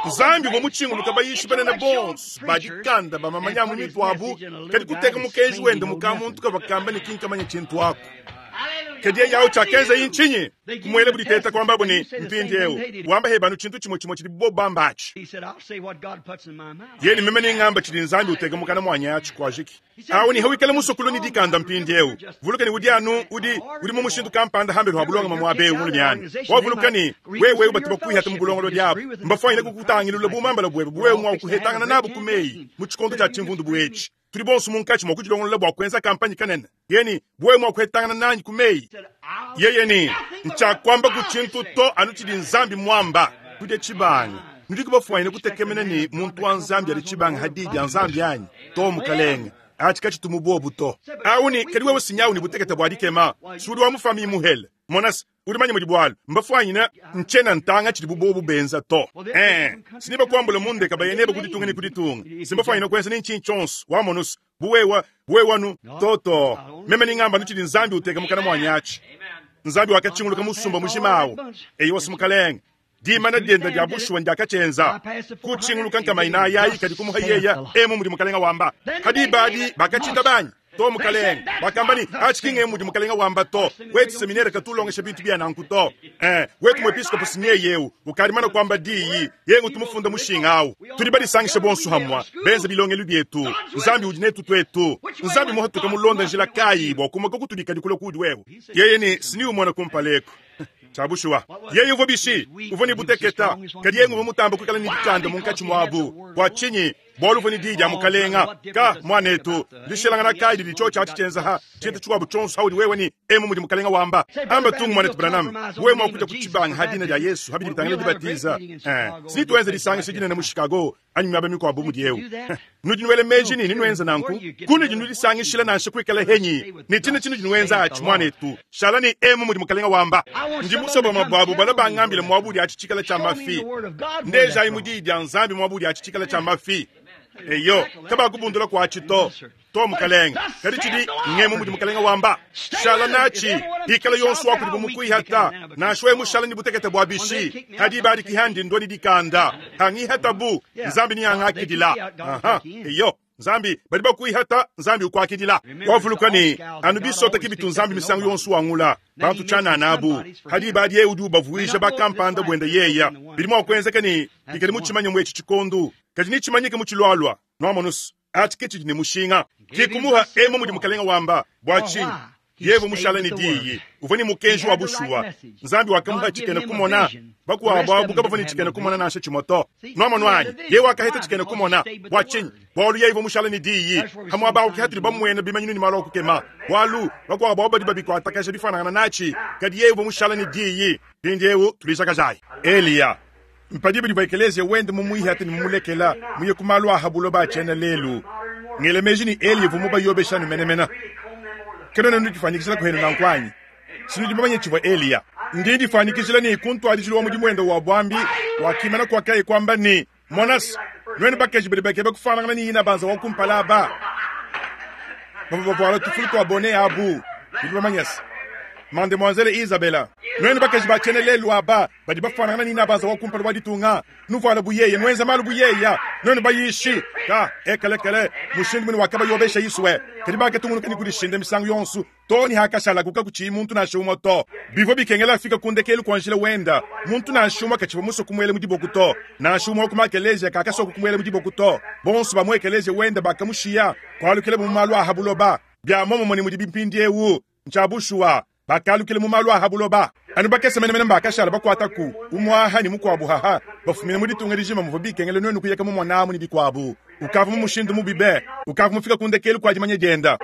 Nzambi vwa muchingu lukabayishi banene bonso badikanda bamamanya mu mitu abu kadi kuteka mukenji wende mukamuntu kavakamba ni kinkamanya chintu ako kadi ye yawo chakenza inchinyi kumwele buditeta kwamba buni mpindi ewu wamba hebanu chintu chimwe chimwe chili bobamba achi He said, I'll say what God puts in my mouth. yeni meme ning'amba chili nzambi uteka mukana mwanya achi kwajiki awo ni hawikale musokolo ni dikanda mpindi ewu vulukani udi anu udi udi mu mushindu kampanda hambelu habulonga mamwabewu mulu myani wavulukani wewe batu bakwihata mu bulongolo dyabo mbafwanyile kukutangilula bumambala bwebe buwewe mwa kuhetangana nabo kumeyi mu chikondo cha chimvundu bwechi tuli bonso munkachi mwa kuchilongolola bwa kwenza kampanyi kanene yeni buwewe mwa kuhetangana nanyi kumeyi yeye ni nchakwamba kuchintu to anu chili nzambi mwamba kudya chibanga ndikubafwanyile kutekemena ni muntu wa nzambi ali chibanga hadidi ya nzambi anyi to mukalenga achi kachitumubobu to auni kadi wewe sinyawu ni butekete bwa dikema sudi wa mufami muhele monas udi manye mudi bwalu mbafwanyina nchena ntanga chili bubobu benza to siniba kwambula mundeka bayeneba kuditunga ni kuditunga simbafwanyina kwenza ni nchinchi chonso wamonusu buwewa buwewanu toto meme ning'amba nuchili nzambi uteka mukana mwanyachi nzambi wakachinguluka musumba mushimawo eyi wasimukalenga dimana dyenda dya bushuwa ndyakachenza kuchinguluka nkamaina ayayi kadi kumuha yeya emu muli mukalenga wamba kadi ibadi bakachinda banyi To, mukalenge. Bakamba ne, Atshi ki ngemu mudi mukalenge wamba to. Wetu seminere katu ulongesha bintu bia nanku to. Eh, wetu muepiskopo si nyeye eu ukadi mana kuamba diyi, yeye ngutu mufunda mushinga au. Tudi badisangishe bonso hamua, benze bilongelu bietu. Nzambi udi netu tuetu. Nzambi muhatuka mulonda njila kayi bua kumuka kutudi kadi kulua kuudi wewe? Yeye ne, Sini umona kumpala eku. Tshia bushuwa, yeye uvua bishi? Uvua ne buteketa, kadi yeye nguvua mutamba kuikala ne dikanda munkatshi muabu. Bua tshinyi? Bualu uvua ne diyi dia mukalenga. Ka, muanetu, ndishilangana kayi didi tshiotshi atshi tshienza ha tshintu tshikuabu tshionso haudi wewe ne emu mudi mukalenga wamba? Amba tungu, muanetu Branham, wewe mua kuja kutshibanga ha dina dia Yesu ha bidi bitangila dibatiza. Eh, si tuenza disangisha dinene mu Chicago anyi miaba mikuabu bu mudi eu. Nudi nuela meji ne nenuenza nanku? Kunudi nudisangishila nansha kuikala henyi ne tshina tshinudi nuenza atshi, muanetu. Shala ne emu mudi mukalenga wamba. Ndi musue bamue babu balua bangambile muaba udi atshi tshikala tshia mafi. Ndejayi mu Diyi dia Nzambi muaba udi atshi tshikala tshia mafi. Eyo, kabakubundula kuatshi to. To, mukalenge. Kadi tshidi ngemu mudi mukalenge wamba. Shala natshi, ikala yonso wa kudibu mukuihata, nansha wewe mushala ne butekete bua bishi. Hadi ibadi kihandi ndua ne dikanda. Hangihatabu, Nzambi neangakidila. Aha, eyo. Nzambi, badi bakuihata, Nzambi ukuakidila. Wavuluka ne, anu bisota ke bitu Nzambi misangu yonso wangula bantu tshianana abu. Hadi ibadi yeye udi ubavuija bakampanda buende yeya. Bidi mua kuenzeka ne bikadi mutshimanye mu etshi tshikondu, kadi netshimanyike mu tshilualua. Nuamonus, atshi ke tshidi ne mushinga. Ke kumuha emu mudi Mukalenga wamba. Bua tshinyi? Yeye mushala ne diyi, uvua ne mukenji wa bushuwa. Nzambi wakamuha tshikena kumona. Bakuabu abu kabavua ne tshikena kumona nansha tshimue to. Nuamonu anyi? Yeye wakaheta tshikena kumona. Bua tshinyi? Bualu yeye uvua mushala ne diyi. Ha muaba au ke hatudi bamuena bimanyinu ne malu a kukema. Bualu bakuabu abu badi babikuatakaja bifuanangana natshi, kadi yeye uvua mushala ne diyi. Mpindieu tulijakajayi. Eliya mpadibu divua ekeleziya wende mumuihate ne mumulekela muye ku malu a ha buloba a tshiena lelu. Ngela meji ne Eliya uvua mubayobesha anu menemene. Kanuena nudifuanyikijila kuhenu nanku anyi? Sinudi bamanye tshivua Eliya. Ndi ndifuanyikijila ne ku ntuadijilu wa mudimu wende wa buambi wakimana kuakaye kuamba ne, Monas, nuenu bakaji badi bakeba kufuanangana ne inabanza wa kumpala aba bavua bavuala tufulu tua bone abu, nudi bamanye se Mademoiselle Isabella, nuenu bakaji ba tshiena lelu aba badi bafuanangana ne inabanza wa kumpala wa ditunga, nuvuala bu yeye, nuenza malu bu yeya, nuenu bayishi ka ekelekele mushindu mune wakabayobesha Isue, kadi bakatungunuka ne kudishinda misangu yonso too ne hakashalaku kakutshiyi muntu nansha umue to. Bivua bikengela afika ku ndekelu kua njila wenda. Muntu nansha umue katshivua musue kumuela mu diboko to. Nansha umue wa ku makelezia kakasua kumuela mu diboko to. Bonso ba mu ekelezia wenda bakamushiya, kualukilabu mu malu a ha buloba. Bia muomumue ne mudibi mpindieu. Ntshia bushuwa, bakalukila mu malu a ha buloba. Anu bakese menemene mbakashala bakuataku, umue aha ne mukuabu haha, bafumine mu ditunga dijima muvua bikengela nuenu kuyeka mumona amu ne bikuabu. Ukavua mu mushindu mubi be, ukavua mufika ku ndekelu kua dimanya dienda.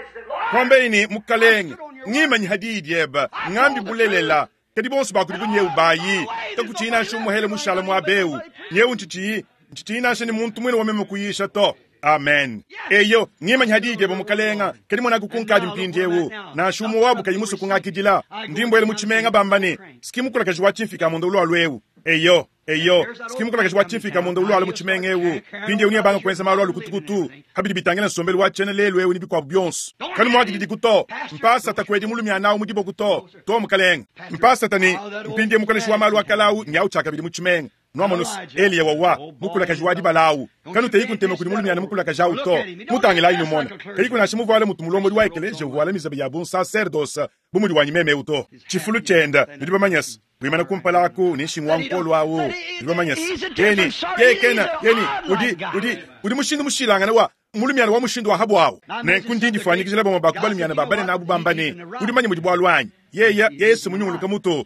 Kuambaye ne, Mukalenge, ngimanyi ha diyi diebe, ngambi bulelela. Kadi bonso ba kudibu nyewu bayi, kakutshiyi nansha umue hele mushala muaba eu. Nyewu ntshitshiyi, ntshitshiyi nansha ne muntu muine wa meme kuyisha to. Amen. Eyo, ngimanyi ha diyi diebe Mukalenga, kadi monaku kunkadi mpindieu. Nansha umue wabu kayi musue kungakidila. Ndi mbuela mu tshimenga bamba ne, Ski mukulakaji wa tshimfika munda ulualu eu. Eyo, eyo, ski mukulakaji wa tshimfika munda ulualu mu tshimenga eu. Mpindieu neabanga kuenza malu a lukutukutu ha bidi bitangila nsombelu wa tshiena lelu eu ne bikuabu bionso. Kanumuakididiku to. Mpasata kuedi mulumiana au mu diboku to. To, mukalenge. Mpasata ne, mpindieu mukoleshi wa malu a kale au nyawu tshiakabidi mu tshimenga. Nuamonu, Eliya wawa, mukulakaji wa dibala awu. Kanuteyiku ntema kudi mulumiana mukulakaji awu to. Mutangilayi numone. Kayiku nansha muvuale mutu mulombodi wa ekeleziya uvuala mizaba ya bunsaserdosa bu mudi wanyi meme eu to. Tshifulu tshienda, nudi bamanye se, wimana kumpala aku ne nshingu wa nkolu awu, nudi bamanye se, yeni, yeye kena, yeni, udi, udi, udi mushindu mushilangane wa mulumiana wa mushindu wa habuawu. Nenku ndi ndifuanyikijila bamue ba ku balumiana ba banene abu bamba ne, Udi mumanye mudi bualu anyi? Yeya, yeye se munyunguluka mutu.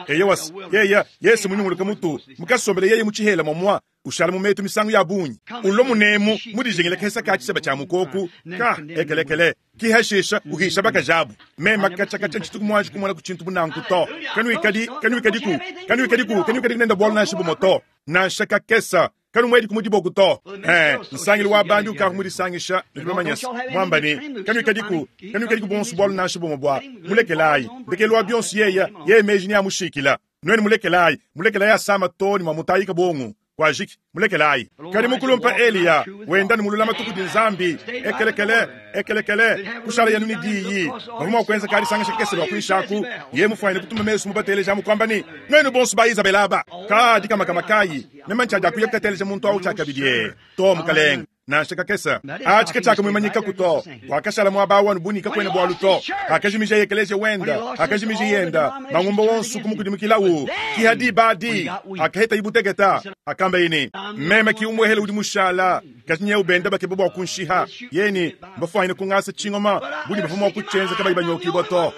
Eyowa, yeya, yeye se munyunguluka mutu. Mukasombela yeye mu tshihela momua, ushala mu metu misangu ya bungi. Ulua munemu mu dijingila kesa ka tshiseba tshia mukoku ka ekelekele. Kihashisha uhisha bakaji abu. Mema katshia katshia ntshituku muanji kumona ku tshintu bu nanku to. Kanuikadi, kanuikadiku, kanuikadiku, kanuikadiku nenda bualu nansha bumue to. Nansha kakesa. Kanumuediku mu diboku to. Eh, nsangilu wa bandi ukavua mudisangisha, nudi bamanye se, muamba ne, Kanuikadiku, kanuikadiku bonso bualu nansha bumue bua, mulekelayi. Ndekelu wa bionso yeya, yeye meji neamushikila. Nuenu mulekelayi, mulekelayi asama too ne muamutayika buongo. Kuajiki, mulekelayi. Kadi mukulumpa Eliya, wenda ne mu lulamatu kudi Nzambi, ekelekele, ekelekele, kushala yanu ne diyi. Bavua mua kuenza kadisangisha kakese lua kuinshi aku, yeye mufuanyine kutuma mesu mubateleja amu kuamba ne, Nuenu bonso ba Izabela aba, ka dikamakama kayi, meme ntshiadiakuya kukateleja muntu awu tshiakabidi. Ee, to, mukalenge. Nansha kakese. Atshi ke tshiakamuimanyikaku to. Wakashala muaba au anu bu ne kakuena bualu to. Pakajimijaye ekeleziya wenda, pakajimija yenda, mangumba wonso kumukudimukilawu. Ki ha diba adi hakahetaye buteketa, hakambaye ne, Meme ki umuehele udi mushala, kadi nyewu benda bakeba bua kunshiha. Yeye ne, Mbafuanyine kungasa tshingoma, bu ne bavua mua kutshienza kabayi banyokibua to.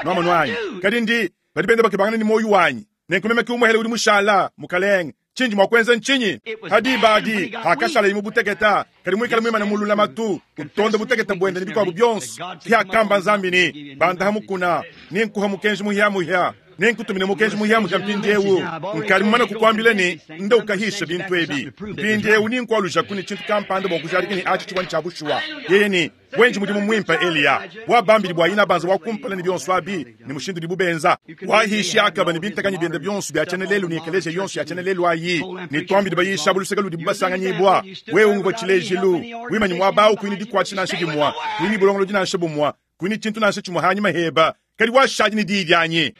Nuamonu anyi? Kadi ndi, badi benda bakebangana ne muoyo wanyi. Nenku meme ki umuehele udi mushala, Mukalenge. Tshindi mua kuenza ntshinyi? Ha diba adi, hakashaleye mu buteketa, kadi muikale muimane mu lulamatu, utonda butekete buende ne bikuabo bionso, ke hakamba Nzambi ne, Banda ha mukuna, nenkuha mukenji muhia-muhia, nenkutumine mukenji muhia-muhia mpindieu. Nkadi mumane kukuambila ne, Nda ukahisha bintu ebi. Mpindieu nenkualujaku ne tshintu kampanda bua kujadika ne atshi tshivua ntshia bushuwa. Yeye ne, Wenji mudimu muimpe, Eliya, wa bambidi bua inabanza wa kumpala ne bionso abi ne mushindu udibu benza. Wahishi Akaba ne bintakanyi biende bionso bia tshiena lelu ne ekeleziya yonso ya tshiena lelu ayi ne tuambidi bayisha abu luseke ludibu basanganyibua. Wewe unguvua tshilejilu, wimanyi muaba au kuyi ne dikuatshisha nansha dimua, kuyi ne bulongolodi nansha bumua, kuyi ne tshintu nansha tshimue hanyima heba, kadi washadi ne diyi dianyi.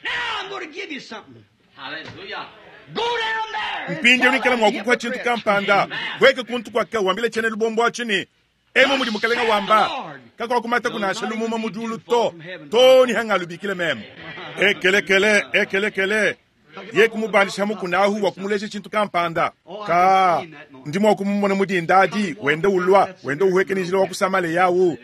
Mpindieu ngikala mua kukuha tshintu kampanda. Hueka kuntu kua ka wambile tshiena lubombo atshi ne, Emu mudi Mukalenga wamba, kakuakumataku nansha lumuma mu diulu to, too ne hangalubikile meme. Ekelekele, ekelekele, ye kumubandisha ha mukuna ahu bua kumuleja tshintu kampanda. Ka, ndi mua kumumona mu dinda adi, wenda ulua, wenda uhueka ne njila wa ku Samalea awu.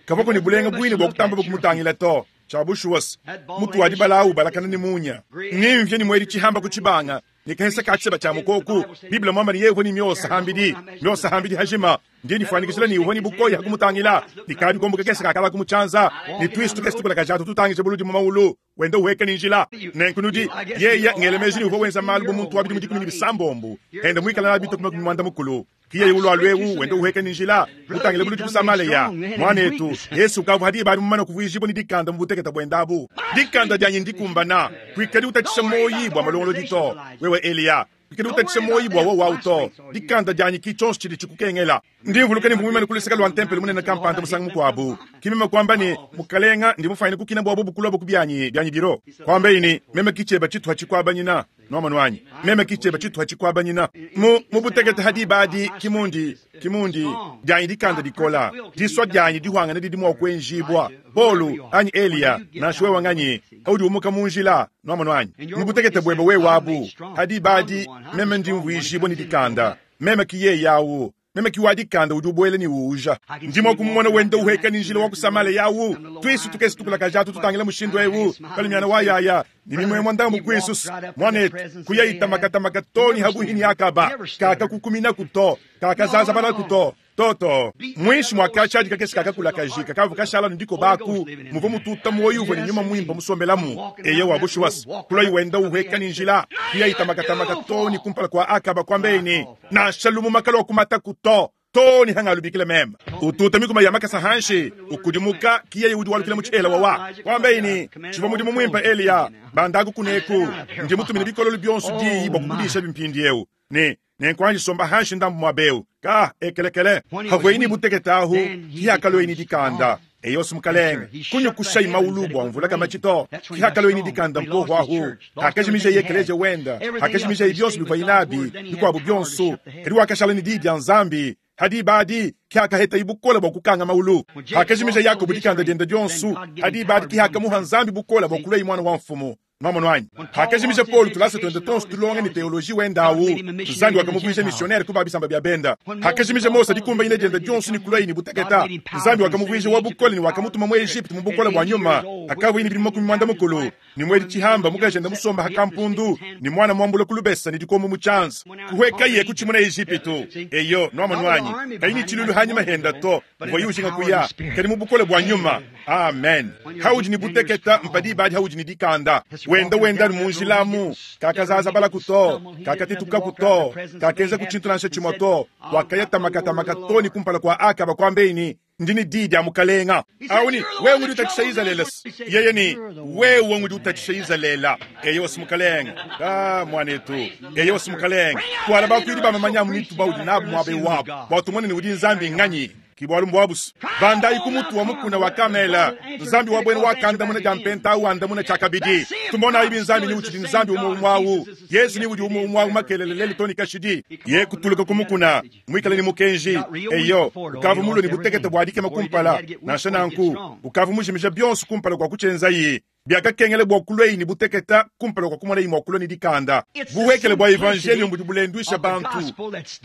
Kavuaku ne bulenga buine bua kutamba kumutangila to. Tshia bushuwa se, mutu wa dibala awu ubalakana ne munya, ne mvia ne muedi tshihamba ku tshibanga, ne kahesa ka tshiseba tshia mukoku. Bible muamba ne yeye uvua ne miosa hambidi, miosa hambidi hajima. Ndi nifuanyikijila ne uvua ne bukoya ha kumutangila, ne kabikombo kakese kakalaku mu tshianza, ne tuisu tukese tukulakaja atu tutangija buludi mu maulu, wenda uhueka ne njila. Nenku nudi, yeye ngela meji ne uvua wenza malu bu muntu wa bidimu 17, enda muikale nabi bitue ku 80. Ki yeye ulua eu wenda uhueka ne njila, mutangile buludi ku Samalea. Muanetu, Yesu ukavua diba adi mumane kuvuijibua ne dikanda mu butekete buende abu. Dikanda dianyi ndikumbana. Kuikadi utatshisha muoyi bua malongolodi to, wewe Eliya. Kuikadi utatshisha muoyi bua wowu au to. Dikanda dianyi ki tshionso tshidi tshikukengela. Ndi mvuluka ne mvua muimane ku luseke lua ntempelo munene kampanda musangu mukuabu. Ki meme kuamba ne, Mukalenga, ndi mufuanyine kukina bua bobu kulua ku bianyi, bianyi biro. Kuambaye ne, Meme ki tshieba tshituha tshikuabanyina. Nuamonu anyi? Meme ki tshieba tshituha tshikuabanyina. Mu, mu butekete ha diba adi, ki mundi, ki mundi, dianyi dikanda dikola, disua dianyi dihuangane didi mua kuenjibua. Paulo, anyi Eliya, nansha wewe nganyi, haudi umuka mu njila, nuamonu anyi? Mu butekete buebe wewe abu, ha diba adi, meme ndi mvuijibua ne dikanda. Meme ki yeye awu. Meme ki wa dikanda udi ubuela ne uuja. Ndi mua kumumona wenda uhueka ne njila wa ku Samalea awu, tuisu tukese tukulakaja atu tutangila mushindu eu, kalumiana wa yaya, ne mimuemua ndambu kuisu. Muanetu, kuya itamakatamaka to ne habuhi ne Akaba, kakakukuminaku to, kakazazabalaku to. Toto, muinshi mua katshadi kakese kakakulakaji kakavua kashala ne dikoba aku, muvua mututa muoyo uvua ne nyuma muimpe musombelamu. Eyowa, bushuwa, kulayi wenda uhueka ne njila, kuya itamakatamaka to ne kumpala kua Akaba, kuambaye ne, Nansha lumuma kaluakumataku to, too ne hangalubikila meme. Ututa mikuma ya makasa hanshi, ukudimuka, ki yeye udi walukila mu tshihela wawa. Kuambaye ne, Tshivua mudimu muimpe, Eliya, bandaku kuneku, ndi mutumine bikololo bionso diyi bua kukudishabi mpindieu. Ne nenkuanji somba hanshi ndambu muaba eu. Ka ekelekele havueyi ne butekete ahu, ki hakalueyi ne dikanda. Eyosi mukalenge, kunyukushayi maulu bua mvula kamatshi to. Ki hakalueyi ne dikanda mpohu ahu, hakajimijayi ekeleziya wenda, hakajimijayi bionso bivuayi nabi, bikuabu bionso, kadi wakashala ne diyi dia Nzambi. Ha diba adi ki hakahetayi bukole bua kukanga maulu. Hakajimija Yakobo dikanda diende dionso, ha diba adi ki hakamuha Nzambi bukole bua kuluayi muana wa mfumu. Nwamonu anyi? Hakajimija Paulo tulasa tuende tuonso tulonga ne teoloji wende awu, Nzambi wakamuvuija missionnaire ku ba bisamba bia benda. Hakajimija Mose dikumbanyina diende dionso ne kuluaye ne buteketa, Nzambi wakamuvuija wa bukole ne wakamutuma mu Egypte mu bukole bua nyuma. Hakavuaye ne bidimu 80, ne muedi tshihamba, mukajende musomba ha kampundu, ne muana muambula ku lubesa ne dikombo mu tshianza, kuhuekaye kutshimuna Ejipitu. Eyo, nwamonu anyi? Kayi ne tshilulu hanyima henda to, uvuaye ujinga kuya, kadi mu bukole bua nyuma. Amen. Haudi ne buteketa, mpa diba adi haudi ne dikanda. Wenda wenda mu njila amu, kakazazabalaku to, kakatetukaku to, kakenzaku tshintu nansha tshimue to. Wakaya tamakatamaka to ne kumpala kua Akaba, kuambeyi ne, Ndi ne diyi dia mukalenga. Awu ne, wewe ngudi utatshisha Izalele. Yeye ne, wewe ngudi utatshisha Izalele. Eyowa si mukalenga. Ah, muanetu. Eyowa si mukalenga. Tuala bakuidi ba mamanya amu ne tubaudi nabu muaba eu wabu, bua tumone ne udi Nzambi nganyi. Ki bualu mbuabu's. Bandayi ku mutu wa mukuna wa Kamela. Nzambi wa buena wakandamuna dia mpenta awu andamuna tshiakabidi. Tumonayi bi Nzambi ni utshidi Nzambi umue umue awu. Yezu ni udi umue umue awu makelele lelu too ne kashidi. Ye kutuluka ku mukuna, muikale ne mukenji. Eyo, ukavua mulue ne butekete bua dikema kumpala. Nansha nanku, ukavua mujimije bionso kumpala kua kutshienzaye. Biakakengela bua kuluaye ne butekete kumpala kua kumonaye mua kulua ne dikanda. Buhuekele bua evanjeliyo budi bulenduisha bantu.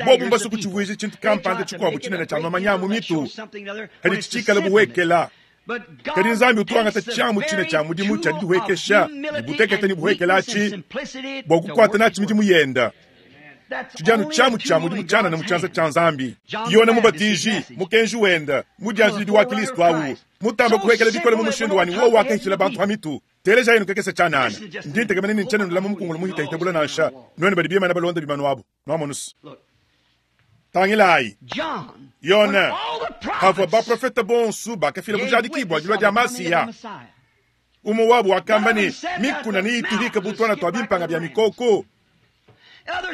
Bobu mbasue kutshivuija tshintu kampanda tshikuabu tshinene tshia mamanya a mu mitu, kadi tshitshikale buhuekela. Kadi Nzambi utu wangata tshiamu tshine tshia mudimu tshia didihuekesha ne butekete ne buhuekele atshi bua kukuata natshi midimu yenda. Tshidi anu tshiamu tshia mudimu tshianana mu tshianza tshia Nzambi. Yone Mubatiji, mukenji wenda, mudianjilidi wa Kilisto awu, mutamba kuhuekela bikole mu mushindu wa ne wowu wakahitshila bantu ha mitu. Telejayi nukekese tshianana. Ndi ntekemena ne ntshiena nulama mukungulu muhitahita bula nansha, nuenu badi bimana balonda bimanu abu. Nuamonu's. Tangilayi, Yone, pavua baprofete bonso bakafila bujadiki bua dilua dia Masiya, umue wabu wakamba ne, mikuna neyituhike bu tuana tua bimpanga bia mikoko.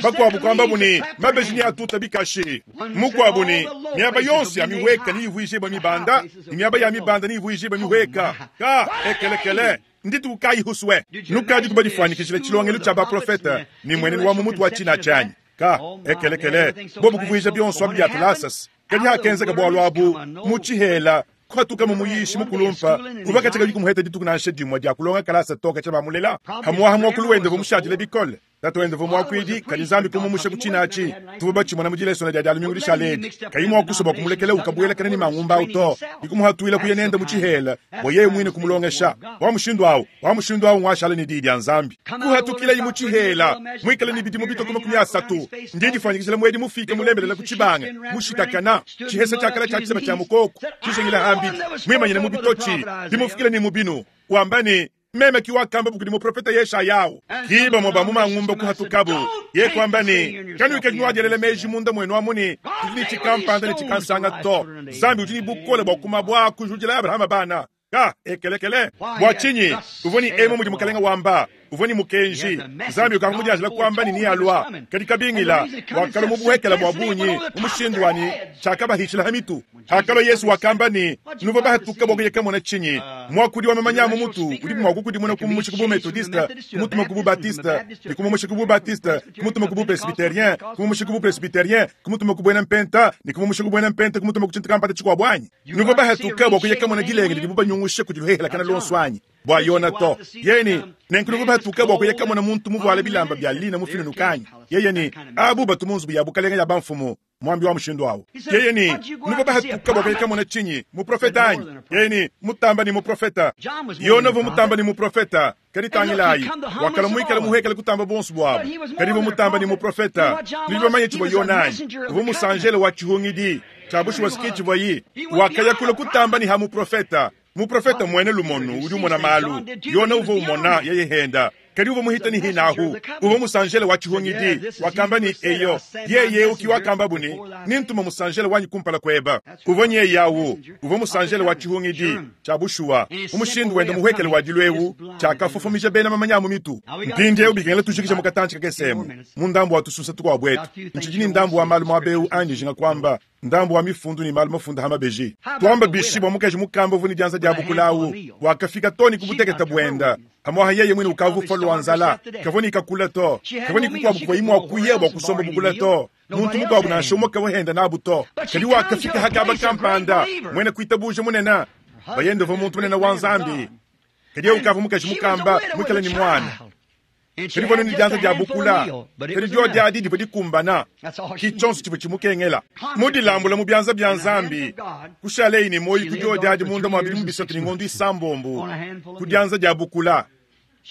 Bakuabu kuambabu ne, mabeji neatuta bikashi. Mukuabu ne, miaba yonso ya mihueka neyivuijibue mibanda, ne miaba ya mibanda neyivuijibue mihueka. Ka ekelekele! Ndituku kayi husue? Nukadi kubadifuanyikijila tshilongelu tshia baprofete ne mmuenenu wa mu mutu wa tshina tshianyi. Ka ekelekele, bobu kuvuija bionso abi bia tulasas. Kadi hakenzeka bualu abu mu tshihela, kuhatuka mu muyishi mukulumpa uvua katshia kayi kumuheta dituku nansha dimue dia kulonga kalasa to katshia bamulela. Hamuaha muakulu wende uvua mushadile bikole. Tatu wende uvua muakuidi, kadi Nzambi kumumusha ku tshina atshi. Tuvua batshimona mu dilesona dia Dia lumingu dishale edi. Kayi mua kusua bua kumulekela ukabuelakana ne mangumba au to, ne kumuhatuila kuya nende mu tshihela bua yeye muine kumulongesha. Wa mushindu au, wa mushindu au nguashala ne Diyi dia Nzambi. Kuhatukilayi mu tshihela, muikale ne bidimu bitue ku 30. Ndi ndifuanyikijila muedi mufike mulembelela ku tshibanga, mushitakana, tshihesa tshia kala tshia tshiseba tshia mukoko, tshijingila hambidi, muimanyine mu bitotshi, bimufikile ne mu binu, wamba ne, Meme ki wakamba kudi muprofete Yeshayahu. Ki bamue ba mu mangumba kuhatukabu, ye kuamba ne, Kanuikadi nuadielela meji munda muenu amu ne, tudi ne tshikampanda ne tshikansanga to. Nzambi udi ne bukole bua kumabua kujudila Abrahama bana. Ka ekelekele. Bua tshinyi? Uvua ne emu mudi Mukalenge wamba. Uvua ne mukenji. Nzambi ukavua mudianjila kuamba ne nealua. Kadi kabingila, wakalua mu buhekela bua bungi mu mushindu wa ne tshiakabahitshila ha mitu. Hakalua Yesu wakamba ne, Nuvua bahatuka bua kuya kamona tshinyi? Muakudi wa mamanya a mu mutu udi mua kukudimuna kumumusha ku bu-Metodiste, kumutuma ku bu-Baptiste, ne kumumusha ku bu-Baptiste, kumutuma ku bu-Presbyterien, kumumusha ku bu-Presbyterien, kumutuma ku buena-Mpenta, ne kumumusha ku buena-Mpenta, kumutuma ku tshintu kampanda tshikuabu anyi? Nuvua bahatuka bua kuya kamona dilenge didibu banyungusha kudi luhehelakana luonso anyi? Bua Yona to. Yeye ne, Nenku nuvua bahatuka bua kuya kamona muntu muvuale bilamba bia lina mufinunuka anyi? Yeye ne, Abu batu mu nzubu ya bukalenge ya bamfumu. Muambi wa mushindu awu. Yeye ne, Nuvua bahatuka bua kuya kamona tshinyi? Muprofete anyi? Yeye ne, Mutamba ne muprofete. Yona uvua mutamba ne muprofete. Kadi tangilayi, wakalua muikale muhuekele kutamba buonso buabu. Kadi uvua mutamba ne muprofete. Nudi bamanye tshivua Yona anyi? Uvua musanjele wa tshihungidi. Tshia bushuwa si ke tshivuaye. Wakaya kule kutamba ne ha muprofete. Muprofete muena lumonu udi umona malu. Yona uvua umona, yeye henda. Kadi uvua muhita ne hinahu. Uvua musanjele wa tshihungidi. Wakamba ne, Eyo, yeye eu ki wakambabu ne, Nintuma musanjele wanyi kumpala kueba. Uvua nyeye au. Uvua musanjele wa tshihungidi. Tshia bushuwa, mu mushindu wende muhuekele wa dilu eu, tshiakafofomija bena mamanya a mu mitu. Mpindieu bikengela tujikije mu katantshi kakese emu, mu ndambu wa tusunsa tukuabu etu. Ntshidi ne ndambu wa malu muaba eu andi njinga kuamba, ndambu wa mifundu ne malu mafunda ha mabeji. Tuamba bishi bua mukaji mukamba uvua ne dianza dia bukula au, wakafika too ne ku butekete buenda, pamuapa yeye muine ukavua ufua lua nzala, kavua ne kakula to, kavua ne kukuabu kuvuaye mua kuya bua kusomba bukula to. Muntu mukuabu nansha umue kavua henda nabu to. Kadi wakafika ha kaba kampanda, muena kuitabuja munene, bayende uvua muntu munene wa Nzambi, kadi yeye ukavua mukaji mukamba muikale ne muana. Kadi uvua ne dianza dia bukula, kadi diodi adi divua dikumbana, ki tshionso tshivua tshimukengela. Mu dilambula mu bianza bia Nzambi, kushaleyi ne muoyo ku diodi adi munda mua bidimu bisatu ne ngondo isambombo ku dianza dia bukula.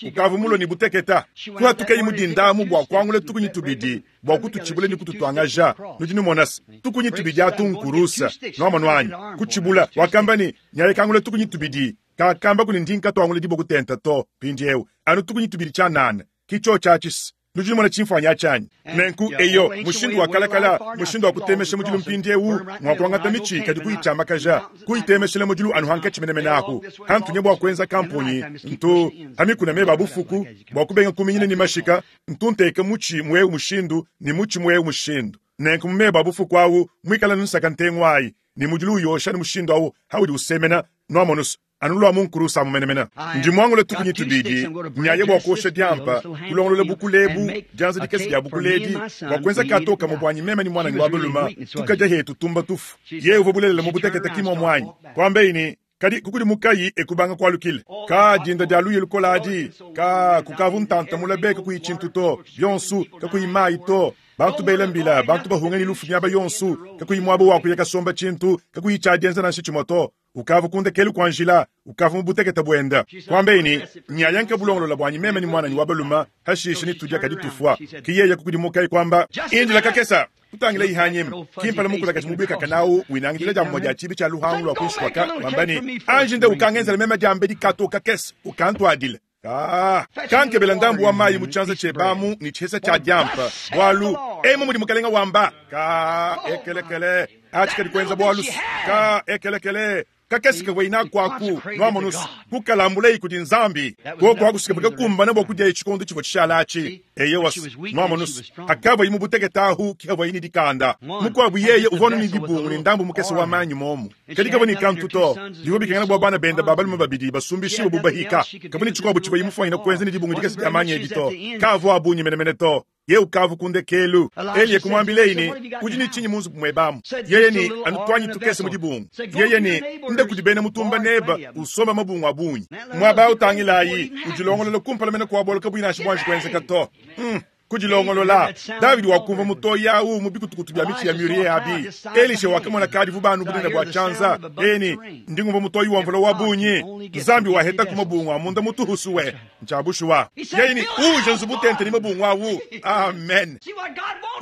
Ukavua mulue ne buteketa, kuhatukayi mu dinda amu bua kuangula tukunyi tubidi bua kututshibula ne kututuangaja. Nudi numona se, tukunyi tubidi atu nkurusa. Nuamonu anyi? Kutshibula. Wakamba ne, Nyaye kangula tukunyi tubidi. Kakamba kuni ndi nkatuangula diboku tenta to. Mpindieu, anu tukunyi tubidi tshianana. Ki tshiotshi atshi se. Nudi numona tshimfuanyi atshi anyi? Nenku, eyo, mushindu wa kalakala, mushindu wa kutemesha mudilu mpindieu ng'wa kuangata mitshi kadi kuyitshiamakaja, kuyitemeshela mudilu anu hankatshi menemene ahu. Hantunya bua kuenza kamponyi, ntu ha mikuna meba a bufuku, bua kubenga kuminyina ne mashika, ntu nteka mutshi mu eu mushindu ne mutshi mu eu mushindu. Nenku mu meba a bufuku awu, mwikala nsaka ntengu ayi, ne mudilu uyosha ne mushindu awu haudi usemena, nwamonu's, anu lwa mu nkurusa amu menemene. Ndi muangule tukunyi tubidi, nyaya bua kuosha diampa, kulongolola bukula ebu, dianza dikese dia bukula edi, bua kuenza kato kamue buanyi meme ne muananyi wa balume, tukadia hetu tumba tufu. Yeye uvua bulelela mu butekete ki muomu anyi? Kuambeyi ne, Kadi kukudimukayi e kubanga kualukila. Ka dinda dia luya lukole adi, ka kukavu ntanta mule be kakuyi tshintu to, bionsu, kakuyi mayi to, bantu bela mbila, bantu bahunga ne lufu miaba yonsu, kakuyi muaba wa kuya kasomba tshintu, kakuyi tshia dienza nansha tshimue to. Ukavua ku ndekelu kua njila, ukavua mu butekete buende. Kuambeyi ne, Nyaya nkabulongolola buanyi meme ne muananyi wa balume, hashishe netudia kadi tufua. Ke yeye kukudimukaye kuamba, Indila kakese! Kutangilayi hanyima, ki mpala mukulakaji mubuikakane awu winangidila dia mumue dia tshibi tshia luhangu lua kuinshi kuaka, wamba ne, Anji nde ukangenzela meme diambedi kato kakese, ukantuadile. Kaa, kankebela ndambu wa mayi mu tshianza tshiebe amu ne tshihesa tshia diampa, bualu emu mudi mukalenga wamba. Kaa, ekelekele, atshi kadi kuenza bualu. Kaa, ekelekele, kakese kavua inaku aku, nwamonu's, kukalambulayi kudi Nzambi. Kuoku aku sikavua kakumbana bua kudiaye tshikondo tshivua tshishala atshi. Eyowa's, nwamonu's, hakavuaye mu butekete ahu ke havuaye ne dikanda. Mukuabu yeye uvua anu ne dibungu ne ndambu mukese wa manyi momu, kadi kavua ne kantu to. Bivua bikengela bua bana bende ba balume babidi basumbishibue bu bahika. Kavua ne tshikuabu tshivuaye mufuanyine kuenza ne dibungu dikese dia manyi edi to. Kaavua a bungi menemene to. Yeye ukavua ku ndekelu. Eliya kumuambileyi ne, Udi ne tshinyi mu nzubu muebe amu? Yeye ne, Anu tuanyi tukese mu dibungu. Yeye ne, Nda kudi bena mutumba nebe, usombe mabungu a bungi. Muaba au tangilayi, udilongolola kumpala mene kua bualu kabuyi nansha buanji kuenzeka to. Hum, kudilongolola. Davidi wakumvua mutoyi au mu bikutukutu bia mitshi ya murier abi. Elisha wakamona kadivu banu bunene bua tshianza. Yeye ne, Ndi ngumvua mutoyi wa mvula wa bungi. Nzambi wahetaku mabungu a munda mutuhusue. Ntshia bushuwa. Yeye ne, Uuje nzubu tente ne mabungu awu. Amen.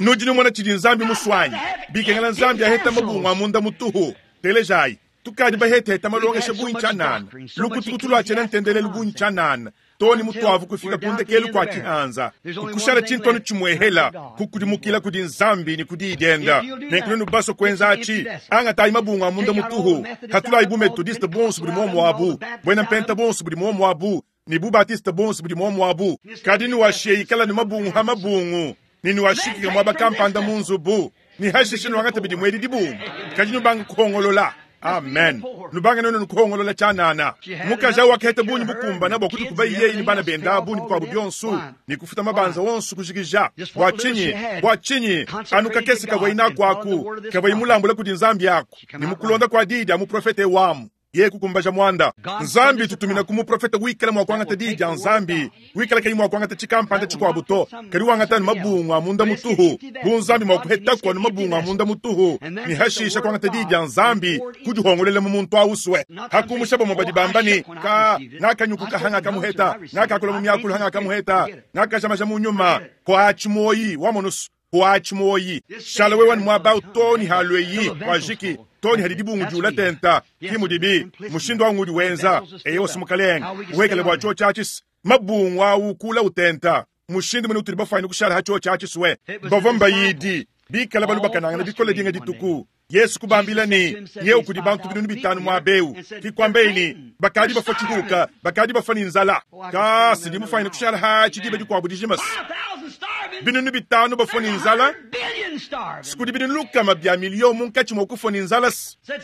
Nudi numona tshidi Nzambi musuanyi. Bikengela Nzambi aheta mabungu a munda mutuhu. Telejayi. Tukadi baheteheta malongesha bungi tshianana, lukutukutu lua tshiena ntendelelu bungi tshianana, too ne mutuavu kufika ku ndekelu kua tshihanza, kukushala tshintu anu tshimuehela, kukudimukila kudi Nzambi ne ku Diyi dienda. Nenku nuenu basue kuenza atshi, angatayi mabungu a munda mutuhu, hatulayi bu Methodiste bonso budi muomu abu, buena Mpenta bonso budi muomu abu, ne bu Batiste bonso budi muomu abu. Kadi nuashiye ikala ne mabungu ha mabungu, ne nuashikike muaba kampanda mu nzubu, ne hashishe nuangate bidi muedi dibungu, kadi nubange kuhongolola. Amen. Nubange nuenu nukuhongolola tshianana. Mukaji au wakaheta bungi bukumbana bua kudikuba yeye ne bana bende abu ne bikuabu bionso, ne kufuta mabanza onso kujikija. Bua tshinyi? Bua tshinyi? Anu kakese kavuayi naku aku, kavuayi mulambula kudi Nzambi aku, ne mu kulonda kua diyi dia muprofete wamu. Yeye kukumbaja muanda. Nzambi tutumina ku muprofete wikala mua kuangata diyi dia Nzambi, wikala kayi mua kuangata tshikampanda tshikuabu to, kadi wangata anu mabungu a munda mutuhu, bu Nzambi mua kuhetaku anu mabungu a munda mutuhu, ne hashisha kuangata diyi dia Nzambi kudihongolela mu muntu ausue. Hakumusha bamue badi bamba ne, Ka, ngakanyukuka hangakamuheta, ngakakula mu miakulu hangakamuheta, ngakajamaja mu nyuma, kuatshi muoyi, wamonusu. Kuatshi muoyi, shala wewe ne muaba au too ne halueyi kuajiki, too ne hadi dibungu diula tenta. Ki mudibi, mushindu au ngudi wenza. Eyowa, Mukalenge, uhuekele bua tshiotshi atshi, mabungu au kula utenta. Mushindu mene utudi bafuanyine kushala ha tshiotshi atshi sue. Bavua mbayidi bikala balubakanangana bikole dinga dituku. Yesu kubambila ne, Nyewu kudi bantu 5000 muaba eu. Ki kuambeyi ne, Bakadi bafua tshihuka, bakadi bafua ne nzala. Ka sindi mufuanyine kushala hatshi diba dikuabu dijima. 5000 bafua ne nzala, sikudi 100 bia miliyo munkatshi mua kufua ne nzala.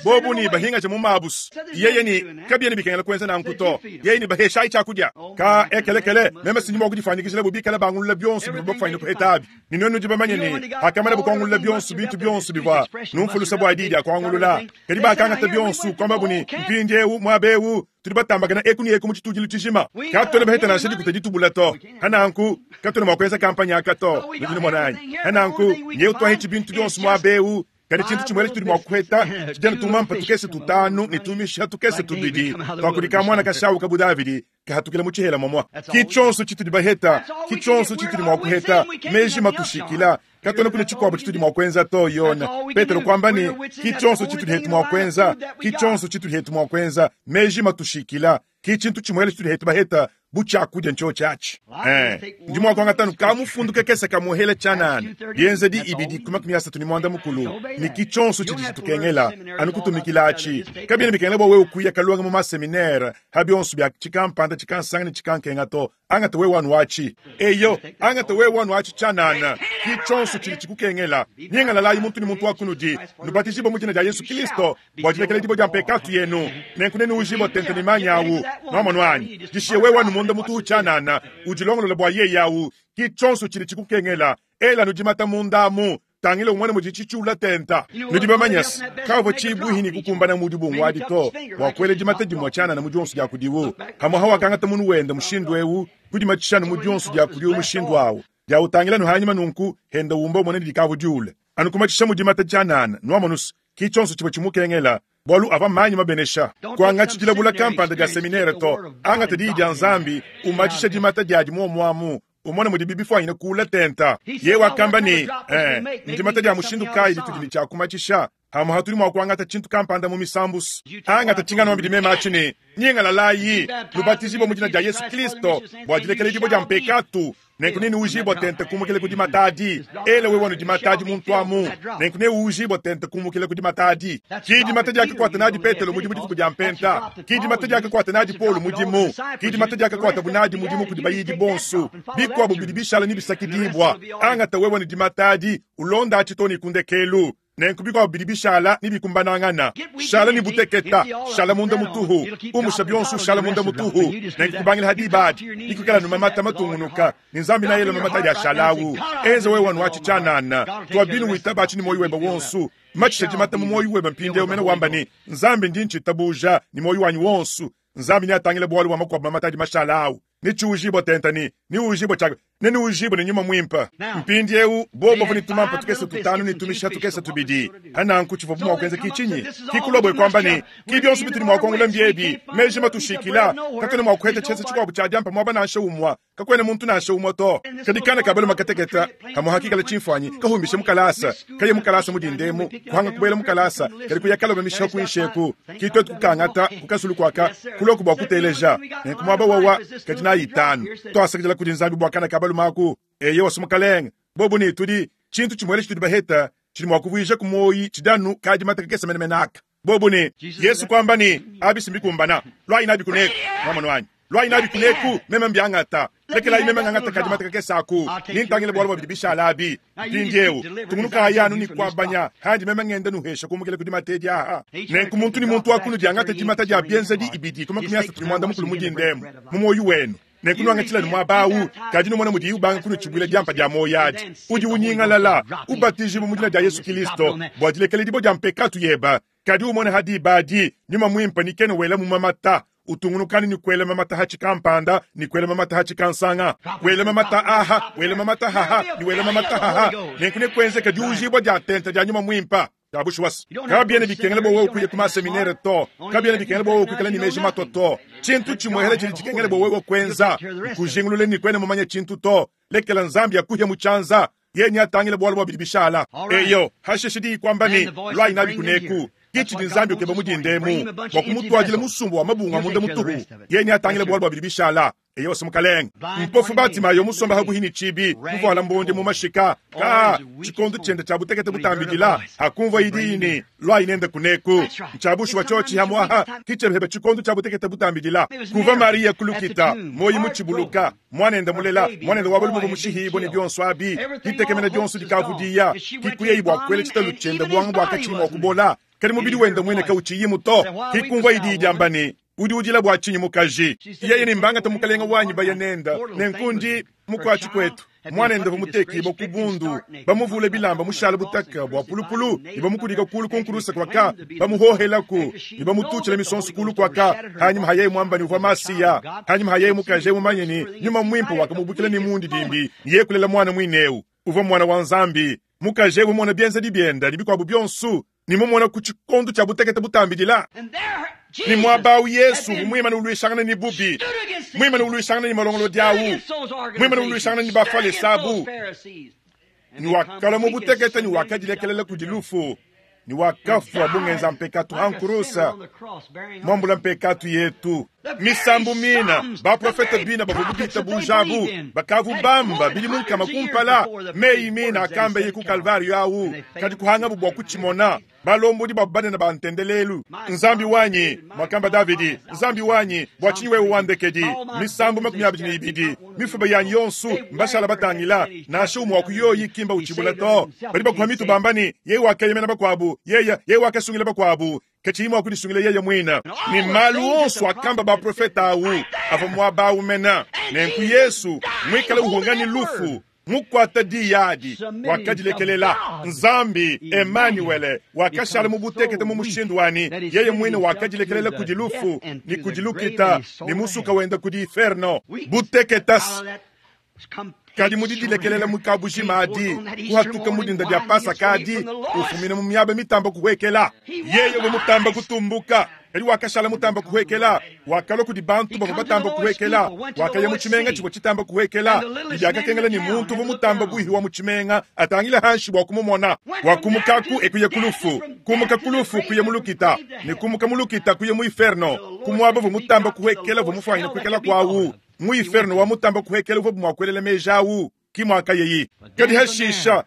Bobu ne bahingaja mu mabu. Yeye ne, Kabiena bikengela kuenza nanku to. Yeye ne, Baheshayi tshiakudia. Ka ekelekele, meme sindi mua kudifuanyikijila bu bikala bangulula bionso bivua bafuanyine kuheta abi. Ne nuenu nudi bamanye ne, pakamanabo kuangulula bionso bintu bionso bivua numfulusa bua diyi dia kuangulula, kadi bakangata bionso, kuambabu ne, Mpindieu, muaba eu, tudi batambakana eku ne eku mu tshitudilu tshijima, katuena baheta nansha dikuta ditubula to. Hananku, katuena mua kuenza kampanye aka to. Nudi numona anyi? Hananku, nyeu tuahitshi bintu bionso muaba eu, kadi tshintu tshimuele tshitudi mua kuheta tshidi anu tumampa tukese tutanu ne tumisha tukese tubidi tua kudi kamuana kashawu ka bu Davidi kahatukila mu tshihela momua. Ki tshionso tshitudi baheta, ki tshionso tshitudi mua kuheta, meji matushikila, katuena kune tshikuabu tshitudi mua kuenza to. Yone Petelo kuamba ne, ki tshionso tshitudi hetu mua kuenza, ki tshionso tshitudi hetu mua kuenza, meji matushikila, ki tshintu tshimuele tshitudi hetu baheta bu tshiakudia ntshiotshi atshi. Eh, ndi mua kuangata anu kamufundu kakese kamuhela tshianana, bienzedi ibidi ku 34, ne ki tshionso tshidi tshitukengela anu kutumikila atshi. Kabiena bikengela bua wewe kuya kalonga mu maseminaire ha bionso bia tshikampanda tshikansanga ne tshikankenga to. Angata wewe anu aci. Eyo, angata wewe anu aci tshianana. Ki tshionso tshidi tshikukengela. Nyingalalayi muntu ne muntu wa kunudi, nubatijibue mu dina dia Yesu Kilisto bua dilekeledibua dia mpekatu yenu, nenku nenuujibue tente ne manyi awu. Nwamonu anyi? Dishiye wewe anu munda mutuhu tshianana, udilongolola bua yeye awu. Ki tshionso tshidi tshikukengela. Ela anu dimata munda amu. Tangila umone mudi tshitshiula tenta. Nudi bamanye se, kavua tshibuihi ne kukumbana mu dibungu adi to bua kuela dimata dimue tshianana mu dionso dia kudiwu. Pamuapa wakangata munu wende mushindu eu, kudimatshisha anu mu dionso dia kudiwu mushindu au. Diawutangila anu hanyima nunku, henda umba umone ne dikavua diule. Anu kumatshisha mu dimata tshianana. Nuamonu se, ki tshionso tshivua tshimukengela, bualu avua manyi mabenesha. Kuangatshi dilabula kampanda dia seminere to. Angata Diyi dia Nzambi, umatshisha dimata diadi muomu amu. Umone mudibi bifuanyine kuula tenta. Yeye wakamba ne, Ee, ndimata dia mushindu kayi ditudi ne tshia kumatshisha? Pamu'apa tudi mua kuangata tshintu kampanda mu misambusu. Angata tshinganuambidi meme atshi ne, Nyingalalayi, nubatijibue mu dina dia Yesu Kristo bua dilekeledibua dia mpekatu, nenku nenuujibue tente kumukila ku dimata adi. Ela wewe anu dimata adi muntu amu, nenku neuujibue tente kumukila ku dimata adi. Ki dimata diakakuata nadi Petelo mudimu dituku dia Mpenta. Ki dimata diakakuata nadi Paulo mudimu. Ki dimata diakakuatabu nadi mudimu kudi bayidi bonso. Bikuabu bidi bishala ne bisakidibua. Angata wewe ne dimata adi, ulonda atshi too ne ku ndekelu. Nenku bikuabu bidi bishala ne bikumbanangana. Shala ne buteketa, shala munda mutuhu, umusha bionso ushala munda mutuhu. Nenku kubangila ha diba adi, bikuikala anu mamata matungunuka, ne Nzambi neayele mamata adi ashala awu. Enza wewe anu atshi tshianana. Tua binu witaba atshi ne muoyo webe wonso. Matshisha dimata mu muoyo webe mpindieu mene wamba ne, Nzambi, ndi ntshitabuja ne muoyo wanyi wonso. Nzambi neatangile bualu bua makuabu mamata adi mashala awu. Netshiujibue tente ne newujibue tshia ne newujibue ne nyuma muimpe. Mpindieu bobu bavua ne tumampa tukese tutanu ne tumisha tukese tubidi. Pa nanku tshivuabu mua kuenza ki tshinyi? Ki kuluabu e kuamba ne, Ki bionso bitudi mua kuangula mbiebi, meji matushikila, katuena mua kuheta tshienza tshikuabu tshia diampa muaba nansha umue. Kakuena muntu nansha umue to. Kadi kana ka balume kateketa kamue hakikala tshimfuanyi kahumbishe mu kalasa, kaye mu kalasa mu dinda emu, kuhanga kubuela mu kalasa, kadi kuya kalomba mishiha kuinshi eku. Ki tuetu kukangata ku kasulu kuaka, kuluaku bua kuteleja. Nenku muaba wawa kadi nayi itanu. Tuasakidila kudi Nzambi bua kana ka balume aku. Eyowa, Mukalenge, bobu ne tudi, tshintu tshimuele tshitudi baheta tshidi mua kuvuijaku muoyi tshidi anu kadimata kakese menemene aka. Bobu ne, Yesu kuamba ne, Abi si mbikumbana. Luayi nabi kuneku. Nwamonu anyi? Luayi nabi kuneku, meme mbiangata. Lekelayi meme ngangata kadimata kakese aku, ne ntangile bualu bua bidi bishala abi. Mpindiewu, tungunukayi anu ne kuabanya, handi meme ngenda nuhesha kumukila ku dimata edi aha. Nenku muntu ne muntu wa kunudi angate dimata dia bienzedi ibidi ku 31 mu dinda emu, mu muoyo wenu. Nenku nuangatshila ne muaba awu, kadi numona mudiye ubanga kunutshibuila diampa dia muoyo adi. Udi unyingalala, ubatijibua mu dina dia Yesu Kilisto bua dilekeledibua dia mpekatu yeba. Kadi umone ha diba adi, Nyuma Muimpe ni kena wela mu mamata, utungunukanu ne kuela mamata ha tshikampanda ne kuela mamata ha tshikansanga, wela mamata aha, wela mamata haha ne wela mamata haha. Nenku nekuenzeke diujibua dia ntenta dia Nyuma Muimpe. Tshia bushuwa se, kabiena bikengela bua wewe kuya ku maseminere to, kabiena bikengela bua wewe kuikala ne meji matua to. Tshintu tshimuehela tshidi tshikengela bua wewe kuenza, nkujingulula ne kuena mumanye tshintu to. Lekela Nzambi akuhe mu tshianza, yeye neatangile bualu bua bidi bishala. Eyo, hashishe diyi kuamba ne, Luayi nabi kuneku. Ke tshidi Nzambi ukeba mu dinda emu, bua kumutuadila musumba wa mabungu a munda mutuhu. Yeye neatangile bualu bua bidi bishala. Eyowa, Mukalenge. Mpofu Batimayo musomba habuhi ne tshibi, muvuala mbondi mu mashika. Ka, tshikondo tshiende tshia butekete butambidila, hakumvua diyi ne, Luayi nende kuneku. Ntshia bushuwa tshiotshi hamuaha, ki tshiebe tshikondo tshia butekete butambidila. Kuva Mariya ku lukita, muoyo mutshibuluka, muanende mulela, muanende wa balume bamushihibue ne bionso abi, ditekemena dionso dikavudiya, ki kuyayi bua kuela tshitalu tshiende buanga bua katshiyi mua kubola, kadi mubidi wende muine kautshiyimu to. Ki kumvuayi diyi diamba ne, Udi udila bua tshinyi mukaji? Yeye ne, Mbangate mukalenge wanyi baya nende, nenku ndi mukuatshi kuetu. Muanende uvua mutekibue ku bundu, bamuvule bilamba mushale butaka bua pulupulu ne bamukudika kulu ku nkuruse kuaka, bamuhohelaku ne bamututshila misonso kulu kuaka. Hanyima ha yeye muamba ne uvua Masiya, hanyima ha yeye mukaji mumanye ne Nyuma Muimpe wakamubukila ne mundidimbi ne yeye kulela muana muine eu uvua muana wa Nzambi. Mukaji eu mumona bienzedi biende ne bikuabu bionso ne mumona ku tshikondo tshia butekete butambidila, ne muaba au Yesu uvua muimane uluishangana ne bubi, muimane uluishangana ne malongolodi au, muimane uluishangana ne Bafalese abu, ne wakalua mu butekete ne wakadilekelela kudi lufu ne wakafua bu ngenza mpekatu ha nkurusa, muambula mpekatu yetu. Misambu mina, baprofete bina bavua bitabuja abu bakavu bamba bidimu nkama kumpala, meyi mina akambeye ku Kalvario au, kadi kuhangabu bua kutshimona. Balombodi babu banene ba ntendelelu. Nzambi wanyi, muakamba Davidi, Nzambi wanyi, bua tshinyi wewe wandekedi? Misambu 22. Mifuba yanyi yonso mbashala batangila, nansha umue wa ku yoyi ki mbautshibula to. Badi bakuha mitu bamba ne, Yeye wakeyemena bakuabu, yeye, yeye wakasungila bakuabu, katshiyi mua kudisungila yeye muine. Ne malu onso akamba baprofete au avua muaba au mena. Nenku Yesu, muikale uhunga ne lufu, mukuata diyi adi, wakadilekelela. Nzambi, Emanuele, wakashala mu butekete mu mushindu wa ne, yeye muine wakadilekelela kudi lufu ne kudi lukita ne musuka wenda kudi inferno. Buteketas. Kadi mu didilekelela mu kabujima adi, kuhatuka mu dinda dia Pasaka adi, ufumina mu miaba mitamba kuhuekela. Yeye uvua mutamba kutumbuka, kadi wakashala mutamba kuhuekela. Wakalua kudi bantu bavua batamba kuhuekela. Wakaya mu tshimenga tshivua tshitamba kuhuekela, ne biakakengela ne muntu uvua mutamba buihi wa mu tshimenga atangile hanshi bua kumumona. Wakumukaku e kuya ku lufu, kumuka ku lufu kuya mu lukita, ne kumuka mu lukita kuya mu inferno, ku muaba uvua mutamba kuhuekela uvua mufuanyine kuikala kuawu. Mu inferno wa mutamba kuhuekela uvua mua kuelela meji awu, ki muakayeyi. Kadi hashisha,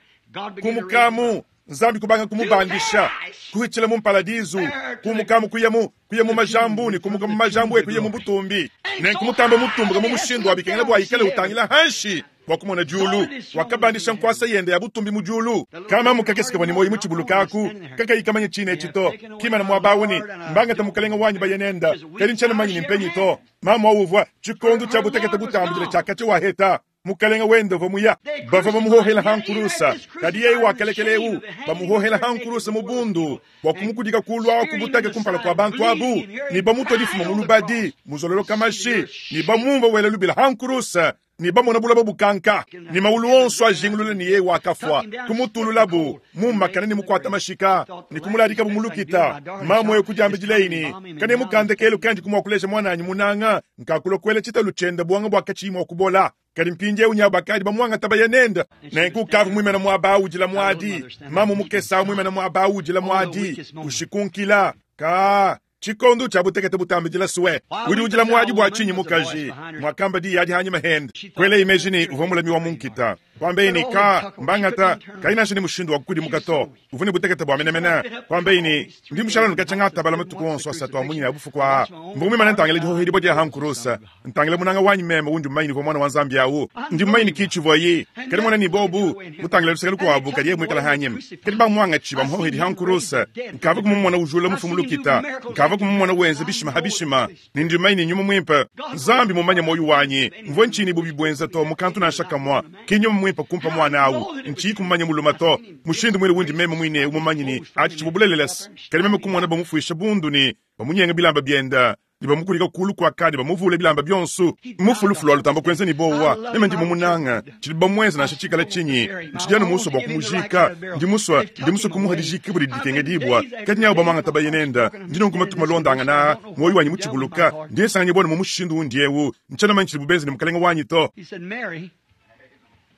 kumukamu, Nzambi kubanga kumubandisha, kuhitshila mu mparadizu, kumukamu kuya mu kuya mu majambu ne kumuka mu majambu e kuya mu butumbi. Nenku mutamba mutumbuka mu mushindu wa bikengela bua ikale utangila hanshi bua kumona diulu. Wakabandisha nkuasa yende ya butumbi mu diulu. Kamamu kakese kavua ne muoyo mu tshibuluka aku, kakayi kamanye tshine etshi to. Kimana muaba awu ne, Mbangata mukalenga wanyi baye nenda, kadi ntshiena mumanye ne mpenyi to. Mamu awu uvua tshikondo tshia butekete butambudile tshia katshia waheta. Mukalenga wende uvua muya. Bavua bamuhohela ha nkurusa, kadi yeye wakalekela eu bamuhohela ha nkurusa mu bundu bua kumukudika kulu awu ku butake kumpala kua bantu abu, ne bamutua difuma mu lubadi muzololoka mashi, ne bamumvua wela lubila ha nkurusa, ne bamona buloba bukanka, ne maulu onso ajingulula ne yeye wakafua. Kumutululabu mumakane ne mukuata mashika, ne kumuladikabu mu lukita. Mamu eu kudiambidileyi ne, Kanemu ka ndekelu kandi kumua kuleja muananyi munanga nkakulua kuela tshitalu tshiende buanga bua katshiyi mua kubola. Kadi mpindieu nyabu bakadi bamuangata baya nende. Nenku ukavua muimane muaba au udila muadi. Mamu mukese au muimane muaba au udila muadi, ushikunkila. Kaa, tshikondo tshia butekete butambidila sue. Udi udila muadi bua tshinyi mukaji? Muakamba diyi adi hanyima hende. Kuelayi meji ne uvua mulami wa mu nkita. Kuambaye ne, Kaa, mbangata, kayi nansha ne mushindu wa kukudimuka to. Uvua ne butekete bua menemene. Kuambaye ne, Ndi mushala anu katshia ngatabala matuku onso asatu a munyina ya bufuku aa. Mvua muimane ntangila dihohedibua dia ha nkurusa, ntangila munanga wanyi meme undi mumanye ne uvua muana wa Nzambi awu. Ndi mumanye ne ki tshivuaye. Kadi mona ne bobu mutangila luseke lukuabu kadi yeye muikala hanyima. Kadi bamuangatshi bamuhohedi ha nkurusa. Nkavua kumumona ujula mufu mu lukita. Nkavua kumumona wenza bishima ha bishima. Ne ndi mumanye ne nyuma muimpe Nzambi mumanye muoyo wanyi. Mvua ntshinyi bubi buenza to mu kantu nansha kamua. Ki nyuma muimpe kumpa muana awu. Ntshiyi kumumanya muluma to. Mushindu muine wundi meme muine eu mumanye ne atshi tshivua bulelela se, kadi meme kumona bamufuisha bundu ne bamunyenga bilamba bienda ne bamukulika kulu kuaka ne bamuvula bilamba bionso. Mufu lufu lua lutamba kuenza ne bowa. Meme ndi mumunanga. Tshidi bamuenza nansha tshikala tshinyi, ntshidi anu musue bua kumujika. Ndi musue, ndi musue kumuha dijikibua didi dikengedibua. Kadi nyawu bamuangata baye nenda. Ndi nunku matuku malondangana aa, muoyo wanyi mutshibuluka. Ndi nsanganyibua ne mu mushindu undi eu, ntshiena manya tshidibu benza ne mukalenge wanyi to.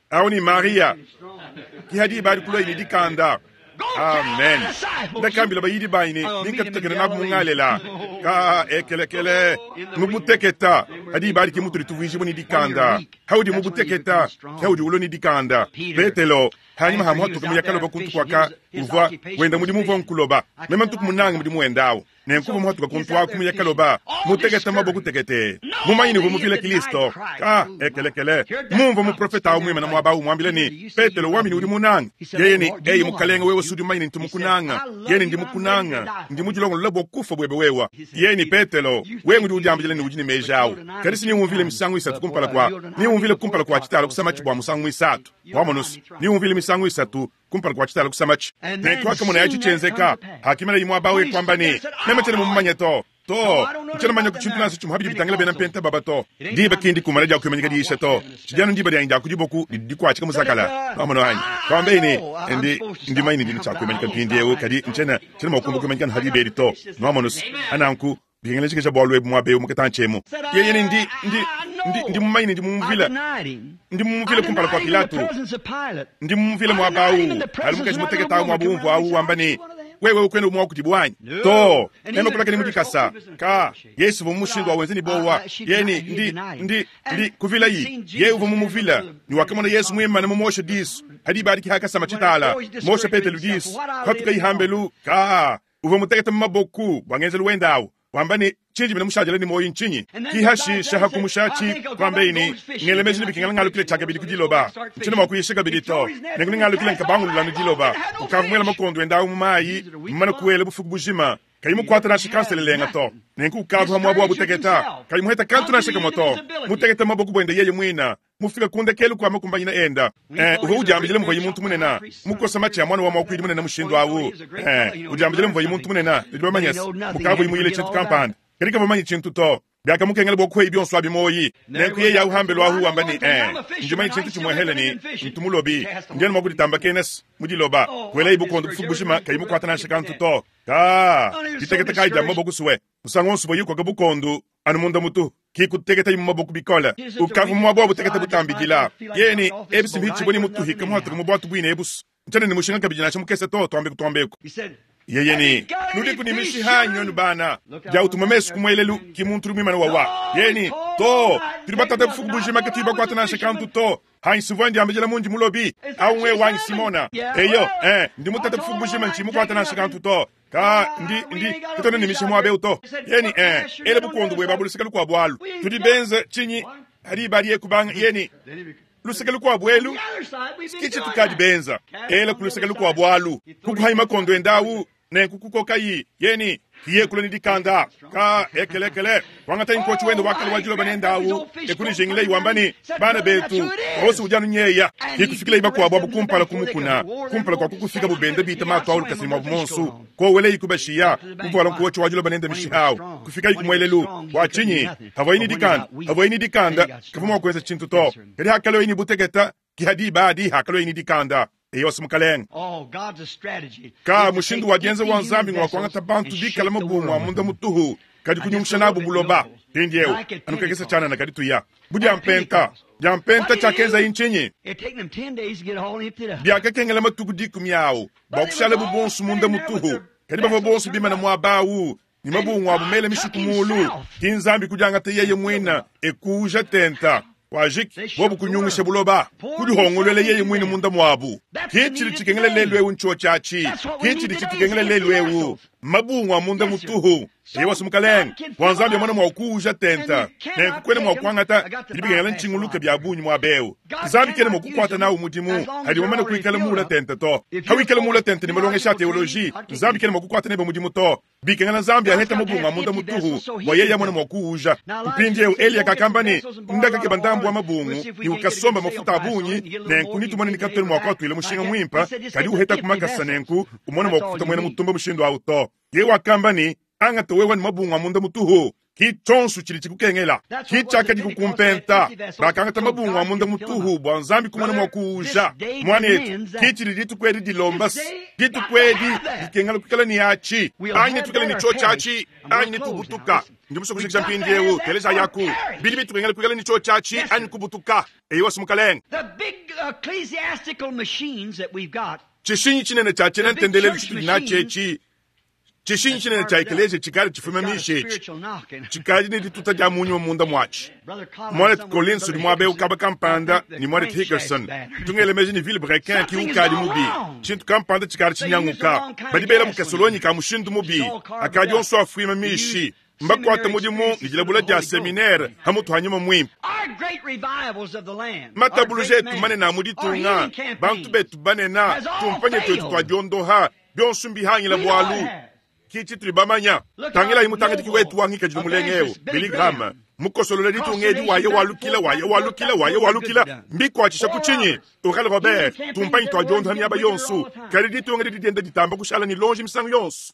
Awu ne Mariya, ki hadi badi kulua ne dikanda. Amen. Ndakambila bayidi banyi ne ninkatutekene nabu mu Ngalela. Ka ekelekele mu buteketa hadi badi ki mutudi tuvuijibua ne dikanda. Haudi mu buteketa ke haudi ulua ne dikanda. Petelo hanyima ha muhatuka mu yakaloba kuntu kuaka uvua wenda mudimu uvua nkuloba. Meme ntuku munange mudimu wenda awu. Nenku uvua muhatuka kuntu aku mu yakaloba mutekete maboko tekete, mumanye ne uvua muvile Kilisto. Ka ekelekele mumvua muprofete awu muimane muaba awu muambile ne, Petelo wambi ne udi munange. Yeye ne, Eyi Mukalenge, wewe si udi mumanye ne ntu mukunanga. Yeye ne, Ndi mukunanga, ndi mudilongolola bua kufua buebe wewe. Yeye ne, Petelo, wewe ngudi udiambila ne udi ne meji awu, kadi si niwumvile misangu isatu kumpala kua niwumvile kumpala kua tshitala kusamatshi bua musangu muisatu. Wamonusu, niwumvile misangu isatu kumpala kua tshitala kusamatshi. Nenku hakamonaye atshi tshienzeka, hakimana muaba awu e kuamba ne, Meme tshiena mumumanye to. To, ntshiena manya ku tshintu nansha tshimue habidi bitangila bena mpenta baba to. Diba ki ndikumana dia kuimanyika diyisha to. Tshidi anu ndiba dianyi dia ku diboku didi dikuatshika muzakala. Nwamonu anyi? Kuambeyi ne, Ndi, ndi mumanye ne ndi ne tshia kuimanyika mpindiewu, kadi ntshiena, tshiena mua kumbuka kuimanyika anu ha diba edi to. Nwamonu se, ha nanku, bikengela njikija bualu ebu muaba ewu mu katantshi emu. Yeye ne, Ndi, ndi, ndi, ndi mumanye ne ndi mumumvile, ndi mumumvile kumpala kua Pilato. Ndi mumumvile muaba awu. Ali mukaji mutekete awu muaba umvua awu wamba ne, Wewe kuena umue wa kudibu anyi? Too, meme kulakana mu dikasa. Ka, Yesu uvua mu mushindu wa wenza ne buowa. Yeye ne, Ndi, ndi, ndi, kuvilayi. Yeye uvua mumuvila, ne wakamona Yesu muimane mumuoshe disu. Ha diba adi ke hakasama tshitala, mosha Petelo disu, kupatukayi hambelu. Ka, uvua mutekete mu maboku bua ngenzelu wende awu, wamba ne, Tshindi mene mushadile ne muoyo ntshinyi? Ki hashisha ha kumushatshi, kuambeyi ne, Ngela meji ne bikengela ngalukile tshiakabidi ku diloba. Ntshiena mua kuyisha kabidi to. Nenku nengalukile nkabangulula anu diloba. Ukavua muela makondo ende awu mu mayi, mumane kuela bufuku bujima, kayi mukuate nansha kanselelenga to. Nenku ukavua pa muaba wa buteketa, kayi muheta kantu nansha kamue to, mutekete mu maboko buende yeye muine, mufike ku ndekelu kua makumbanyina enda. Eh, uvua udiambidila muvuaye muntu munene, mukosa matshi a muana wa muakuidi munene mushindu au. Eh, udiambidila muvuaye muntu munene, nudi bamanye se, mukavuaye muyile tshintu kampanda. Kadi kavua mumanye tshintu to. Biakamukengela bua kueyi bionso abi muoyi. Nenku yeye au hambelu ahu wamba ne, Eh, ndi mumanye tshintu tshimuehele ne, ntu mulobi. Ndi anu mua kuditambakena mu diloba. Kuelayi bukondo bufuku bujima kayi mukuate nansha kantu to. Kaa, diteketa kayi dia mu maboko sue. Musangu wonso uvuaye ukoka bukondo, anu munda mutu, ki kuteketayi mu maboko bikole. Ukavua mu muaba wa butekete butambidila. Yeye ne, Ebi si mbihitshibue ne mutuhika muhatuke mu buatu buine ebu's. Ntshiena ne mushinga kabidi nansha mukese to, tuambeku tuambeku. Yeye ne, Nudiku ne mishiha anyi, nuenu bana? Dia utuma mesu ku muelelu, ki muntu udi muimane wawa. Yeye ne, To, tudi batate bufuku bujima katuyi bakuate nansha kantu to. Hanyi sivua ndiambidila mundi mulobi, au ng'wewe wanyi Simona. Eyo, eh, ndi mutate bufuku bujima ntshiyi mukuate nansha kantu to. Ka, ndi, ndi, katuena ne mishiha muaba eu to. Yeye ne, eh, ela bukondo buebe abu luseke lukuabu alu. Tudi benze tshinyi? Hadi badi kubanga, yeye ne, luseke lukuabu elu, ki tshitukadi benza. Ela ku luseke lukuabu alu. Kukuhayi makondo ende awu, nenku kukokayi, yeye ne, kiye kula ne dikanda. Ka, ekelekele, kuangatayi nkotshi wende wa kale wa diloba nende awu, e kunijingileyi wamba ne, Bana betu, Mose udi anu nyeya. Ki kufikileyi bakuabu abu kumpala ku mukuna, kumpala kua kukufikabu benda bita matu awu lukasa ne muabu muonsu. Koweleyi kubashiya, kuvuala nkotshi wa diloba nende mishiha awu, kufikayi ku muelelu. Bua tshinyi? Havuayi ne dikanda, havuayi ne dikanda, kavua mua kuenza tshintu to. Kadi hakaluaye ne buteketa, ki ha diba adi hakaluaye ne dikanda. Eyowa, Mukalenge. Ka mushindu wa dienza wa Nzambi ngua kuangata bantu bikala mabungu a munda mutuhu, kadi kunyungusha nabu buloba. Mpindieu, anu kakese tshianana kadi tuya. Bu diampenta, diampenta tshiakenzayi ntshinyi? Biakakengela matuku dikumi awu bua kushalabu bonso munda mutuhu, kadi bavua bonso bimane muaba awu ne mabungu abu mele mishiku mulu. Ki Nzambi kudiangata yeye muine e kuuja tenta. Kuajiki, bobu kunyungusha buloba, kudihongoluela yeye muine munda muabu. Ki tshidi tshikengela lelu eu ntshiotshi atshi. Ki tshidi tshitukengela lelu eu mabungu a munda mutuhu. Eyowa, Mukalenge, bua Nzambi amone mua kuuja tenta, nenku kuena mua kuangata bidi bikengela ntshinguluke bia bungi muaba eu. Nzambi kena mua kukuata nawu mudimu adi mumane kuikala muula tente to. Hawikala muula tente ne malongesha a teoloji, Nzambi kena mua kukuata nebe mudimu to. Bikengela Nzambi aheta mubungu a munda mutuhu bua yeye amone mua kuuja. Mpindieu Eliya kakamba ne, Ndakakeba ndambu wa mabungu ne ukasomba mafuta a bungi, nenku netumone ne katuena mua kuatuila mushinga muimpe, kadi uheta ku makasa nenku umone mua kufuta muena mutumba mushindu au to. Yeye wakamba ne, Angata wewe ne mabungu a munda mutuhu, ki tshionso tshidi tshikukengela. Ki tshiakadi kukumpenta. Bakangata mabungu a munda mutuhu bua Nzambi kumona mua kuuja. Muanetu, ki tshidi dituku edi dilomba. Dituku edi dikengela kuikala ne atshi, anyi netuikale ne tshiotshi atshi, anyi netubutuka. Ndi musue kujikija mpindieu. Telejayi aku. Bidi bitukengela kuikala ne tshiotshi atshi, anyi kubutuka. Eyowa, Mukalenge. Tshishinyi tshinene tshia tshiena ntendelelu tshitudi natshi etshi, Tshishinyi tshinene tshia ekeleziya tshikadi tshifume mishi etshi tshikadi ne dituta dia mu nyuma munda muatshi. Muanetu Collins udi muaba eu kaba kampanda ne muanetu Hickerson. Ntu ngela meji ne Bill Brecken ki ukadi mubi. Tshintu kampanda tshikadi tshinyanguka. Badi bela mu kasolonyi ka mushindu mubi. Akadi onso afuima mishi. Mbakuate mudimu ne dilabula dia seminere ha mutu ha nyuma muimpe. Matabuluja etu manene a mu ditunga, bantu betu banene, tumpanye tuetu tua diondoha, bionso mbihangila bualu ki tshitudi bamanya. Tangilayi mutangadiki wetu wa ngikadilu mulenga eu, Billy Graham, mukosolole ditunga edi waye walukila, waye walukila, waye walukila. Mbikuatshisha ku tshinyi? Oral Robert, tumpanyi tua diondoha miaba yonso, kadi ditunga didi dienda ditamba kushala ne lonji misangu yonso.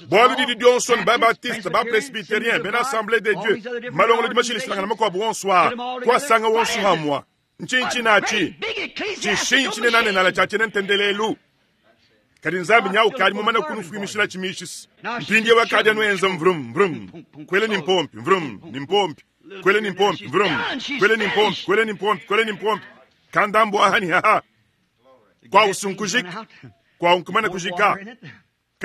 Bualu didi dionso ne ba-Baptiste, ba-Presbyterien, bena Assemblee de Dieu, malongolodi mashilashilangane makuabu onso aa, kuasanga wonso hamua. Ntshinyi tshinatshi? Tshishinyi tshinenanenala tshia tshiena ntendelelu. Kadi Nzambi nya ukadi mumane kunufuimishila tshimishisi. Mpindieu akadi anuenza mvrum mvrum, kuela ni mpompi mvrum ni mpompi, kuela ni mpompi mvrum, kuela ni mpompi, kuela ni mpompi, kuela ni mpompi. Kandambu aha ni haha. Kwa usunkujika, kwa unkumana kujika.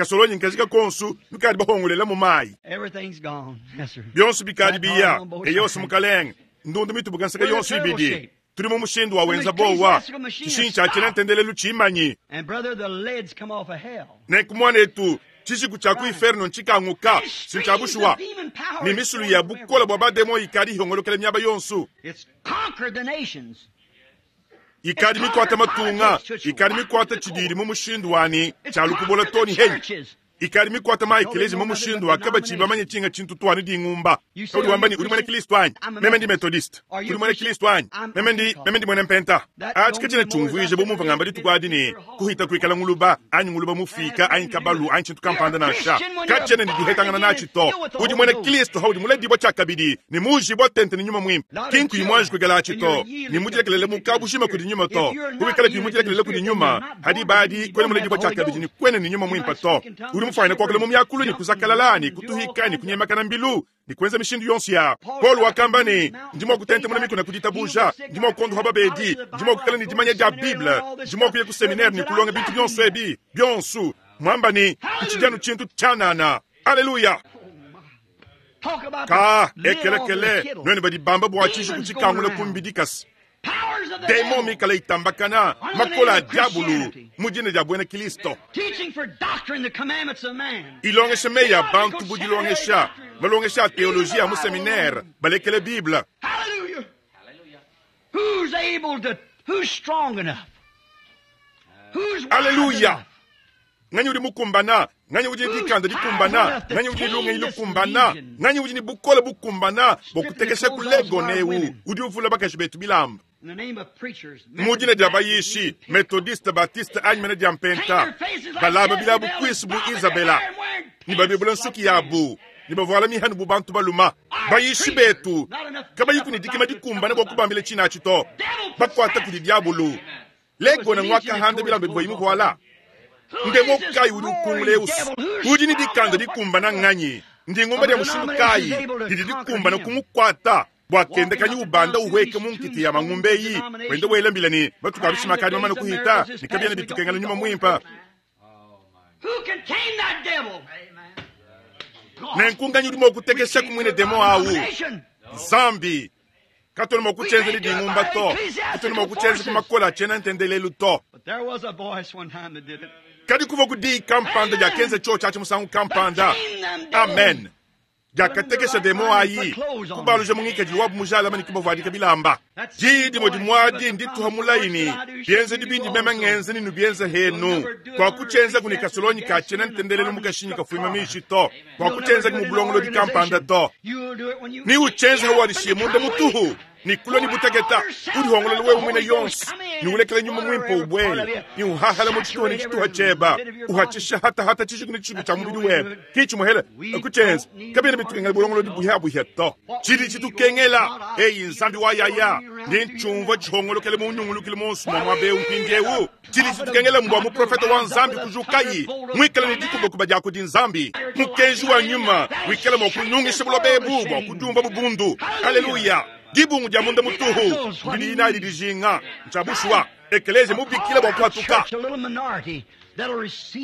Kasolonyi nkajika konsu nukadi bahongolela mu mayi. Bionso bikadi biya. Eyose mukalenge. Ndundu mitubuka nseka yonso ibidi. Tuli mu mushindu wa wenza bowa. Tshishinyi tshia tshiena ntendelelu tshimanyi. Nenku muanetu, tshishiku tshia ku inferno ntshikanguka, si ntshia bushuwa. Ne misulu ya bukole bua bademon ikadi ihongolokela miaba yonso. Ikadi mikuate matunga, ikadi mikuate tshididi mu mushindu wa ne tshia lukubola too ne henyi. Ikadi mikuate ma ekeleziya mu mushindu wa kabatshiyi bamanye tshinga tshintu too ne dingumba. Udi wamba ne, Udi muena Kilisto anyi? Meme ndi Methodiste. Udi muena Kilisto anyi? Meme ndi, meme ndi muena Mpenta. Atshi katshiena tshiumvuija bu mumvua ngamba dituku adi ne, kuhita kuikala nguluba, anyi nguluba mufiika, anyi kabalu, anyi tshintu kampanda nansha. Katshiena ne dihetangana natshi to. Udi muena Kilisto haudi muledibua tshiakabidi ne muujibua tente ne Nyuma Muimpe. Ki nkuyi muanji kuikala atshi to, ne mudilekelele mu kabujima kudi Nyuma to. Kuwikala kuyi mudilekelele kudi Nyuma, ha diba adi kuena muledibua tshiakabidi ne kuena ne Nyuma Muimpe to. Udi mufuanyine kuakula mu miakulu ne kuzakalala ne kutuhika ne kunyemakana mbilu ne kuenza mishindu yonso ya. Paulo wakamba ne, Ndi mua kutentemuna mikuna ku ditabuja, ndi mua kuondopa babedi, ndi mua kuikala ne dimanya dia Bible, ndi mua kuya ku seminaire ne kulonga bintu bionso ebi bionso, muamba ne, ntshidi anu tshintu tshianana. Aleluya! Ka ekelekele, nuenu badi bamba bua tshishiku tshikangula ku mbidi kasa. Demon mikale itambakana, makole a diabulu mu dina dia buena Kilisto. Ilongesha meyi a bantu bu dilongesha, malongesha a teoloji a mu seminaire, balekele Bible. Aleluya! Nganyi udi mukumbana? Nganyi udi ne dikanda dikumbana? Nganyi udi ne lungenyi lukumbana? Nganyi udi ne bukole bukumbana bua kutekesha ku legone eu udi uvula bakaji betu bilamba? Mu dina dia bayishi, Methodiste, Baptiste anyi mene dia Mpenta, balaba bilabu kuisu bu Izabela ne babebula nsuki yabu ne bavuala mihanu bu bantu baluma. Bayishi betu kabayiku ne dikima dikumbana bua kubambila tshina atshi to, bakuata kudi diabulu. Legona nguakahanda bilamba bivua imuvuala. Ndemo kayi udi ukungula eusu? Udi ne dikanda dikumbana nganyi? Ndingumba dia mushindu kayi didi dikumbana kumukuata bua kenda kanyi ubanda uhueke mu nkita ya mangumba eyi, wenda wela mbila ne matuku a bishima akadi mamane kuhita ne kabiena bitukengela nyuma muimpe? Nenku nganyi udi mua kutekeshaku muine demon awu? Nzambi. Katuena mua kutshienza ne dingumba to. Katuena mua kutshienza ku makole a tshiena ntendelelu to. Kadi kuvua ku diyi kampanda diakenza tshiotshi atshi musangu kampanda. Amen. Diakatekesha demon ayi, kubaluja mu ngikadilu wabu mujalame ne kubavuadika bilamba. Diyi dimue dimuadi ndituha mulayi ne, Bienzedi bindi meme ngenza ne nubienze henu. Kuakutshienzaku ne kasolonyi ka tshiena ntendelelu mu kashinyi kafuima mishi to. Kuakutshienzaku mu bulongolodi kampanda to. Ni utshienza hawadishiye munda mutuhu ne kulua ne buteketa, udihongolola wewe muine yonso ne ulekela nyuma muimpe ubuele ne uhahala mu tshituha ne tshituha tshieba, uhatshisha hatahata tshishiku ne tshishiku tshia mubidi webe. Ki tshimuhele kutshienza kabiena bitukengela bulongolodi buhiabuhia to. Tshidi tshitukengela eyi Nzambi wa yaya ndi ntshiumvua tshihongolokele mu nyungulukilu muonso mua muaba eu mpindieu. Tshidi tshitukengela mbua muprofete wa Nzambi kujukayi muikale ne dikubakuba dia kudi Nzambi, mukenji wa nyuma wikale mua kunyungisha buloba ebu bua kudiumva bubundu. Aleluya! Dibungu dia munda mutuhu ndidi nadi dijinga ntshia bushuwa. Ekeleziya mubikila bua kuhatuka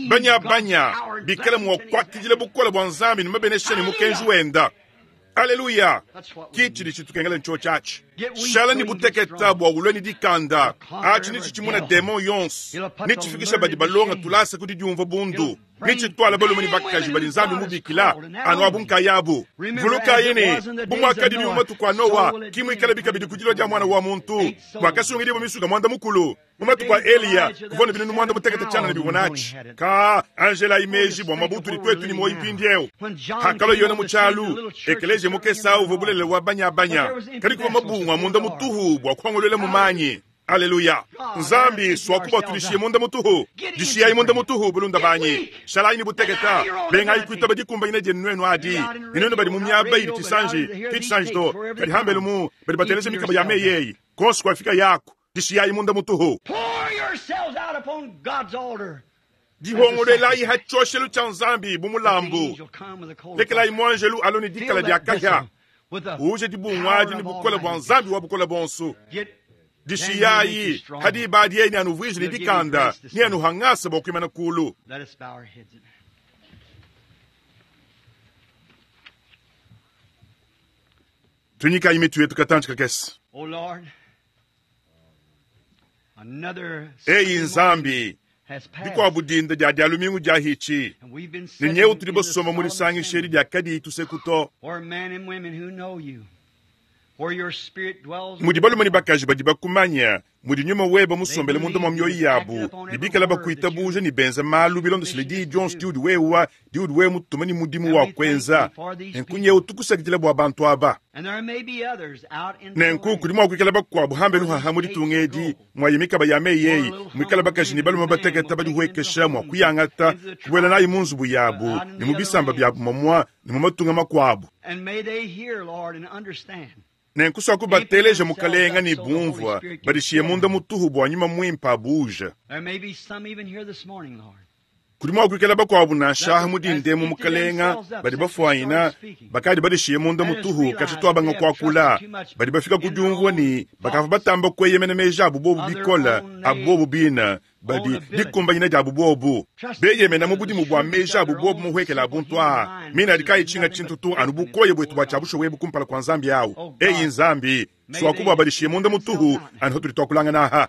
banyabanya bikale mua kuakidila bukole bua Nzambi ne mabenesha ne mukenji wenda. Aleluya! Ki tshidi tshitukengela ntshiotshi atshi. Shala ne buteketa bua ulue ne dikanda. Atshi netshitshimune demon yonso, netshifikishe badi balonga tulasa ku didiumvua bundu, netshituale balume ne bakaji badi Nzambi mubikila anu abu nkayabu. Vulukayi ne, bu muakadibi mu matuku a Nowa, ki muikalabi kabidi ku dilua dia Muana wa muntu. Kuakasungidibua misuka muanda-mukulu. Mu matuku a Eliya, kuvua ne binunu muanda mutekete tshianana bivua natshi. Ka anjelayi meji bua muaba utudi tuetu ne muoyo mpindieu. Pakalua Yona mu tshialu, ekeleziya mukese au uvua bulelela wa banyabanya, kadi kuvua mabungu a munda mutuhu bua kuongoluela mu manyi. Aleluya! Nzambi, suaku bua tudishiye munda mutuhu. Dishiyayi munda mutuhu, bulunda banyi. Shalayi ne buteketa. Bengayi kuitaba dikumbanyina dienu nuenu adi. Ne nuenu badi mu miaba idi tshisanji, ki tshisanji to, kadi hambelu mu, badi bateleja mikaba ya meyi eyi, kuonso kuafika yaku. Dishiyayi munda mutuhu. Dihongoluelayi ha tshioshelu tshia Nzambi bu mulambu. Lekelayi muanjelu alue ne dikala dia kahia, uuje dibungu adi ne bukole bua Nzambi wa Bukole Buonso. Dishiyayi ha diba adi yeye neanuvuije ne dikanda, neanuha ngasa bua kuimana kulu. Tunyikayi mitu yetu katantshi kakese. Eyi Nzambi, dikuabu dinda dia dia lumingu dia hitshi, ne nyewu tudi basomba mu disangisha edi dia kadiyi tuseku to. Mudi balume ne bakaji badi bakumanya, mudi nyuma webe musombele munda mua mioyo yabu, ne bikala bakuitabuja ne benza malu bilondeshile diyi dionso diudi wewa diudi wewe mutuma ne mudimu wa kuenza. Nenku nyewu tukusakidila bua bantu aba. Nenku kudi mua kuikala bakuabu hambelu haha mu ditunga edi mwayi mikaba ya meyi eyi, muikala bakaji ne balume batekete badihuekesha mua kuyangata kubuela nayi mu nzubu yabu ne mu bisamba biabu mamua ne mu matunga makuabu. Nenku swaku bateleja mukalenga ne bumvua badishiye munda mutuhu bua nyuma muimpe abuja. Kudi mua kuikala bakuabu nansha mu dindemu mukalenga badi bafuanyina bakadi badishiye munda mutuhu katshituabanga kuakula, badi bafika ku diumvua ne bakavua batamba kueyemena meji abu bobu bikole abu bobu bina badi dikumbanyina diabu bobu beyemena mu budimu bua meji abu bobu muhuekela abuntu aa mina adi kayi tshinga tshintu tu anu bukoya buetu bua tshiabusha webu kumpala kua Nzambi awu. Eyi Nzambi, swaku bua badishiye munda mutuhu anu hatudi tuakulangana aha.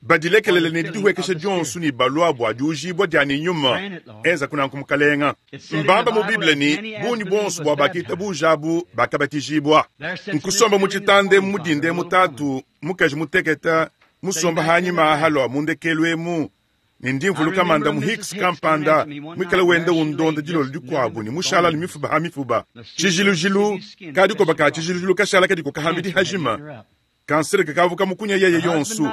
Badilekelele ne didihuekesha dionso ne balua bua diujibua dia ne nyuma enza kunanku mukalenga. Mbamba mu Bible ne bungi bonso bua bakitabuja abu bakabatijibua. Nkusomba mu tshitande mu dinde mutatu mukaji muteketa musomba hanyima halwa mundekelu emu ne ndi mvuluka manda mu Hicks kampanda mwikala wenda undonda dilolo dikuabu ne mushala ne mifuba ha mifuba. Tshijilujilu kadikoba ka tshijilujilu kashala kadiko kahambidi hajima. Kansere kakavuka mukunya yeye yonsu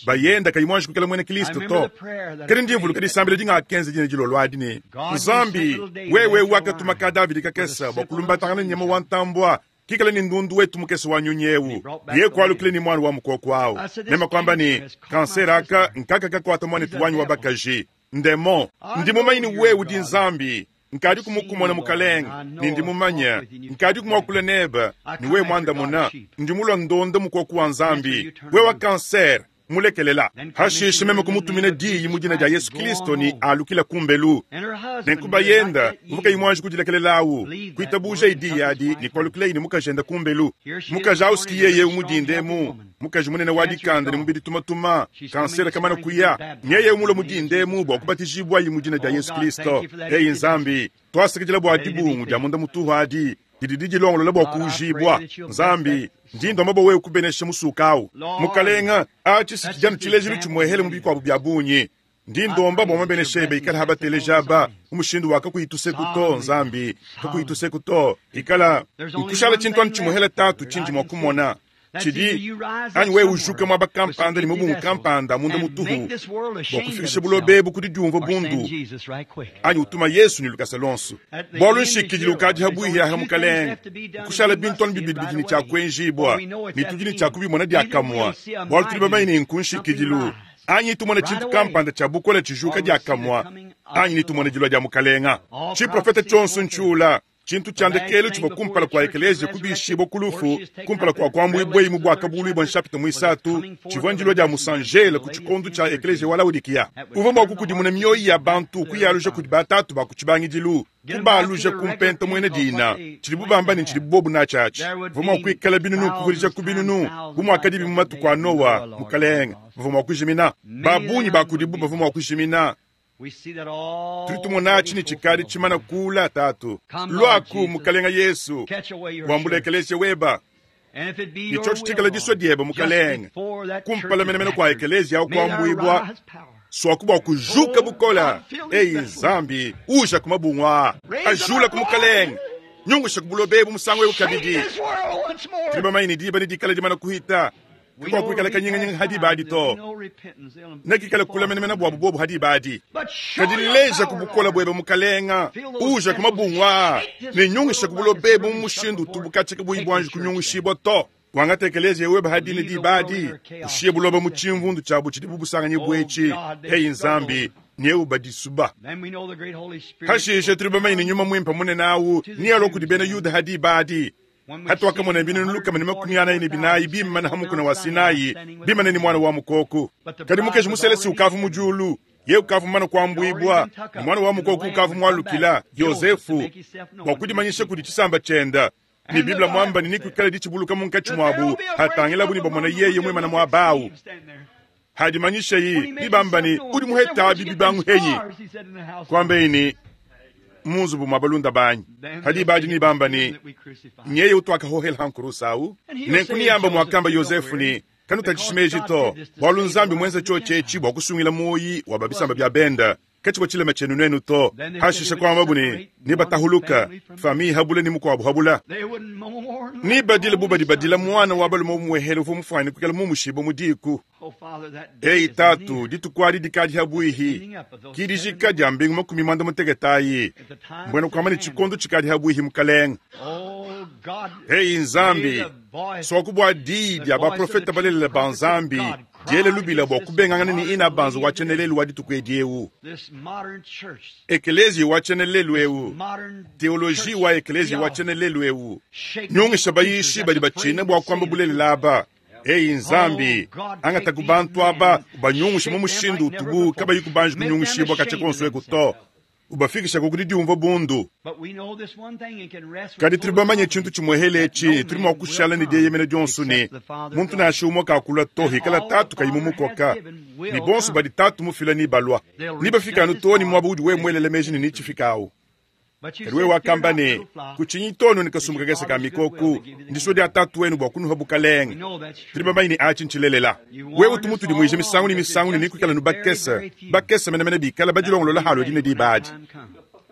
bayenda kayimwanji kukela mwene Kristo to. Kadi ndi mvuluka disambila dingakenza dine dilolo adi ne Nzambi wewe wakatuma ka Davidi kakesa bua kulumbatangana nyama wa ntambua kikala ni ndundu wetu mukese wa nyunyewu ye kwalukile ni mwana wa mukoko awu nema kwamba ni kansere aka nkaka kakwata mwanetu wanyu wa bakaji ndemo ndi mumanyi wewe udi Nzambi nkadi kumukumona mukalenga ni ndi mumanya nkadi kumwakula neba ni wewe mwandamuna ndi mulwa ndonda mukoko wa Nzambi wewe wa kansere mulekelela hashishe meme kumutumina diyi mu dina dia Yesu Kristo ni alukila kumbelu. Nenku bayenda uvuka imwanji kudilekelelawu kuitabuja idiyi adi ni kwalukila ini mukajenda kumbelu. Mukaji auski yeye umudindemu mukaji munene wa dikanda ni mubidi tumatuma kansere kamana kuya nyeye umulo mudindemu bua kubatijibwa yi mu dina dia Yesu Kristo. Eyi Nzambi twasakidila bua dibungu dia munda mutuhu adi didi dijilongolola bua kuujibwa. Nzambi ndi ndomba bua wewe kubenesha musukawu mukalenga atshi kijana tshilejilu tshimuehele mu bikuabu bia bungi. Ndi ndomba bua mabenesha ebe ikala habateleja aba mu mushindu wa kakuyituseku to. Nzambi kakuyituseku to ikala nkushala tshintu anu tshimuehele tatu tshindi mua kumona tshidi anyi wewe ujuka mwaba kampanda ne mubungu kampanda munda mutuhu bua kufikisha bulobe kudi diumva bundu anyi utuma Yesu ni lukasa lonso bualu nshikidile ukadi habuihi aha mukalenga kushala bintu anu bibidi bidi ne tshiakuenjibua ne tudi ne tshiakubimona diakamua bualu tudi bamanye ne nkunshikidilu anyi tumona tshintu kampanda tshia bukola tshijuka diakamua anyi nitumona dilua dia mukalenga. Tshiprofete tshionso ntshiula tshintu tshiandekelu tshivua kumpala kua ekelezia kubishibwa kulufu kumpala kua kuambuibwa mu bwakabuluibwa nshapita muisatu tshivua ndilua dia musanjele ku tshikondu tshia ekelezia wa Laodikiya. Uvua mua kukudimuna mioyo ya bantu kuyaluja kudi batatu ba ku tshibangidilu kubaluja kumpenta muena dina tshidibu bamba ne tshidibu bobu natshiatshi. Bavua mua kuikala binunu kuvudija ku binunu bu muakadibi mu matuku a Noa mukalenga. Bavua mua kujimina babungi ba kudibu bavua mua kujimina. Tudi tumona tshini tshikadi tshimana kula tatu lwaku mukalenga Yesu wambula ekelezia weba ni tsho tshikala diswa dieba mukalenga kumpala menemene kwa ekelezia awu kuambuibwa swaku bua kujuka bukola. Eyi Nzambi uja kumabungwa ajula ku mukalenga nyungusha ku bulobe bu musango ewu kabidi. Tudi bamanye ne diba ne dikala dimana kuhita kwa kuikala kanyinganyinga hadi badi to nekikala kula menemene bua bubobu hadi badi kadileja kubukola bwebe mukalenga uja kumabungwa ne nyungisha kubulobe bu mushindu tubukatshika buibwanji kunyungushibwa to wangata ekelezia webe hadi ne dibadi ushiye buloba mu tshimvundu tshiabu tshidi bubusanganyi bwetshi. Eyi Nzambi nyeu badisuba hashishe tuli bamanye ne nyuma mwimpe munene awu niyalwa kudi bena Yuda hadi badi hatu wakamona binunu lukama ne makumi anayi ne binayi bimana hamukuna wa Sinai bimana ni mwana wa mukoko. Kadi mukeji muselesi ukavu mu julu Yeye ukavua mumane kuambuibua, ne muana wa mukoko ukavua mualukila, Yozefu, bua kudimanyisha kudi tshisamba tshiende. Ne Bible muamba ne, Nekuikale ditshibuluka munkatshi muabu, hatangilabu ne bamona yeye muimane muaba au. Hadimanyishayi, nebamba ne, Udi muhete abi bibangu henyi? Kuambeyi ne, Mu nzubu mua balunda banyi. Hadi badi nebamba ne, Nyeye utuakahohela ha nkurusa au. Nenku neyamba muakamba Yozefu ne, Kanutatshishi meji to, bualu Nzambi muenza tshiotshi etshi bua kusungila muoyi wa ba bisamba bia benda. Katshivua tshilema tshienu nuenu to. Hashishe kuambabu ne, Nebatahuluka, famille habula ne mukuabu habula. Nebadile bu badi badila muana wa balume umuehele uvua mufuane kuikala mumushibue mu diku. Eyi Tatu, dituku adi dikadi habuihi, ki dijika dia mbingu 60 ayi, mbuena kuamba ne tshikondo tshikadi habuihi, Mukalenge. Eyi Nzambi, suaku bua diyi dia baprofete balelela ba Nzambi diele lubila bua kubengangana ne inabanza wa tshienelelu wa dituku edi eu, ekeleziya wa tshienelelu eu, teoloji wa ekeleziya wa tshienelelu eu, nyungisha bayishi badi batshina bua kuamba bulelela aba. Eyi Nzambi, angata ku bantu aba, ubanyungushe mu mushindu utubu kabayi kubanji kunyungushibua katshia konso eku to, ubafikishaku ku didiumvua bundu. Kadi tudi bamanye tshintu tshimuehele etshi, tudi mua kushala ne dieyemena dionso ne, muntu nansha umue kakulua to hikala Tatu kayi mumukoka, ne bonso badi Tatu mufila nebalua. Nebafike anu too ne muaba udi wewe muelele meji ne netshifikawu. Kadi wewe wakamba ne, Kutshinyi to, nuenu kasumbu kakese ka mikoku, ndisua dia Tatu wenu bua kunuha bukalenge. Tudi bamanye ne atshi ntshilelela. Wewe utu mutudimuije misangu ne misangu ne nekuikale nu bakese, bakese menemene bikala badilongolola halua dine diba adi.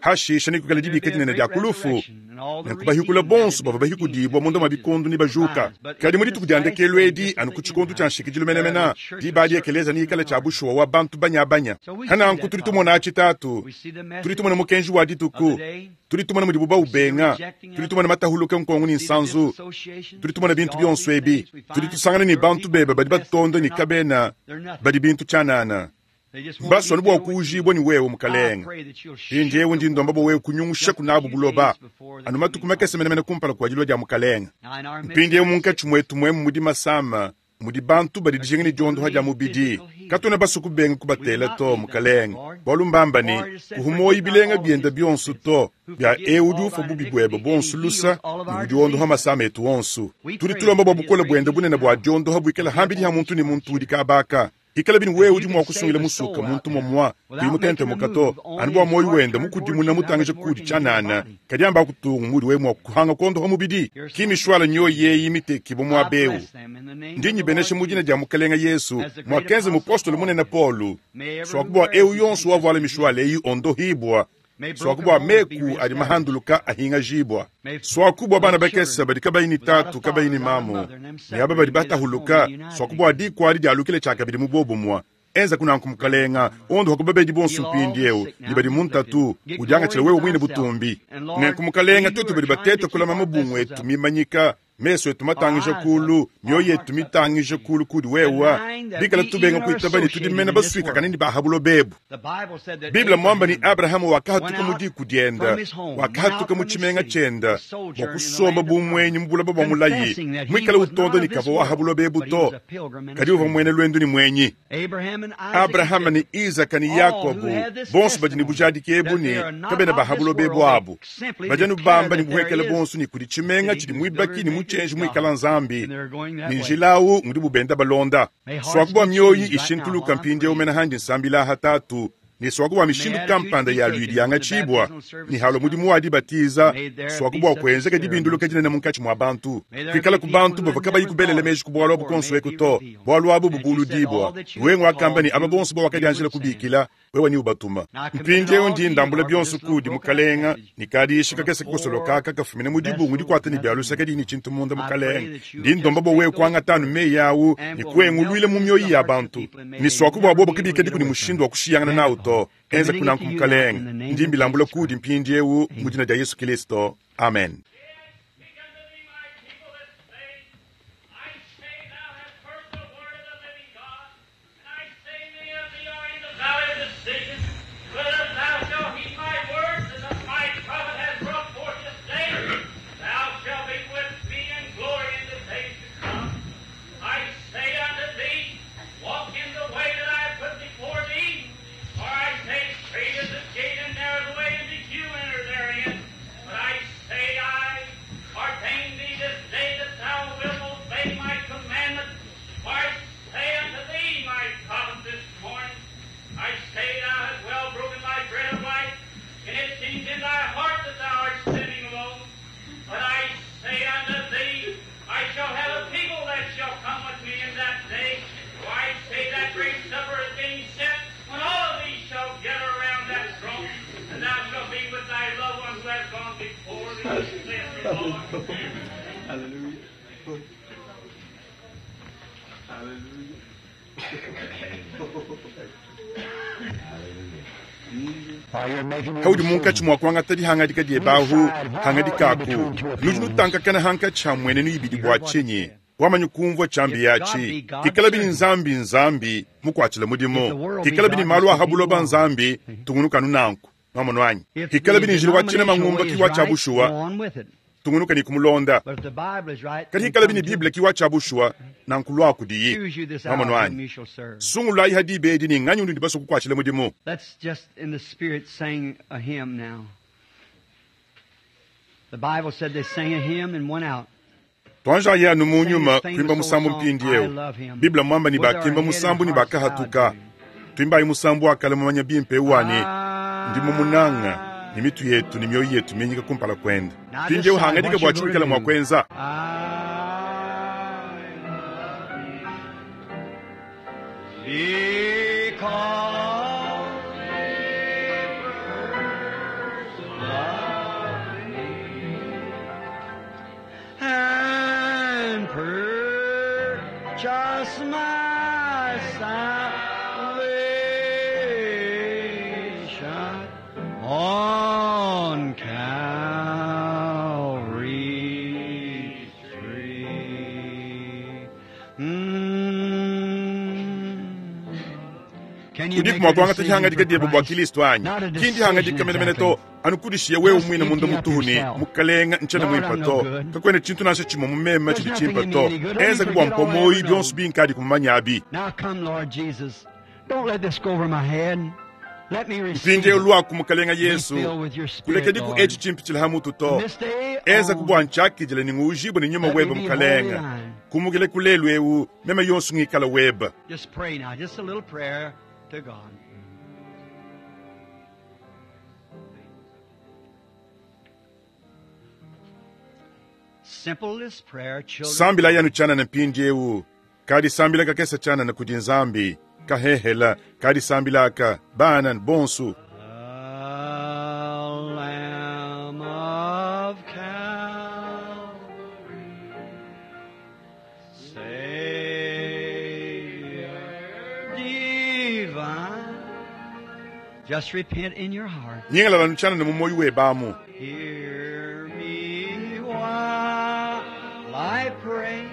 Hashishe nekuikale dibika dinene dia ku lufu, nenku bahikula bonso bavua bahikudibua munda mua bikondo nebajuka. Kadi mu dituku dia ndekelu edi, anu ku tshikondo tshia nshikidilu menemene, diba adi ekeleziya neikale tshia bushuwa wa bantu banyabanya. Hananku tudi tumona atshi, Tatu. Tudi tumona mukenji wa dituku, tudi tumona mudibu baubenga, tudi tumona matahuluka nkongo ne nsanzu, tudi tumona bintu bionso ebi. Tudi tusangana ne bantu bebe badi batonda ne kabena badi bintu tshianana. Mbasua anu bua kuujibua ne wewe, Mukalenge. Mpindieu ndi ndomba bua wewe kunyungushaku nabu buloba anu matuku makese menemene kumpala kua dilua dia Mukalenge. Mpindieu munkatshi muetu muemu mudi masama, mudi bantu badi dijinga ne diondoha dia mubidi. Katuena basue kubenga kubatela to, Mukalenge, bualu mbamba ne, kuhu muoyo bilenga biende bionso to, bia eu udi ufua bubi buebe buonso lusa ne udi wondoha masama etu onso. Tudi tulomba bua bukole buende bunene bua diondoha buikale hambidi ha muntu ne muntu udi kabaka. Ikala bini wewe udi mua kusungila musuka muntu momua kuyi mutentemuka to, anu bua muoyo wende mukudimuna mutangija kudi tshianana, kadi amba kutungu mudi wewe mua kuhanga kuondoha mubidi. Ki mishuala nyoyi eyi mitekibue muaba eu. Ndi nyibenesha mu dina dia Mukelenge Yesu, muakenza mupostolo munene Paulo, suaku bua eu yonso wavuala mishuala eyi ondohibua, suaku bua meku adi mahanduluka ahingajibua, suaku bua bana bakese badi kabayi ne tatu kabayi ne mamu, ne aba badi batahuluka, suaku bua diku adi dialukile tshiakabidi mu bobumue. Enza kunanku, Mukalenga, ondoha ku babedi bonso mpindieu ne badi mu ntatu, udiangatshile wewe muine butumbi. Nenku, Mukalenga, tuetu badi bateta kulama mabungu etu mimanyika, mesu etu matangija kulu, mioyo yetu mitangija kulu kudi wewe, bikala tubenga kuitaba ne tudi mene basuikakane ne ba ha buloba ebu. Bible muamba ne Abrahama wakahatuka mu diku diende, wakahatuka mu tshimenga tshiende bua kusomba bu muenyi mu buloba bua mulayi, muikale utonda ne kavua wa ha buloba ebu to, kadi uvua muena luendu ne muenyi. Abrahama ne Izaka ne Yakobo bonso badi ne bujadiki ebu ne kabena ba ha buloba ebu abu. Badi anu bamba ne buhuekele buonso ne kudi tshimenga tshidi muibaki ne mutshienji muikala Nzambi, ne njila au ngudi bubenda balonda. Suaku bua mioyi ishintuluka mpindieu mena handi nsambila aha Tatu, ne suaku bua mishindu kampanda ya luidi yangatshibua, ne halua mudimu wa dibatiza, suaku bua kuenzeka dibinduluka dinene munkatshi mua bantu, kuikala ku bantu bavua kabayi kubelela meji ku bualu abu konso eku to, bualu abu bubuludibua. Wewe wakamba ne aba bonso bawakadianjila kubikila, wewe ne ubatuma. Mpindieu ndi ndambula bionso kudi Mukalenga, ne kadiishi kakese kakosoloka aka kafumina mu dibungu dikuata ne bia lusa kadiyi ne tshintu munda. Mukalenga, ndi ndomba bua wewe kuangata anu meyi au ne kuenguluila mu mioyo ya bantu, ne suaku bua bobo kabikadiku ne mushindu wa kushiyangana nawu to. Enza kunanku, Mukalenga, ndi mbilambula kudi mpindieu mu dina dia Yesu Kilisto. Amen. in thy heart that thou art sitting alone. But I say unto thee, I shall have a people that shall come with me in that day. For I say that great supper is being set when all of these shall gather around that throne, and thou shalt be with thy loved one who has gone before thee, saith the Lord. Hallelujah. Hallelujah. Haudi munkatshi mua kuangata dihangadika diebahu hangadikaku nudi nutankakana hankatshi ha mmuenenu ibidi bua tshinyi wamanyi kumvua tshiambi yatshi ikala bini nzambi nzambi mukuatshila mudimu ikala bini malu a habuloba nzambi tungunukanu nanku nwamonu anyi ikala bini njila wa tshina mangumba kiwa tshia bushuwa tungunuka ni kumulonda kadi ikala bini bible kiwa tshia bushuwa nanku lua kudiyi nwamonu anyi sungulayi hadi ibedi ni nganyi undu ndibaso kukuatshila mudimu. Let's just in the spirit sing a hymn now. The Bible said they sang a hymn and went out. Twanja yanu mu nyuma kuimba musambu mpindiewu biblia mwamba ni bakimba musambu ni bakahatuka twimbayi musambu akala mumanya bimpe wane ndi mumunanga ni mitu yetu ni mioyo yetu minyika kumpala kwenda mpindiewu hangadika bua tshiwikala mua kwenza. Because he first loved me and purchased my salvation on Calvary's tree. Can you Udiku make mua a kuangata decision dihangadika for diebe bua Christ? Kristo anyi Not a kindi decision hangadika menemene to exactly. anukudishiye wewe Just mwina munda empty up mutuhuni yourself. mukalenga ntshena Lord, mwimpa I'm no to good. kakwena tshintu nansha tshimwe mumema There's tshidi nothing tshimpa in me to any good. Let me enza kubwa forget all I mpomoyi ever byonso know. binkadi kumamanyabi. Now come, Lord Jesus. Don't let this go over my head. Let me receive Mpindiewu it. lwaku mukalenga Be Yesu filled with your spirit, kulekediku Lord. etshi tshimpitshila ha mutu to This day eza on, kubwa ntshiakidila ni nguujibwe ni nyuma let me weba be wholly mukalenga thine. kumukile kulelu ewu meme yonso ngikala weba. Just pray now, just a little prayer to God. Simple this prayer, children. Sambila yanu tshanana mpindiewu kadi sambila kakesa tshanana kudi nzambi kahehela kadi sambila aka bana bonsu. The Lamb of Calvary, Savior divine. Just repent in your heart. Nyingalala nutshanana mu moyo webamu. Hear me while I pray.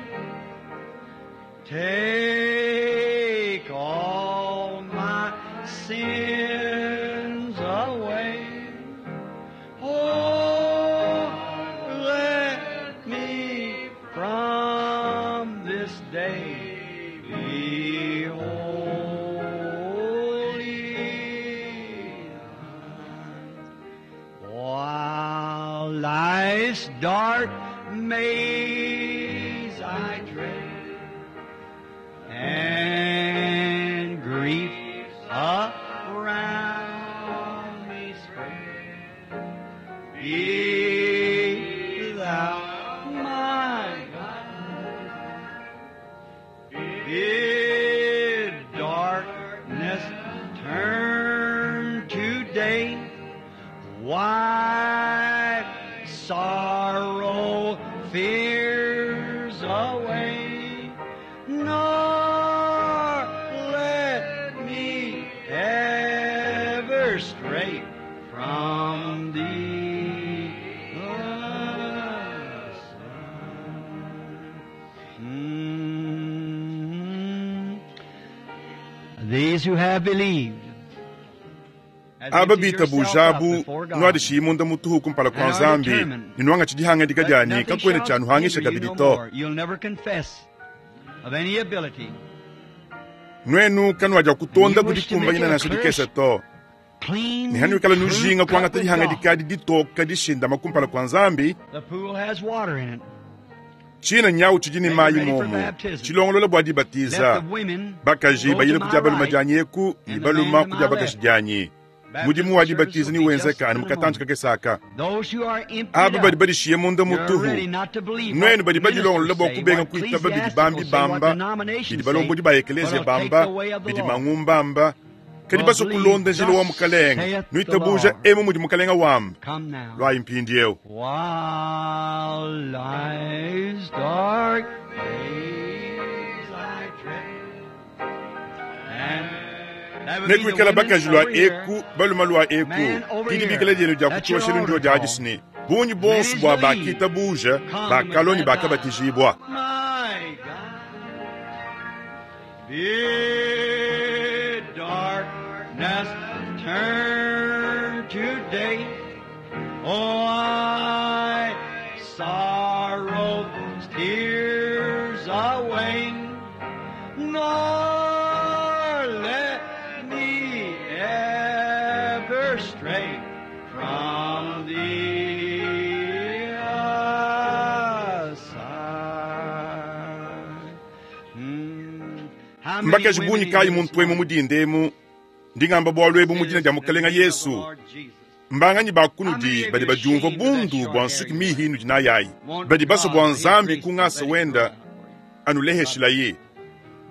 Take all my sins away. Oh, let me from this day be holy. While life's dark maze I tread, and grief around me spread, be thou my guide. Bid darkness turn to day. Wipe sorrow, fears away, nor let me ever stray from thee. The Son. These who have believed. As Aba empty bita yourself up bujabu before God. nwadishi munda mutuhu kumpala kwa And are nzambi determined ninwanga tshidihangadika that dyani nothing kakwena shall tshanuhangisha hinder you kabidi no to. more. You'll never confess of any ability. Nwenu kanwadya kutonda And you wish to kudikumbanyina make it a nansha dikesa to. Clean, Nihanuikala true nujinga cup kuangata with dihangadika God. ditoka dishindama kumpala kwa nzambi The pool has water in it. tshina nyawu tshidi ni Make mayi ready for momu baptism. tshilongolola bua Let dibatiza the women bakaji go to bayile my kudia baluma right dianyi eku ni and the baluma man to kudia my bakaji left. dianyi. Mudimu wa dibatiza newenzeke anu mu katantshi kakese aka. Aba badi badishiye munda mutuhu, nuenu badi badilongolola bua kubenga kuitaba bidi bambi bamba, bidi balombodi ba ekeleziya bamba, bidi mangumba amba, kadi basue kulonda njila wa Mukalenge, nuitabuja emu mudi Mukalenge wamba. Luayi mpindieu. While life's dark days I dread, and that would be the Nekuikala women bakaji lua over here. eku baluma lua eku Man over didi here. bikala dienu dia That's your kutshioshelu ndio altar dia call. adisini bungi bonso Many bua believe. bakitabuja Come and bakalua ne baptize. bakabatijibua. My God, bid darkness turn to day. Oh, I sorrow's tears away, nor let me ever stray from thee aside. How many Mbakaji women bungi in kayi this muntu emu morning mudindemu ndingamba bualu ebu mu dina dia in the Mukalenge name of the Yesu. Lord Jesus. Mbanganyi bakunudi badi badiumvua bundu bua nsuki mihi inudi nayayi badi basue bua Nzambi kungasa wenda anuleheshilayi.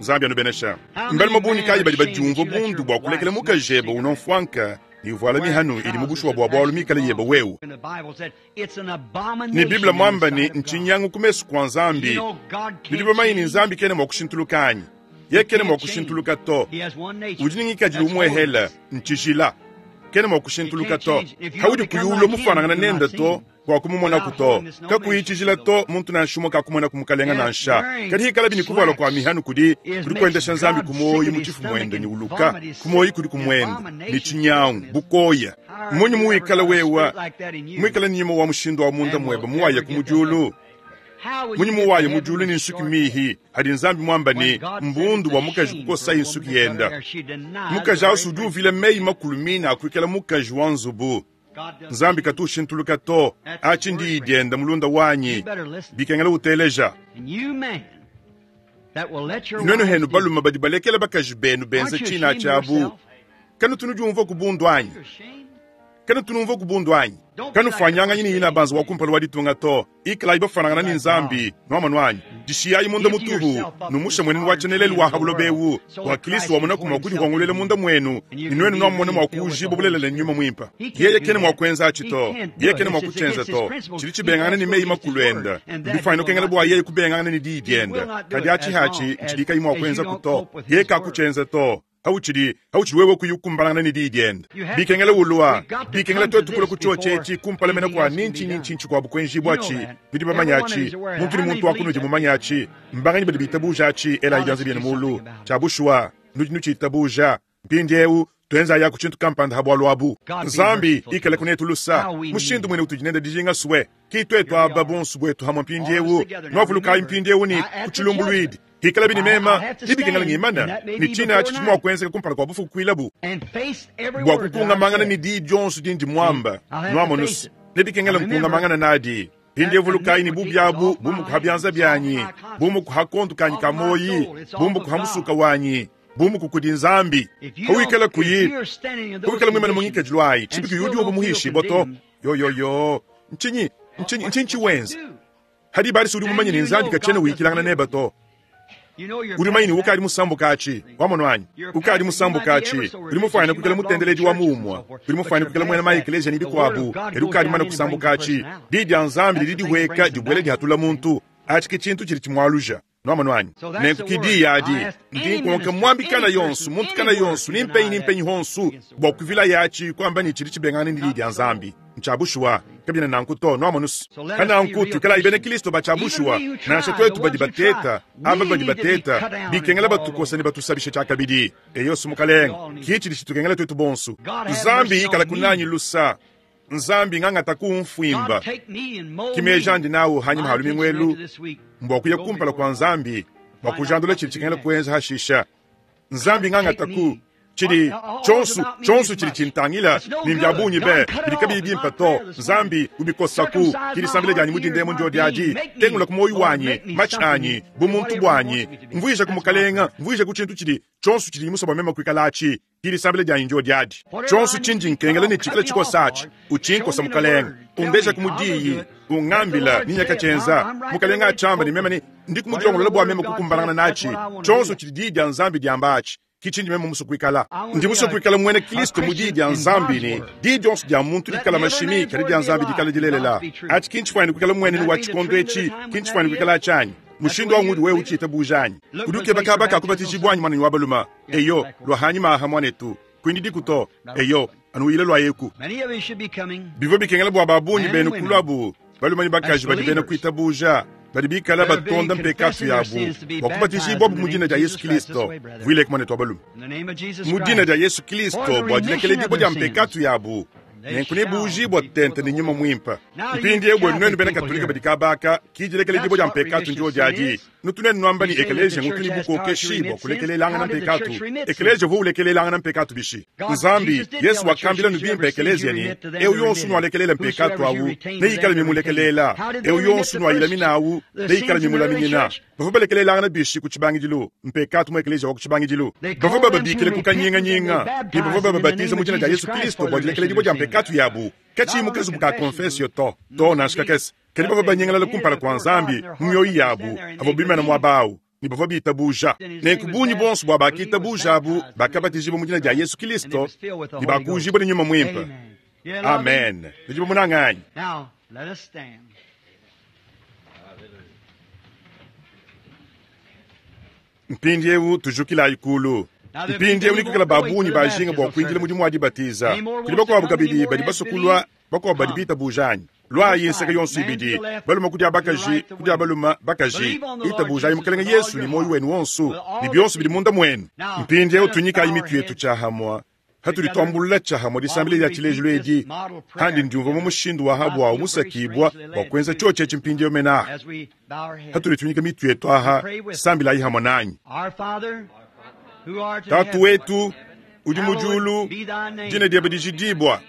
Nzambi anubenesha. Mbalume bungi kayi badi badiumvua bundu bua kulekela mukajebe unomfuanka ne uvuala mihanu idi mu bushuwa bua bualu mikale yebe wewe. And the Bible said it's an Ne abomination Biblia in the mwamba ne sight of God. nchinyangu ku mesu kua You Nzambi. know God can't Bidi bamanyi ne change. Nzambi kena mua kushintuluka anyi? Ye kena mua kushintuluka to. He has one nature. Udi ne ngikadilu That's umuehela holiness. ntshijila kena mua kushintuluka to. Haudi kuyula mufanangana nende to bua kumumonaku to. Kakuyi tshijila to muntu nansha umue kakumona ku mukalenga nansha. Kadi hikala bini kuvuala kua mihanu kudi kudi kuendesha Nzambi ku muoyo mu tshifu muende ne uluka ku muoyo kudi kumuenda ne tshinyangu bukoya. Munyi muwikala wewa muikala nyima wa mushindu wa munda muebe muwaya ku mudiulu. How would Munyi you get to muwaya heaven mudiulu with ne nsuki short mihi hadi Nzambi muamba When ne God said mbundu it's bua a mukaji shame for kukosa a woman insuki to cut her yenda. hair, she denies Mukaji the awu very udi uvila meyi makulu mine akuikala mukaji wa nzubu. God doesn't Nzambi change. katushintuluka to achi ndi dienda mulunda wanyi You better listen. bikengela uteleja. And you man that will let your Nuenu wives henu do baluma badi balekela bakaji benu benza Aren't you tshina ashamed of tshiabu. yourself? Kanu tunudiumvua ku bundu anyi? You're ashamed. Kanu tunumvua ku bundu anyi? Kanu fwanyanganyi ni ina banza wa kumpala wa ditunga to. Ikalayi bafanangana ni Nzambi nwamanu anyi. Dishiyayi munda mutuhu numusha mwenenu wa tshenelelu wa habulo bewu wa Kristo wamona kuma kudi hwangulele munda mwenu ni nuenu nwamona mwa kujibu bulelela nyuma mwimpa. Yeye kene mwa kwenza achi to. Yeye kene mwa kuchenza to. Chili chibengana ni meyi makulu enda. Ndifwanya nokengela bwa yeye kubengana ni diyi dienda. Kadi achi hachi nchidika imwa kwenza kuto. Yeye kakuchenza to. Hauchidi hauchidi wewe kuyukumbalana ni diyi dienda. Bikengela ulwa bikengela twetu kula kuchoche chechi kumpala mena kwa ninchi ninchi nchi kwa bukwenji bwachi bidi bamanya achi muntu ni muntu wakunudi mumanya achi mbanganyi badi bitabuja achi ela ijanze byene mulu chabushwa nudi nuchitabuja mpindiewu twenza ya kuchintu kampanda habwalu abu Nzambi ikale kunetu lusa mushindu mwene utujinenda dijinga suwe kitwetu aba bonsu bwetu hamwe mpindiewu nwavulukayi mpindiewu ni kuchilumbulwidi hikala bini mema ibikengela ngimana ni china achi chimwa kwenzeka kumpala kwa bufuku kwilabu And face every bua word that I've kukungamangana said. ni diyi dionso dindi mwamba I'll have to face nwamonusu it. nebikengela nkungamangana nadi pindevulukayi ni bubyabu bumukuha byanza byanyi bumukuha kontu kanyi ka moyi bumukuha musuka wanyi bumukukudi Nzambi If you hawikala don't, if kuyi you're standing in those hawikala mwimana conditions munyikajilo ayi and chibiki still yudi don't uba feel muhishi boto condemned, yoyoyo nchinyi nchinyi nchinchi what wenza you do? hadi bali sudi mumanye ni Nzambi kachena wikilangana neba to You know you're uri mayini past ukali that. musambuka achi wamono anyi ukali musambuka achi uri mufwana kukela mutendeledi wa mumwa uri mufwana kukela mwena ma ekelesia ni bikwabu eri ukali mana kusambuka achi didi ya Nzambi lili dihweka dibwele dihatula muntu achi ke chintu chili chimwaluja nwamono anyi nenku kidi yadi ndi nkonka mwambi kana yonsu muntu kana yonsu nimpenyi nimpenyi honsu bua kuvila yachi kwamba ni chili chibengana ni didi ya Nzambi nchabushuwa kabina nanku to nwamonusu kananku tukala ibene Kristo bachabushuwa nansha twetu badi bateta aba badi bateta bikengela batukosa ne batusabisha chakabidi eyosu mukalenga kichi lishitukengela twetu bonsu Nzambi ikala kunanyi lusa Nzambi ng'ang'ata kumfwimba God take me and mold me. kimeja ndi nawo hanyuma My ha lumingwelu intention after this week, mbwa kuya go kumpala before kwa God. Nzambi bwa kujandula chili chikengela kuenza hashisha Nzambi ng'ang'ata ku Tshidi tshionsu, tshionsu tshidi tshintangila ne mbia bungi be, bidi kabiyi bimpe to. Nzambi, ubikosaku. Ki disambila dianyi mu dinda emu ndyodi adi. Tengula ku muoyo wanyi, matshi anyi, bumuntu buanyi. Mvuijaku, Mukalenga, mvuijaku tshintu tshidi tshionsu tshidi musue bua meme kuikalatshi. Ki disambila dianyi ndyodi adi. Tshionsu tshindi nkengela ne tshikale tshikosa atshi, utshinkosa, Mukalenga. Undejaku mu diyi, ungambila ne nyakatshienza. Mukalenga atshiamba ne meme ne ndiku mudilongolola bua meme kukumbanangana natshi. Tshionsu tshidi diyi dia Nzambi diamba atshi, ki tshindi meme musue kuikala. Ndi musue kuikala muena Kristo mu diyi dia Nzambi ne diyi dionso dia muntu dikala mashimi, kadi dia Nzambi dikala dilelela. Atshi ki ntshifuanyine kuikala mmuenenu wa tshikondo etshi, ki ntshifuanyine kuikala atshi anyi? Mushindu au ngudi wewe utshiitabuja anyi? Udi ukeba kaba ka kubatijibua anyi, muananyi wa balume? Eyo, lua hanyima aha, muanetu. Kuindidiku to. Eyo, anu uyile lua eku. Bivua bikengela bua ba bungi benu kuluabu balume ne bakaji badi bena kuitabuja, badi bikala batonda mpekatu yabu bua kubatijibuabu mu dina dia Yesu Kristo. Vuileku, muanetu wa balume. Mu dina dia Yesu Kristo bua dilekeledibua dia mpekatu yabu, nenku nebuujibua tente ne Nyuma Muimpe. Mpindieu buenu nuenu bena Katolika badi kabaka, ki dilekeledibua dia mpekatu ndiodi adi. Nutu nuenu nuamba ne ekeleziya ngutu ne bukokeshi bua kulekelelangana mpekatu. Ekeleziya uvua ulekelelangana mpekatu bishi? Nzambi, Yesu wakambila nu bimpe ekeleziya ne, eu yonso nualekelela mpekatu awu neikale mimulekelela, eu yonso nuayilamina awu neikale mimulaminyina. Bavua balekelelangana bishi ku tshibangidilu mpekatu mu ekeleziya wa ku tshibangidilu? Bavua bababikile ku kanyinganyinga ne bavua bababatiza mu dina dia Yesu Kristo bua dilekeledibua dia mpekatu yabu, katshiyi mu kazubu ka konfesio to, to nansha kakese. Kadi bavua banyingalala kumpala kua Nzambi mu mioyo yabu, avua bimana muaba au ne bavua bitabuja. Nenku bungi buonso bua bakitabuja abu bakabatijibua mu dina dia Yesu Kristo ne bakuujibua ne Nyuma Muimpe. Amen. Nudi bamunange anyi? Mpindieu tujukilayi kulu. Mpindieu nekuikale ba bungi bajinga bua kuindila mudimu wa dibatiza. Kudi bakuabu kabidi badi basue kulua, bakuabu badi bitabuja anyi? Luayi nseke yonso ibidi, balume ku dia bakaji, ku dia balume bakaji. Itabujayi Mukelenge Yesu ne muoyo wenu wonso ne bionso bidi munda muenu. Mpindieu tunyikayi mitu yetu tshiahamua hatudi tuambulula tshiahamua disambila dia tshilejilu edi. Handi ndiumvua mu mushindu wa habuawu musakibua bua kuenza tshiotshi etshi mpindieu mene aha. Hatudi tunyika mitu yetu aha, sambilayi hamue nanyi. Tatu wetu udi mu diulu, dina diebe dijidibua,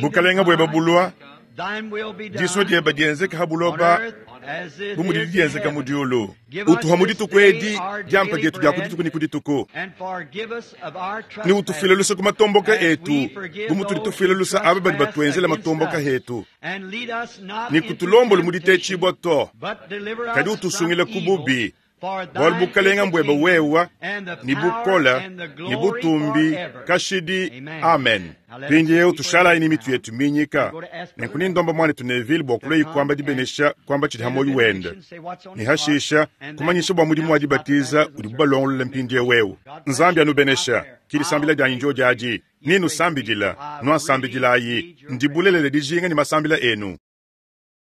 bukalenga buebe bulua, disua diebe dienzeke ha buloba bu mudidi dienzeka mu diulu. Utuha mu dituku edi diampa dietu dia ku dituku ne ku dituku, ne utufuile luse ku matomboka etu bu mutudi tufuila luse aba badi batuenzela matomboka etu, ne kutulomboli mu ditetshibua to, kadi utusungile ku bubi. Bualu bukalenga mbuebe wewa, ne bukole, ne butumbi, kashidi. Amen. Mpindieu tushalayi ne mitu yetu minyika. Nenku nindomba muanetu Neville bua kuluaye kuamba dibenesha, kuamba tshidi ha muoyo wende, ne hashisha kumanyisha bua mudimu wa dibatiza udibu balongolola mpindieu eu. Nzambi anubenesha. Ki disambila dianyi ndiodi adi. Ninusambidila, nuansambidilayi. Ndi bulelela dijinga ne masambila enu.